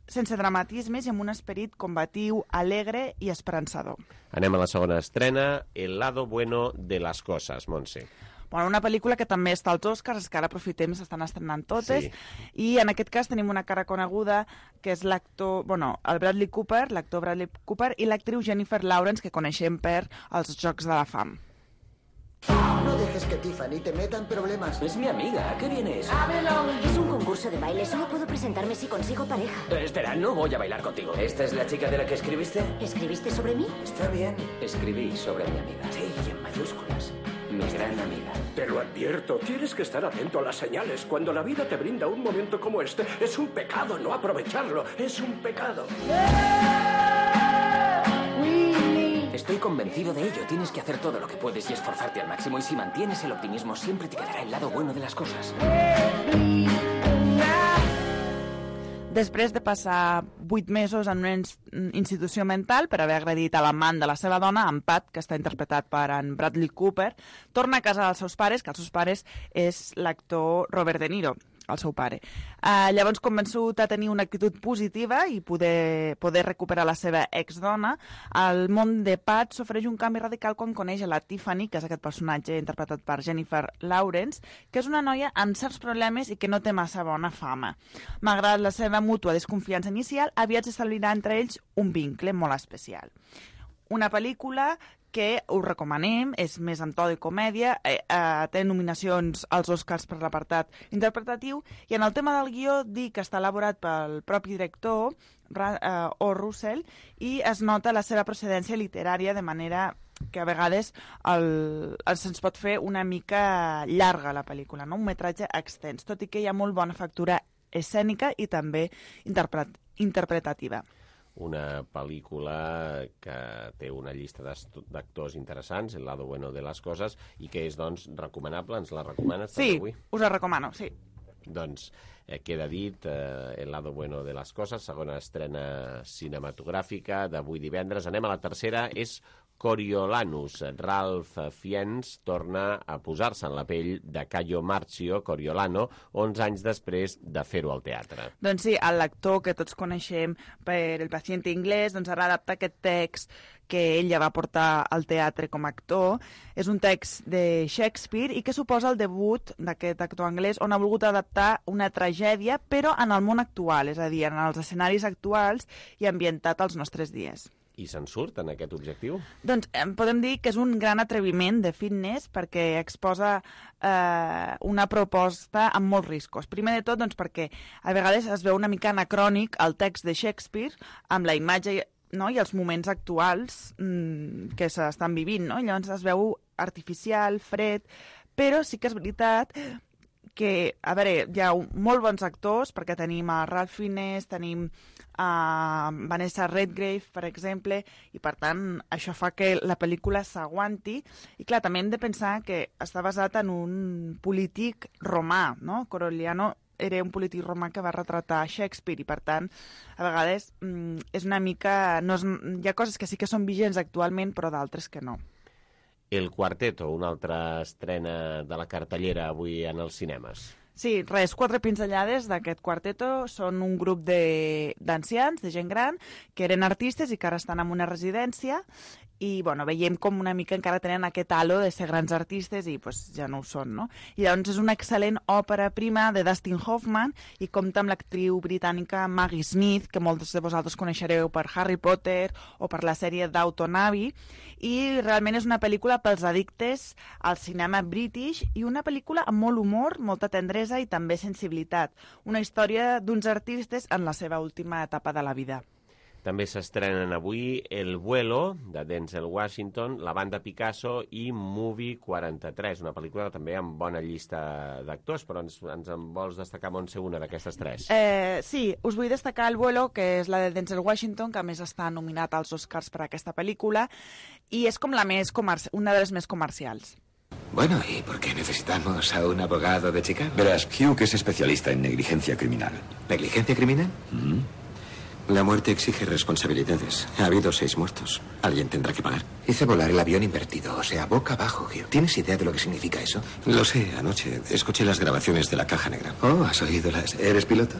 S11: sense dramatismes i amb un esperit combatiu, alegre i esperançador.
S2: Anem a la segona estrena, El lado bueno de las cosas, Montse.
S11: Bueno, una pel·lícula que també està als Oscars, que ara aprofitem, s'estan estrenant totes, i en aquest cas tenim una cara coneguda, que és l'actor, el Bradley Cooper, l'actor Bradley Cooper, i l'actriu Jennifer Lawrence, que coneixem per els Jocs de la Fam.
S8: No dejes que Tiffany te meta en problemas. Es mi amiga. ¿A qué vienes?
S12: Es un concurso de baile. Solo puedo presentarme si consigo pareja.
S8: Espera, no voy a bailar contigo. ¿Esta es la chica de la que escribiste?
S12: ¿Escribiste sobre mí?
S8: Está bien. Escribí sobre mi amiga. Sí, y en mayúsculas. Mi gran amiga.
S23: Te lo advierto, tienes que estar atento a las señales. Cuando la vida te brinda un momento como este, es un pecado no aprovecharlo. Es un pecado.
S8: Estoy convencido de ello. Tienes que hacer todo lo que puedes y esforzarte al máximo. Y si mantienes el optimismo, siempre te quedará el lado bueno de las cosas.
S11: Després de passar 8 mesos en una institució mental per haver agredit a l'amant de la seva dona, en Pat, que està interpretat per en Bradley Cooper, torna a casa dels seus pares, que els seus pares és l'actor Robert De Niro, el seu pare. Llavors, convençut a tenir una actitud positiva i poder recuperar la seva exdona, el món de Pat s'ofereix un canvi radical quan coneix a la Tiffany, que és aquest personatge interpretat per Jennifer Lawrence, que és una noia amb certs problemes i que no té massa bona fama. Malgrat la seva mútua desconfiança inicial, aviat s'establirà entre ells un vincle molt especial. Una pel·lícula que us recomanem, és més en to de comèdia, té nominacions als Oscars per l'apartat interpretatiu, i en el tema del guió dir que està elaborat pel propi director, O. Russell, i es nota la seva procedència literària, de manera que a vegades se'ns pot fer una mica llarga la pel·lícula, no? Un metratge extens, tot i que hi ha molt bona factura escènica i també interpretativa.
S2: Una pel·lícula que té una llista d'actors interessants, El lado bueno de las cosas, i que és, doncs, recomanable. Ens la recomanes també avui?
S11: Sí, us la recomano, sí.
S2: Doncs queda dit, El lado bueno de las cosas, segona estrena cinematogràfica d'avui divendres. Anem a la tercera, és Coriolanus. Ralph Fiennes torna a posar-se en la pell de Caio Marcio Coriolano 11 anys després de fer-ho al teatre.
S11: Doncs sí, l'actor que tots coneixem per El paciente inglés, doncs ara adapta aquest text que ell ja va portar al teatre com a actor. És un text de Shakespeare i que suposa el debut d'aquest actor anglès, on ha volgut adaptar una tragèdia, però en el món actual, és a dir, en els escenaris actuals i ambientat als nostres dies.
S2: I se'n surt en aquest objectiu?
S11: Doncs podem dir que és un gran atreviment de Fiennes perquè exposa una proposta amb molts riscos. Primer de tot, doncs, perquè a vegades es veu una mica anacrònic el text de Shakespeare amb la imatge, no? I els moments actuals que s'estan vivint, no? Llavors es veu artificial, fred, però sí que és veritat que, a veure, hi ha molt bons actors, perquè tenim a Ralph Fiennes, tenim a Vanessa Redgrave, per exemple, i per tant això fa que la pel·lícula s'aguanti. I clar, també hem de pensar que està basat en un polític romà, no? Corigliano era un polític romà que va retratar Shakespeare i, per tant, a vegades és una mica... hi ha coses que sí que són vigents actualment, però d'altres que no.
S2: El Quarteto, una altra estrena de la cartellera avui en els cinemes.
S11: Sí, res, 4 pinzellades d'aquest Quarteto. Són un grup d'ancians, de gent gran, que eren artistes i que ara estan en una residència i bueno, veiem com una mica encara tenen aquest halo de ser grans artistes i pues, ja no ho són, no? I llavors és una excel·lent òpera prima de Dustin Hoffman i compta amb l'actriu britànica Maggie Smith, que molts de vosaltres coneixereu per Harry Potter o per la sèrie Downton Abbey, i realment és una pel·lícula pels addictes al cinema british i una pel·lícula amb molt humor, molta tendresa i també sensibilitat. Una història d'uns artistes en la seva última etapa de la vida.
S2: També s'estrenen avui El vuelo, de Denzel Washington, La banda Picasso i Movie 43, una pel·lícula també amb bona llista d'actors, però ens en vols destacar, Montse, una d'aquestes 3?
S11: Sí, us vull destacar El vuelo, que és la de Denzel Washington, que a més està nominat als Oscars per aquesta pel·lícula, i és com una de les més comercials.
S13: Bueno, ¿y por qué necesitamos a un abogado de Chicago?
S14: Verás, Hugh es especialista en negligencia criminal.
S13: ¿Negligencia criminal? La muerte exige responsabilidades. Ha habido 6 muertos. Alguien tendrá que pagar. Hice volar el avión invertido, o sea, boca abajo, Hugh. ¿Tienes idea de lo que significa eso? Lo sé, anoche escuché las grabaciones de la caja negra. Oh, ¿has oído las...? ¿Eres piloto?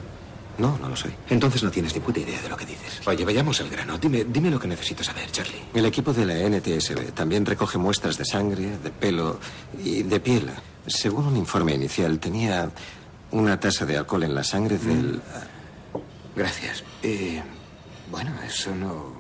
S13: No, no lo soy. Entonces no tienes ni puta idea de lo que dices. Oye, vayamos al grano. Dime lo que necesito saber, Charlie. El equipo de la NTSB también recoge muestras de sangre, de pelo y de piel. Según un informe inicial, tenía una tasa de alcohol en la sangre del... Gracias. Bueno, eso no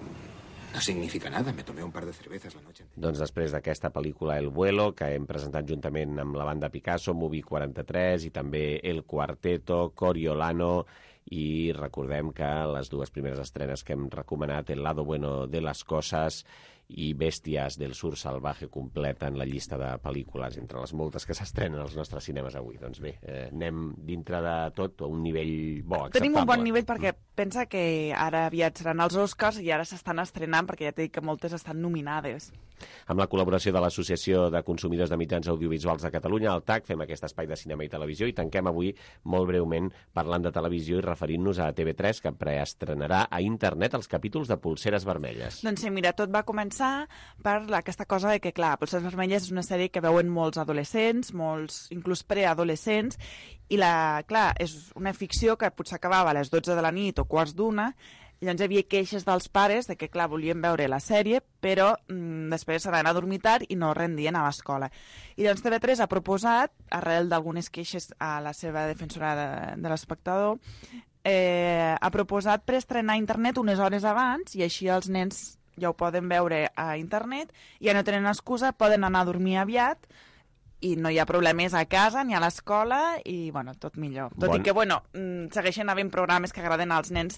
S13: significa nada. Me tomé un par de cervezas la noche.
S2: Doncs després d'aquesta pel·lícula El vuelo, que hem presentat juntament amb la banda Picasso, Movie 43 i també El Quarteto, Coriolano, i recordem que les 2 primeres estrenes que hem recomanat, El lado bueno de las cosas i Bèsties del sur salvaje, completen la llista de pel·lícules entre les moltes que s'estrenen als nostres cinemes avui. Doncs bé, anem dintre de tot a un nivell bo, acceptable.
S11: Tenim un bon nivell perquè pensa que ara aviat seran els Oscars i ara s'estan estrenant perquè ja t'he dit que moltes estan nominades.
S2: Amb la col·laboració de l'Associació de Consumidors de Mitjans Audiovisuals de Catalunya, el TAC, fem aquest espai de cinema i televisió i tanquem avui molt breument parlant de televisió i referint-nos a TV3, que preestrenarà a internet els capítols de Polseres Vermelles.
S11: Doncs sí, mira, tot va començar per aquesta cosa de que, clar, Polseres Vermelles és una sèrie que veuen molts adolescents, molts inclús preadolescents, i clar, és una ficció que potser acabava a les 12 de la nit o quarts d'una, i llavors hi havia queixes dels pares de que, clar, volien veure la sèrie, però després s'anaven a dormir tard i no rendien a l'escola. I llavors TV3 ha proposat, arrel d'algunes queixes a la seva defensora de l'espectador, ha proposat preestrenar a internet unes hores abans i així els nens ja ho poden veure a internet, ja no tenen excusa, poden anar a dormir aviat i no hi ha problemes a casa ni a l'escola i, bueno, tot millor. Tot i que, bueno, segueixen havent programes que agraden als nens,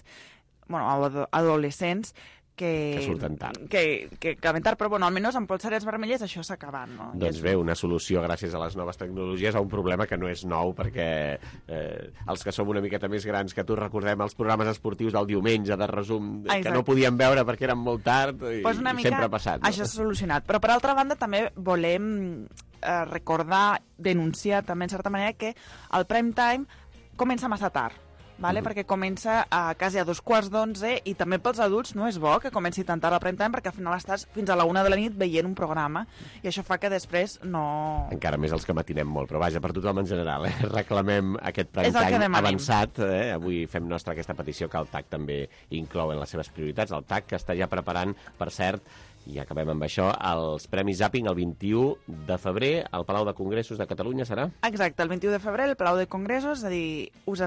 S11: bueno, adolescents, que
S2: surten tard.
S11: Que acaben tard, però bueno, almenys amb Polseres Vermelles això s'ha acabat, no?
S2: Doncs bé, una solució gràcies a les noves tecnologies a un problema que no és nou, perquè els que som una miqueta més grans que tu recordem els programes esportius del diumenge de resum que no podíem veure perquè eren molt tard i sempre ha passat.
S11: Això s'ha solucionat. Però per altra banda també volem recordar, denunciar també en certa manera que el prime time comença massa tard. Perquè comença a quasi a 11:15 i també pels adults no és bo que comenci tan tard al prime time perquè al final estàs fins a la 1 de la nit veient un programa i això fa que després no...
S2: Encara més els que matinem molt, però vaja, per tothom en general, reclamem aquest prime time avançat. Avui fem nostra aquesta petició que el TAC també inclou en les seves prioritats. El TAC que està ja preparant, per cert, i acabem amb això, els Premis Zapping el 21 de febrer al Palau de Congressos de Catalunya serà?
S11: Exacte, el 21 de febrer al Palau de Congressos, és a dir, us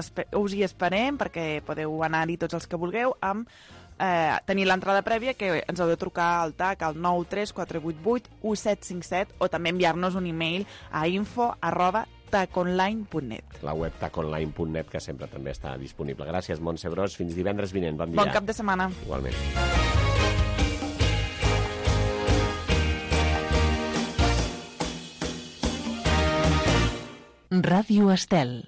S11: hi esperem perquè podeu anar-hi tots els que vulgueu amb tenir l'entrada prèvia que ens heu de trucar al TAC al 934881757 o també enviar-nos un e-mail a info@taconline.net.
S2: La web taconline.net que sempre també està disponible. Gràcies, Montse Bros. Fins divendres vinent. Bon dia.
S11: Bon cap de setmana.
S2: Igualment.
S1: Ràdio Estel.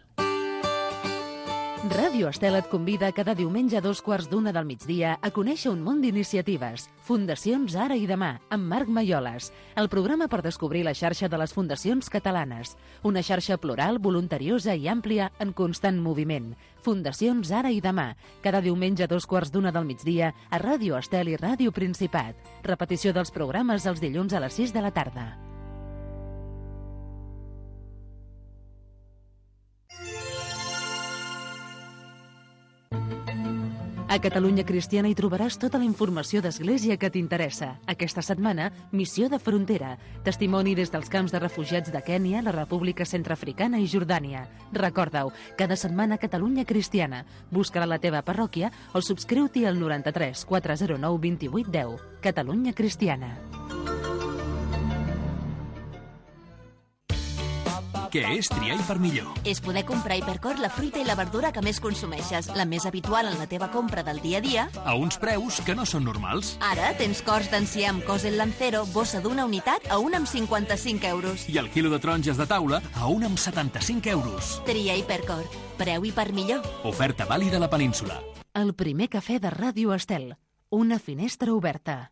S1: Ràdio Estel et convida cada diumenge a 2:15 del migdia a conèixer un món d'iniciatives. Fundacions Ara i Demà, amb Marc Maioles. El programa per descobrir la xarxa de les fundacions catalanes. Una xarxa plural, voluntariosa i àmplia en constant moviment. Fundacions Ara i Demà. Cada diumenge a 2:15 del migdia a Ràdio Estel i Ràdio Principat. Repetició dels programes els dilluns a les 6 de la tarda. A Catalunya Cristiana hi trobaràs tota la informació d'Església que t'interessa. Aquesta setmana, Missió de Frontera. Testimoni des dels camps de refugiats de Kènia, la República Centreafricana i Jordània. Recorda-ho, cada setmana Catalunya Cristiana. Busca-la a la teva parròquia o subscriu-t'hi al 93 409 28 10. Catalunya Cristiana.
S6: Què és triar i per millor?
S7: És poder comprar a Hipercor la fruita i la verdura que més consumeixes, la més habitual en la teva compra del dia a dia,
S6: a uns preus que no són normals.
S7: Ara tens cors d'enciam amb Cosel Lancero, bossa d'una unitat a 1 amb 55 euros.
S6: I el quilo de taronges de taula a 1 amb 75 euros.
S7: Tria Hipercor. Preu i per millor.
S6: Oferta vàlida a la península.
S1: El primer cafè de Ràdio Estel. Una finestra oberta.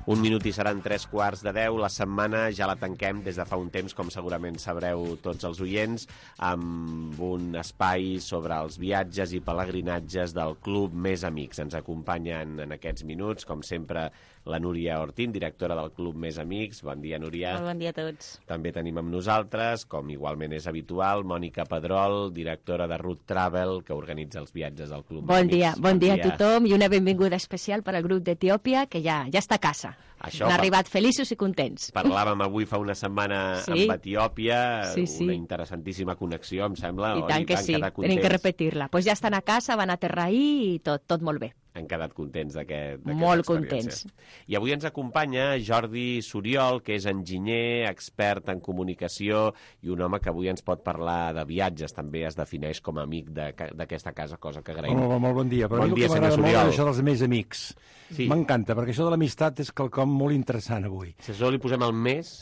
S2: Un minut i seran 9:45. La setmana ja la tanquem des de fa un temps, com segurament sabreu tots els oients, amb un espai sobre els viatges i pelegrinatges del Club Més Amics. Ens acompanyen en aquests minuts, com sempre, la Núria Ortín, directora del Club Més Amics. Bon dia, Núria.
S15: Molt bon dia a tots.
S2: També tenim amb nosaltres, com igualment és habitual, Mònica Pedrol, directora de Route Travel, que organitza els viatges del Club Més Amics.
S15: Bon dia a tothom i una benvinguda especial per al grup d'Etiòpia, que ja està a casa.
S2: Això,
S15: han arribat feliços i contents.
S2: Parlàvem avui fa una setmana amb Etiòpia,
S15: sí.
S2: Una interessantíssima connexió, em sembla.
S15: I tant que sí, tenim que repetir-la. Pues ja estan a casa, van aterrar ahir i tot molt bé.
S2: Han quedat contents d'aquesta
S15: Molt contents.
S2: I avui ens acompanya Jordi Suriol, que és enginyer, expert en comunicació i un home que avui ens pot parlar de viatges. També es defineix com a amic d'aquesta casa, cosa que agraïm.
S16: Molt bon dia. Però
S2: bon dia, senyor
S16: Suriol.
S2: Suriol.
S16: Això dels més amics.
S2: Sí.
S16: M'encanta, perquè això de l'amistat és quelcom molt interessant avui.
S2: Si a això li posem el més...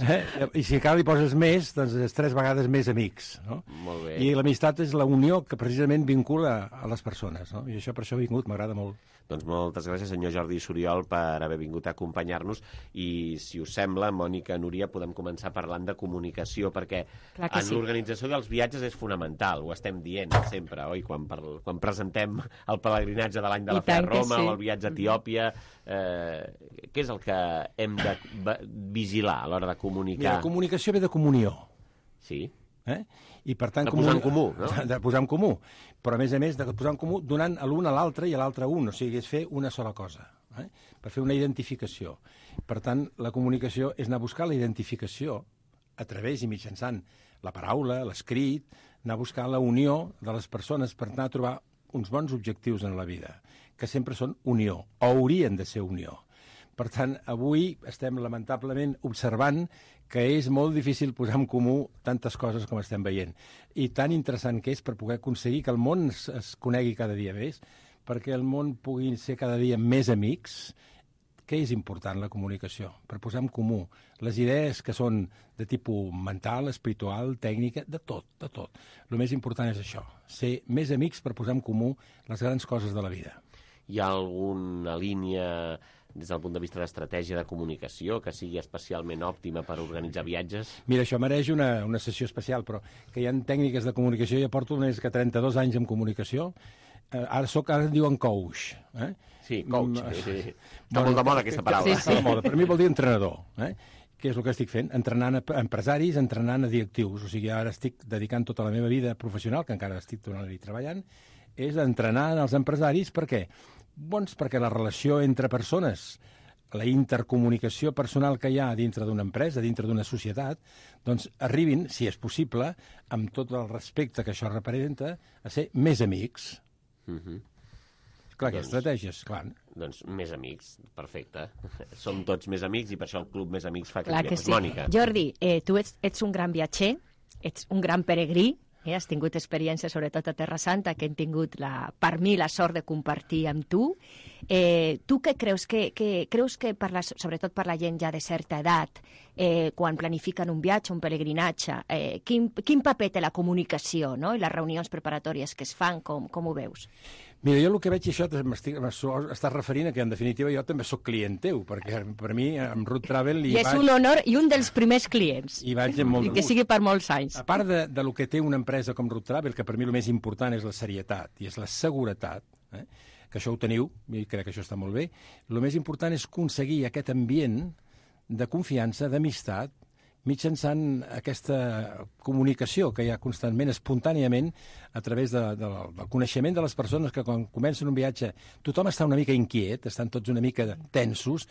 S16: I si encara li poses més, doncs és 3 vegades més amics. No?
S2: Molt bé.
S16: I l'amistat és la unió que precisament vincula a les persones. No? I això per això he vingut, m'agrada molt.
S2: Doncs moltes gràcies, senyor Jordi Suriol, per haver vingut a acompanyar-nos. I, si us sembla, Mònica, Núria, podem començar parlant de comunicació, perquè en l'organització dels viatges és fonamental, ho estem dient sempre, oi? Quan presentem el pelegrinatge de l'any de la Fe a Roma o el viatge a Etiòpia, què és el que hem de vigilar a l'hora de comunicar?
S16: Mira, la comunicació ve de comunió.
S2: Sí.
S16: I per tant,
S2: de posar en comú, no?
S16: De posar en comú, però a més de posar en comú donant a l'un a l'altre i a l'altre a un, o sigui, és fer una sola cosa, per fer una identificació. Per tant, la comunicació és anar a buscar la identificació a través i mitjançant la paraula, l'escrit, anar a buscar la unió de les persones per anar a trobar uns bons objectius en la vida, que sempre són unió, o haurien de ser unió. Per tant, avui estem lamentablement observant que és molt difícil posar en comú tantes coses com estem veient. I tan interessant que és per poder aconseguir que el món es conegui cada dia més, perquè el món pugui ser cada dia més amics. Què és important, la comunicació? Per posar en comú les idees que són de tipus mental, espiritual, tècnica, de tot, de tot. El més important és això, ser més amics per posar en comú les grans coses de la vida.
S2: Hi ha alguna línia des del punt de vista d'estratègia de comunicació que sigui especialment òptima per organitzar viatges?
S16: Mira, això mereix una sessió especial, però que hi ha tècniques de comunicació. Jo porto més que 32 anys en comunicació. Ara en diuen coach.
S2: Sí, coach. Sí. Està molt de moda aquesta paraula.
S16: Sí. Per mi vol dir entrenador. Què és el que estic fent? Entrenant a empresaris, entrenant a directius. O sigui, ara estic dedicant tota la meva vida professional, que encara estic tornant-hi treballant, és entrenar els empresaris. Per què? Doncs perquè la relació entre persones, la intercomunicació personal que hi ha dintre d'una empresa, dintre d'una societat, doncs arribin, si és possible, amb tot el respecte que això representa, a ser més amics. Clar, que estratègies, clar.
S2: Doncs més amics, perfecte. Som tots més amics i per això el Club Més Amics fa
S15: Clar que sí.
S2: Mònica.
S15: Jordi, tu ets un gran viatger, ets un gran peregrí, has tingut experiències, sobretot a Terra Santa, que hem tingut, per mi, la sort de compartir amb tu. Tu què creus? Creus que, sobretot per la gent ja de certa edat, quan planifiquen un viatge, un pelegrinatge, quin paper té la comunicació, no? I les reunions preparatòries que es fan, com ho veus?
S16: Mira, jo el que veig, això estàs referint a que, en definitiva, jo també sóc client teu, perquè per mi, amb Root Travel...
S15: I és un honor i un dels primers clients.
S16: I vaig amb molt de gust.
S15: I que sigui per molts anys.
S16: A part de lo que té una empresa com Root Travel, que per mi el més important és la serietat i és la seguretat, que això ho teniu, i crec que això està molt bé, el més important és aconseguir aquest ambient de confiança, d'amistat, mitjançant aquesta comunicació que hi ha constantment, espontàniament, a través del coneixement de les persones, que quan comencen un viatge tothom està una mica inquiet, estan tots una mica tensos,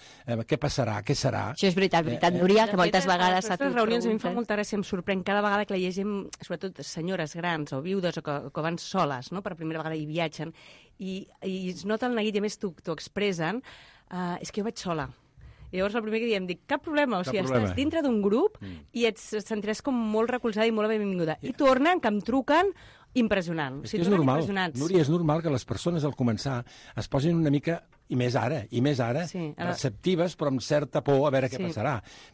S16: què passarà, què serà...
S15: Això és veritat, Núria, que moltes vegades...
S3: A les reunions a mi em fa molta gràcia, em sorprèn cada vegada que la llegim, sobretot senyores grans o viudes o que van soles, no?, per primera vegada i viatgen, i es nota el neguit, i a més t'ho expressen, és que jo vaig sola. I llavors el primer que diem, dic, cap problema, o sigui, estàs dintre d'un grup i et sentiràs com molt recolzada i molt benvinguda. I tornen, que em truquen, impressionant.
S16: És que és normal, Núria, és normal que les persones al començar es posin una mica, i més ara, receptives, però amb certa por a veure què passarà.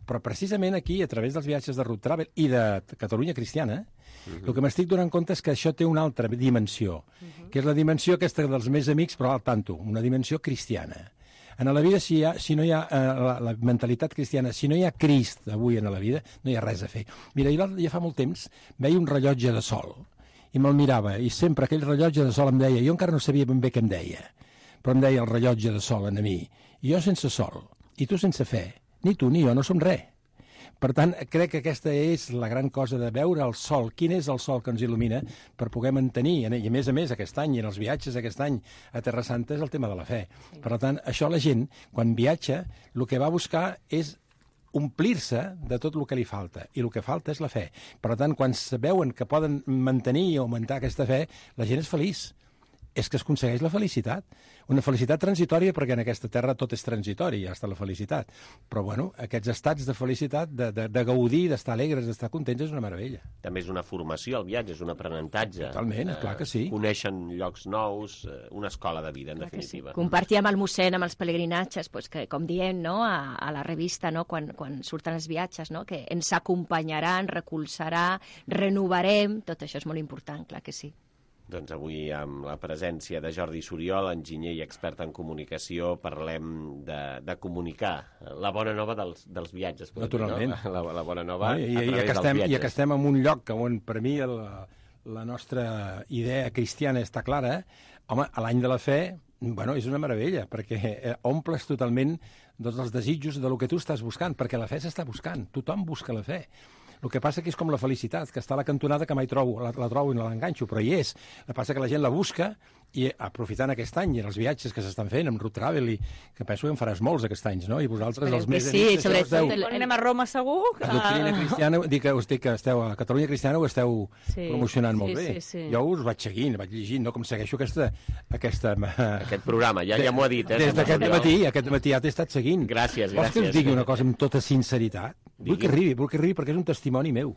S16: Però precisament aquí, a través dels viatges de Root Travel i de Catalunya Cristiana, el que m'estic donant compte és que això té una altra dimensió, que és la dimensió aquesta dels més amics, però al tanto, una dimensió cristiana. En la vida, si no hi ha la mentalitat cristiana, si no hi ha Crist avui en la vida, no hi ha res a fer. Mira, ja fa molt temps veia un rellotge de sol i me'l mirava, i sempre aquell rellotge de sol em deia, jo encara no sabia ben bé què em deia, però em deia el rellotge de sol a mi, i jo sense sol, i tu sense fe, ni tu ni jo no som res. Per tant, crec que aquesta és la gran cosa de veure el sol. Quin és el sol que ens il·lumina per poder mantenir, i a més, aquest any, i en els viatges aquest any a Terra Santa, és el tema de la fe. Per tant, això la gent, quan viatja, el que va buscar és omplir-se de tot el que li falta, i el que falta és la fe. Per tant, quan veuen que poden mantenir i augmentar aquesta fe, la gent és feliç. És que es aconsegueix la felicitat. Una felicitat transitòria, perquè en aquesta terra tot és transitori, ja està la felicitat. Però, bueno, aquests estats de felicitat, de gaudir, d'estar alegres, d'estar contents, és una meravella.
S2: També és una formació, el viatge, és un aprenentatge.
S16: Totalment, clar que sí.
S2: Coneixen llocs nous, una escola de vida, en definitiva.
S15: Compartir amb el mossèn, amb els pelegrinatges, que, com diem, no, a la revista, no, quan surten els viatges, no, que ens acompanyaran, recolzarà, renovarem, tot això és molt important, clar que sí.
S2: Doncs avui, amb la presència de Jordi Suriol, enginyer i expert en comunicació, parlem de comunicar la bona nova dels viatges.
S16: Naturalment.
S2: No? La bona nova
S16: a través dels viatges. I que estem en un lloc on, per mi, la nostra idea cristiana està clara. Home, a l'any de la fe, bueno, és una meravella, perquè omples totalment tots els desitjos de lo que tu estàs buscant, perquè la fe s'està buscant. Tothom busca la fe. El que passa que és com la felicitat, que està a la cantonada que mai trobo, la trobo i no l'enganxo, però hi és. El que passa que la gent la busca i aprofitant aquest any i els viatges que s'estan fent amb Root Travel, i que penso que en faràs molts aquests anys, no? I vosaltres, els més amics...
S3: Sí, sobretot anem a Roma segur.
S16: La doctrina cristiana, dic que esteu a Catalunya Cristiana, ho esteu promocionant molt bé. Jo us vaig seguint, vaig llegint, no? Com segueixo aquest
S2: programa, ja m'ho ha dit.
S16: Des d'aquest matí ja t'he estat seguint.
S2: Gràcies.
S16: Vols que us digui una cosa amb tota sinceritat? Vull que arribi, perquè és un testimoni meu.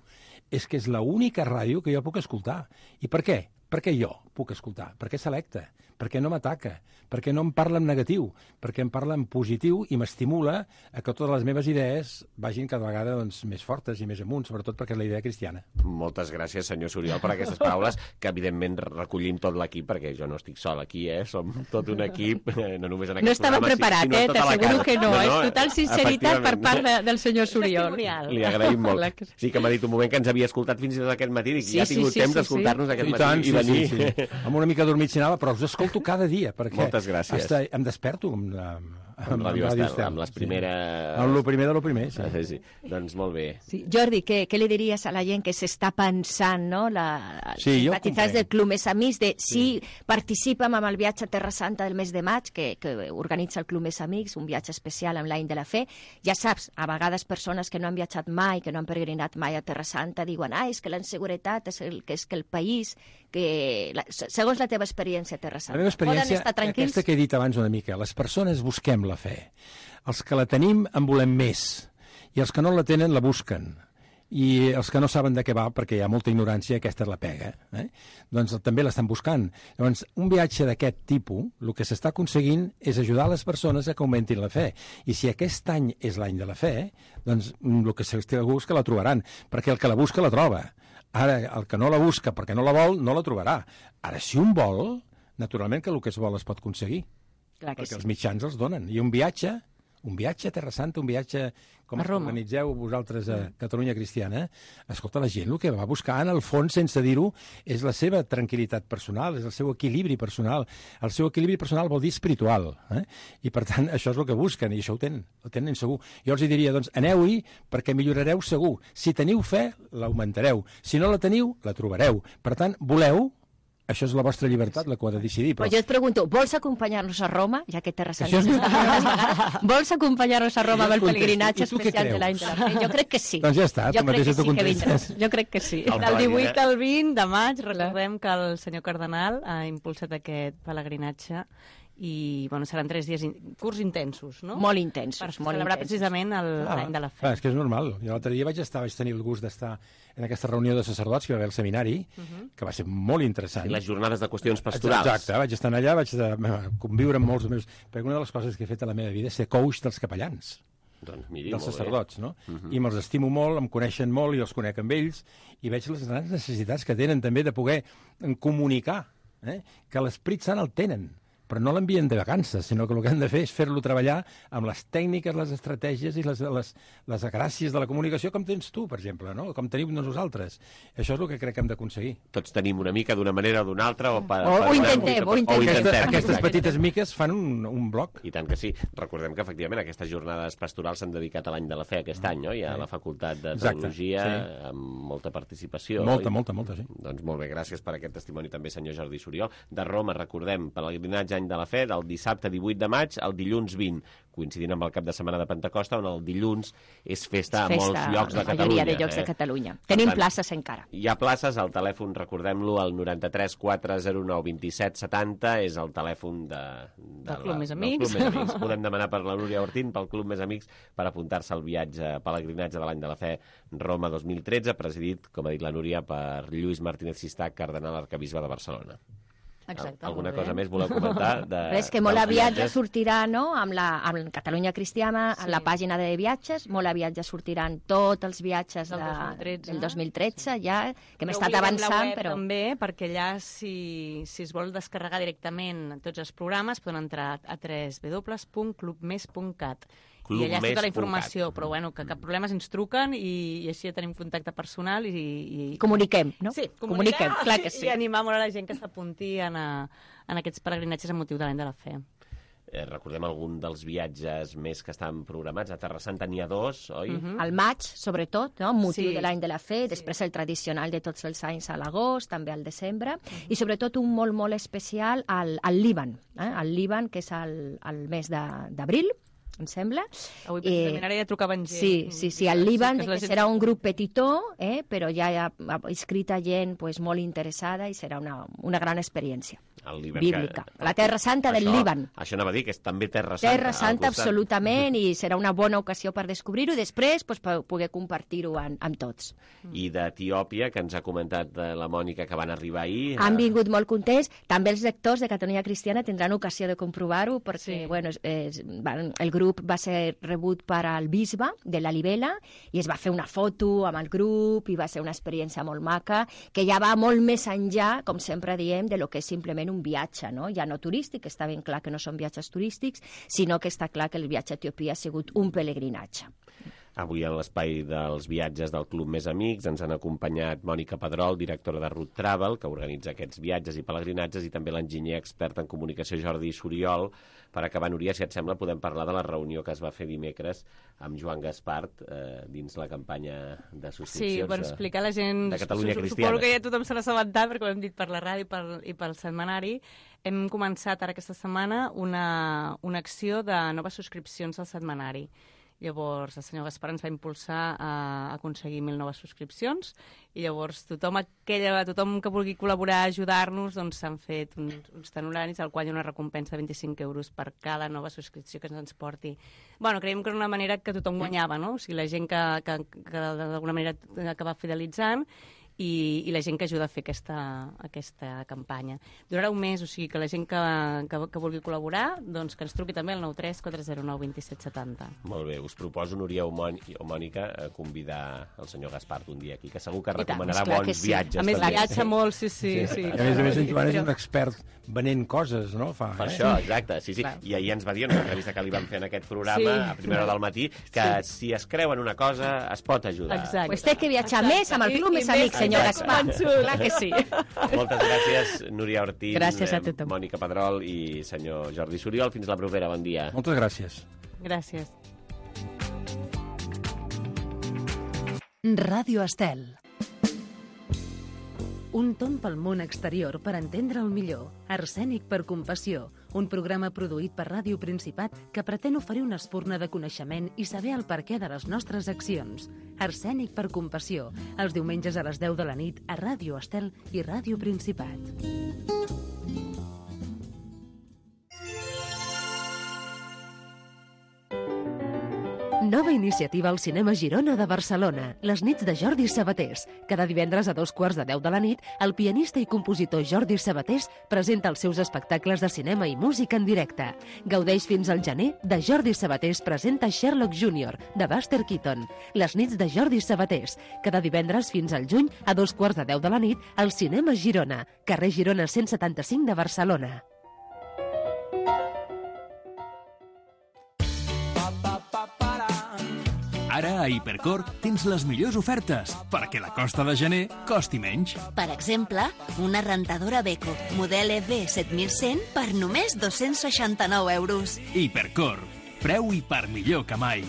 S16: És que és l'única ràdio que jo puc escoltar. I per què? Perquè jo puc escoltar, perquè selecta, perquè no m'ataca, perquè no em parla en negatiu, perquè em parla en positiu i m'estimula a que totes les meves idees vagin cada vegada més fortes i més amunt, sobretot perquè és la idea cristiana.
S2: Moltes gràcies, senyor Suriol, per aquestes paraules, que evidentment recollim tot l'equip, perquè jo no estic sol aquí, som tot un equip, no només en aquest programa.
S15: No estava preparat, t'asseguro que no, és total sinceritat per part del senyor Suriol.
S2: Li agraïm molt. Sí que m'ha dit un moment que ens havia escoltat fins i tot aquest matí, dic, ja ha tingut temps d'escoltar-nos aquest matí.
S16: Sí. Amb una mica dormit si anava, però us escolto cada dia, perquè
S2: moltes gràcies.
S16: Em desperto amb
S2: amb Radio Estel, amb les primeres...
S16: Amb el primer de lo primer, sí.
S2: Sí. Doncs molt bé.
S15: Sí. Jordi, què li diries a la gent que s'està pensant, no? Simpatitzants del Club Més Amics, de si participem amb el viatge a Terra Santa del mes de maig, que organitza el Club Més Amics, un viatge especial amb l'any de la fe. Ja saps, a vegades persones que no han viatjat mai, que no han peregrinat mai a Terra Santa, diuen, és que la inseguretat és que el país, segons la teva experiència a Terra Santa,
S16: la meva experiència, aquesta que he dit abans una mica, les persones busquem la fe. Els que la tenim en volem més, i els que no la tenen la busquen. I els que no saben de què va, perquè hi ha molta ignorància, aquesta és la pega, doncs també l'estan buscant. Llavors, un viatge d'aquest tipus, el que s'està aconseguint és ajudar les persones a que augmentin la fe. I si aquest any és l'any de la fe, doncs el que segur és que la trobaran, perquè el que la busca la troba. Ara, el que no la busca perquè no la vol, no la trobarà. Ara, si un vol, naturalment que el que es vol es pot aconseguir. Perquè els mitjans els donen. I un viatge a Terra Santa, un viatge com el que organitzeu vosaltres a Catalunya Cristiana, escolta, la gent el que va buscar, en el fons, sense dir-ho, és la seva tranquil·litat personal, és el seu equilibri personal. El seu equilibri personal vol dir espiritual. I, per tant, això és el que busquen, i això ho tenen segur. Jo els diria, doncs, aneu-hi perquè millorareu segur. Si teniu fe, l'augmentareu. Si no la teniu, la trobareu. Per tant, voleu. Això és la vostra llibertat, la que ho ha de decidir.
S15: Però jo et pregunto, vols acompanyar-nos a Roma, ja que Terra Santa vols acompanyar-nos a Roma amb el pelegrinatge especial de l'any de la fe? Jo crec que sí.
S16: Doncs ja està, tu mateixa t'ho contestes.
S15: Jo crec que sí.
S3: Del 18 al 20 de maig, recordem que el senyor Cardenal ha impulsat aquest pelegrinatge i seran 3 dies curts intensos, no?
S15: Molt intensos.
S3: Per celebrar precisament l'any de la fe.
S16: És que és normal. Jo l'altre dia vaig tenir el gust d'estar en aquesta reunió de sacerdots que va haver al seminari, que va ser molt interessant.
S2: I les jornades de qüestions pastorals.
S16: Exacte, vaig estar allà, vaig conviure amb molts meus... Perquè una de les coses que he fet a la meva vida és ser coach dels capellans.
S2: Doncs miri,
S16: dels sacerdots, no? I me'ls estimo molt, em coneixen molt i els conec amb ells, i veig les grans necessitats que tenen també de poder comunicar, que l'Esperit Sant el tenen, però no l'envien de vacances, sinó que el que han de fer és fer-lo treballar amb les tècniques, les estratègies i les gràcies de la comunicació com tens tu, per exemple, no? Com tenim nosaltres. Això és el que crec que hem d'aconseguir.
S2: Tots tenim una mica d'una manera o d'una altra.
S15: Ho intentem.
S16: Aquestes petites miques fan un bloc.
S2: I tant que sí. Recordem que, efectivament, aquestes jornades pastorals s'han dedicat a l'any de la fe aquest any, no? Hi ha la Facultat de Teologia amb molta participació.
S16: Molta, sí.
S2: Doncs molt bé, gràcies per aquest testimoni també, senyor Jordi Suriol. De Roma, recordem, pelegrinatge any de la fe, del dissabte 18 de maig al dilluns 20, coincidint amb el cap de setmana de Pentecosta, on el dilluns és festa a molts llocs de Catalunya.
S15: La majoria de llocs de Catalunya. Tenim places encara.
S2: Hi ha places, al telèfon, recordem-lo, el 93 409 27 70, és el telèfon
S3: del Club Més Amics.
S2: Podem demanar per la Núria Ortín, pel Club Més Amics, per apuntar-se al viatge pelegrinatge de l'any de la fe Roma 2013, presidit, com ha dit la Núria, per Lluís Martínez Sistac, cardenal arquebisbe de Barcelona.
S3: Exacte,
S2: alguna cosa més voleu comentar?
S15: És que molt aviat ja sortirà, no?, amb Catalunya Cristiana, a la pàgina de viatges, molt aviat ja sortiran tots els viatges del 2013, ja, que hem estat avançant, però...
S3: També, perquè allà, si es vol descarregar directament tots els programes, poden entrar a www.clubmes.cat. I allà està tota la informació, però que cap problema ens truquen i així ja tenim contacte personal i...
S15: Comuniquem, no?
S3: Sí, comuniquem, clar que sí. I animar molt a la gent que s'apunti en aquests peregrinatges amb motiu de l'any de la fe.
S2: Recordem algun dels viatges més que estan programats. A Terra Santa n'hi ha 2, oi?
S15: Al maig, sobretot, no? Amb motiu de l'any de la fe, després el tradicional de tots els anys a l'agost, també al desembre, i sobretot un molt, molt especial al Líban, al Líban, que és el mes d'abril, em sembla.
S3: Avui precisament ara ja trucaven gent.
S15: Sí, al Líban serà un grup petitó, però ja hi ha inscrita gent molt interessada i serà una gran experiència bíblica. La Terra Santa del Líban.
S2: Això anava a dir, que és també Terra Santa.
S15: Terra Santa, absolutament, i serà una bona ocasió per descobrir-ho i després poder compartir-ho amb tots.
S2: I d'Etiòpia, que ens ha comentat la Mònica, que van arribar ahir...
S15: Han vingut molt contents. També els lectors de Catalunya Cristiana tindran ocasió de comprovar-ho, perquè el grup va ser rebut per al bisbe de la Libela i es va fer una foto amb el grup i va ser una experiència molt maca, que ja va molt més enllà, com sempre diem, de lo que és simplement un viatge, no? Ja no turístic, està ben clar que no són viatges turístics, sinó que està clar que el viatge a Etiòpia ha sigut un pelegrinatge.
S2: Avui en l'espai dels viatges del Club Més Amics ens han acompanyat Mònica Pedrol, directora de Route Travel, que organitza aquests viatges i pelegrinatges, i també l'enginyer expert en comunicació Jordi Suriol. Per acabar, Núria, si et sembla, podem parlar de la reunió que es va fer dimecres amb Joan Gaspart dins la campanya de subscripcions.
S3: Sí, per explicar a la gent,
S2: de Catalunya Cristiana.
S3: Suposo que ja tothom se n'ha assabentat, perquè ho hem dit per la ràdio i pel setmanari. Hem començat ara aquesta setmana una acció de noves subscripcions al setmanari. Llavors, el senyor Gaspar ens va impulsar a aconseguir 1.000 noves subscripcions i llavors tothom que vulgui col·laborar, ajudar-nos, doncs s'han fet uns tenoraris al qual hi ha una recompensa de 25 euros per cada nova subscripció que ens porti. Bueno, creiem que és una manera que tothom guanyava, no? O sigui, la gent que d'alguna manera acaba fidelitzant i la gent que ajuda a fer aquesta campanya. Durarà un mes, o sigui que la gent que vulgui col·laborar, doncs que ens truqui també al 93 409 2770.
S2: Molt bé, us proposo, Núria o Mònica, convidar el senyor Gaspart un dia aquí, que segur que recomanarà bons viatges.
S3: A més, viatja molt, sí.
S16: A més, en Joan és un expert venent coses, no?
S2: Per això, exacte, sí. I ahir ens va dir en una entrevista que li vam fer en aquest programa, a primera hora del matí, que si es creuen una cosa, es pot ajudar.
S15: Exacte. Pues té que viatjar més amb el Club Més Amics, senyor Gaspar. Clar que sí.
S2: Moltes gràcies, Núria Ortín,
S3: gràcies a tothom.
S2: Mònica Pedrol i senyor Jordi Suriol. Fins la propera, bon dia.
S16: Moltes gràcies.
S3: Gràcies.
S1: Ràdio Estel. Un tomb pel món exterior per entendre el millor. Arsènic per compassió, un programa produït per Ràdio Principat que pretén oferir una espurna de coneixement i saber el perquè de les nostres accions. Arsènic per compassió, els diumenges a les 10 de la nit a Ràdio Estel i Ràdio Principat. Nova iniciativa al Cinema Girona de Barcelona, les nits de Jordi Sabatés. Cada divendres a 2:45 de la nit, el pianista i compositor Jordi Sabatés presenta els seus espectacles de cinema i música en directe. Gaudeix fins al gener de Jordi Sabatés presenta Sherlock Jr., de Buster Keaton. Les nits de Jordi Sabatés. Cada divendres fins al juny a 2:45 de la nit, al Cinema Girona, carrer Girona 175 de Barcelona.
S6: Ara a Hipercor tens les millors ofertes perquè la costa de gener costi menys.
S7: Per exemple, una rentadora Beko, model EV7100 per només 269 euros.
S6: Hipercor, preu i per millor que mai.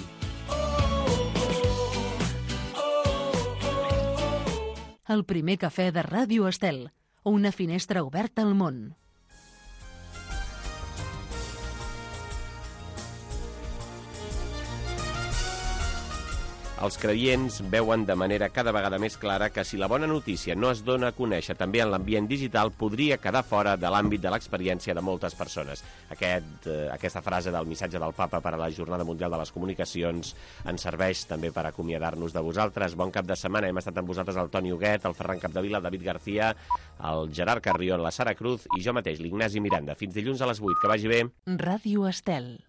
S1: El primer cafè de Ràdio Estel, una finestra oberta al món.
S2: Els creients veuen de manera cada vegada més clara que si la bona notícia no es dona a conèixer també en l'ambient digital, podria quedar fora de l'àmbit de l'experiència de moltes persones. Aquesta frase del missatge del Papa per a la Jornada Mundial de les Comunicacions ens serveix també per acomiadar-nos de vosaltres. Bon cap de setmana. Hem estat amb vosaltres el Toni Huguet, el Ferran Capdevila, el David García, el Gerard Carrion, la Sara Cruz i jo mateix, l'Ignasi Miranda. Fins dilluns a les 8. Que vagi bé.
S1: Ràdio Estel.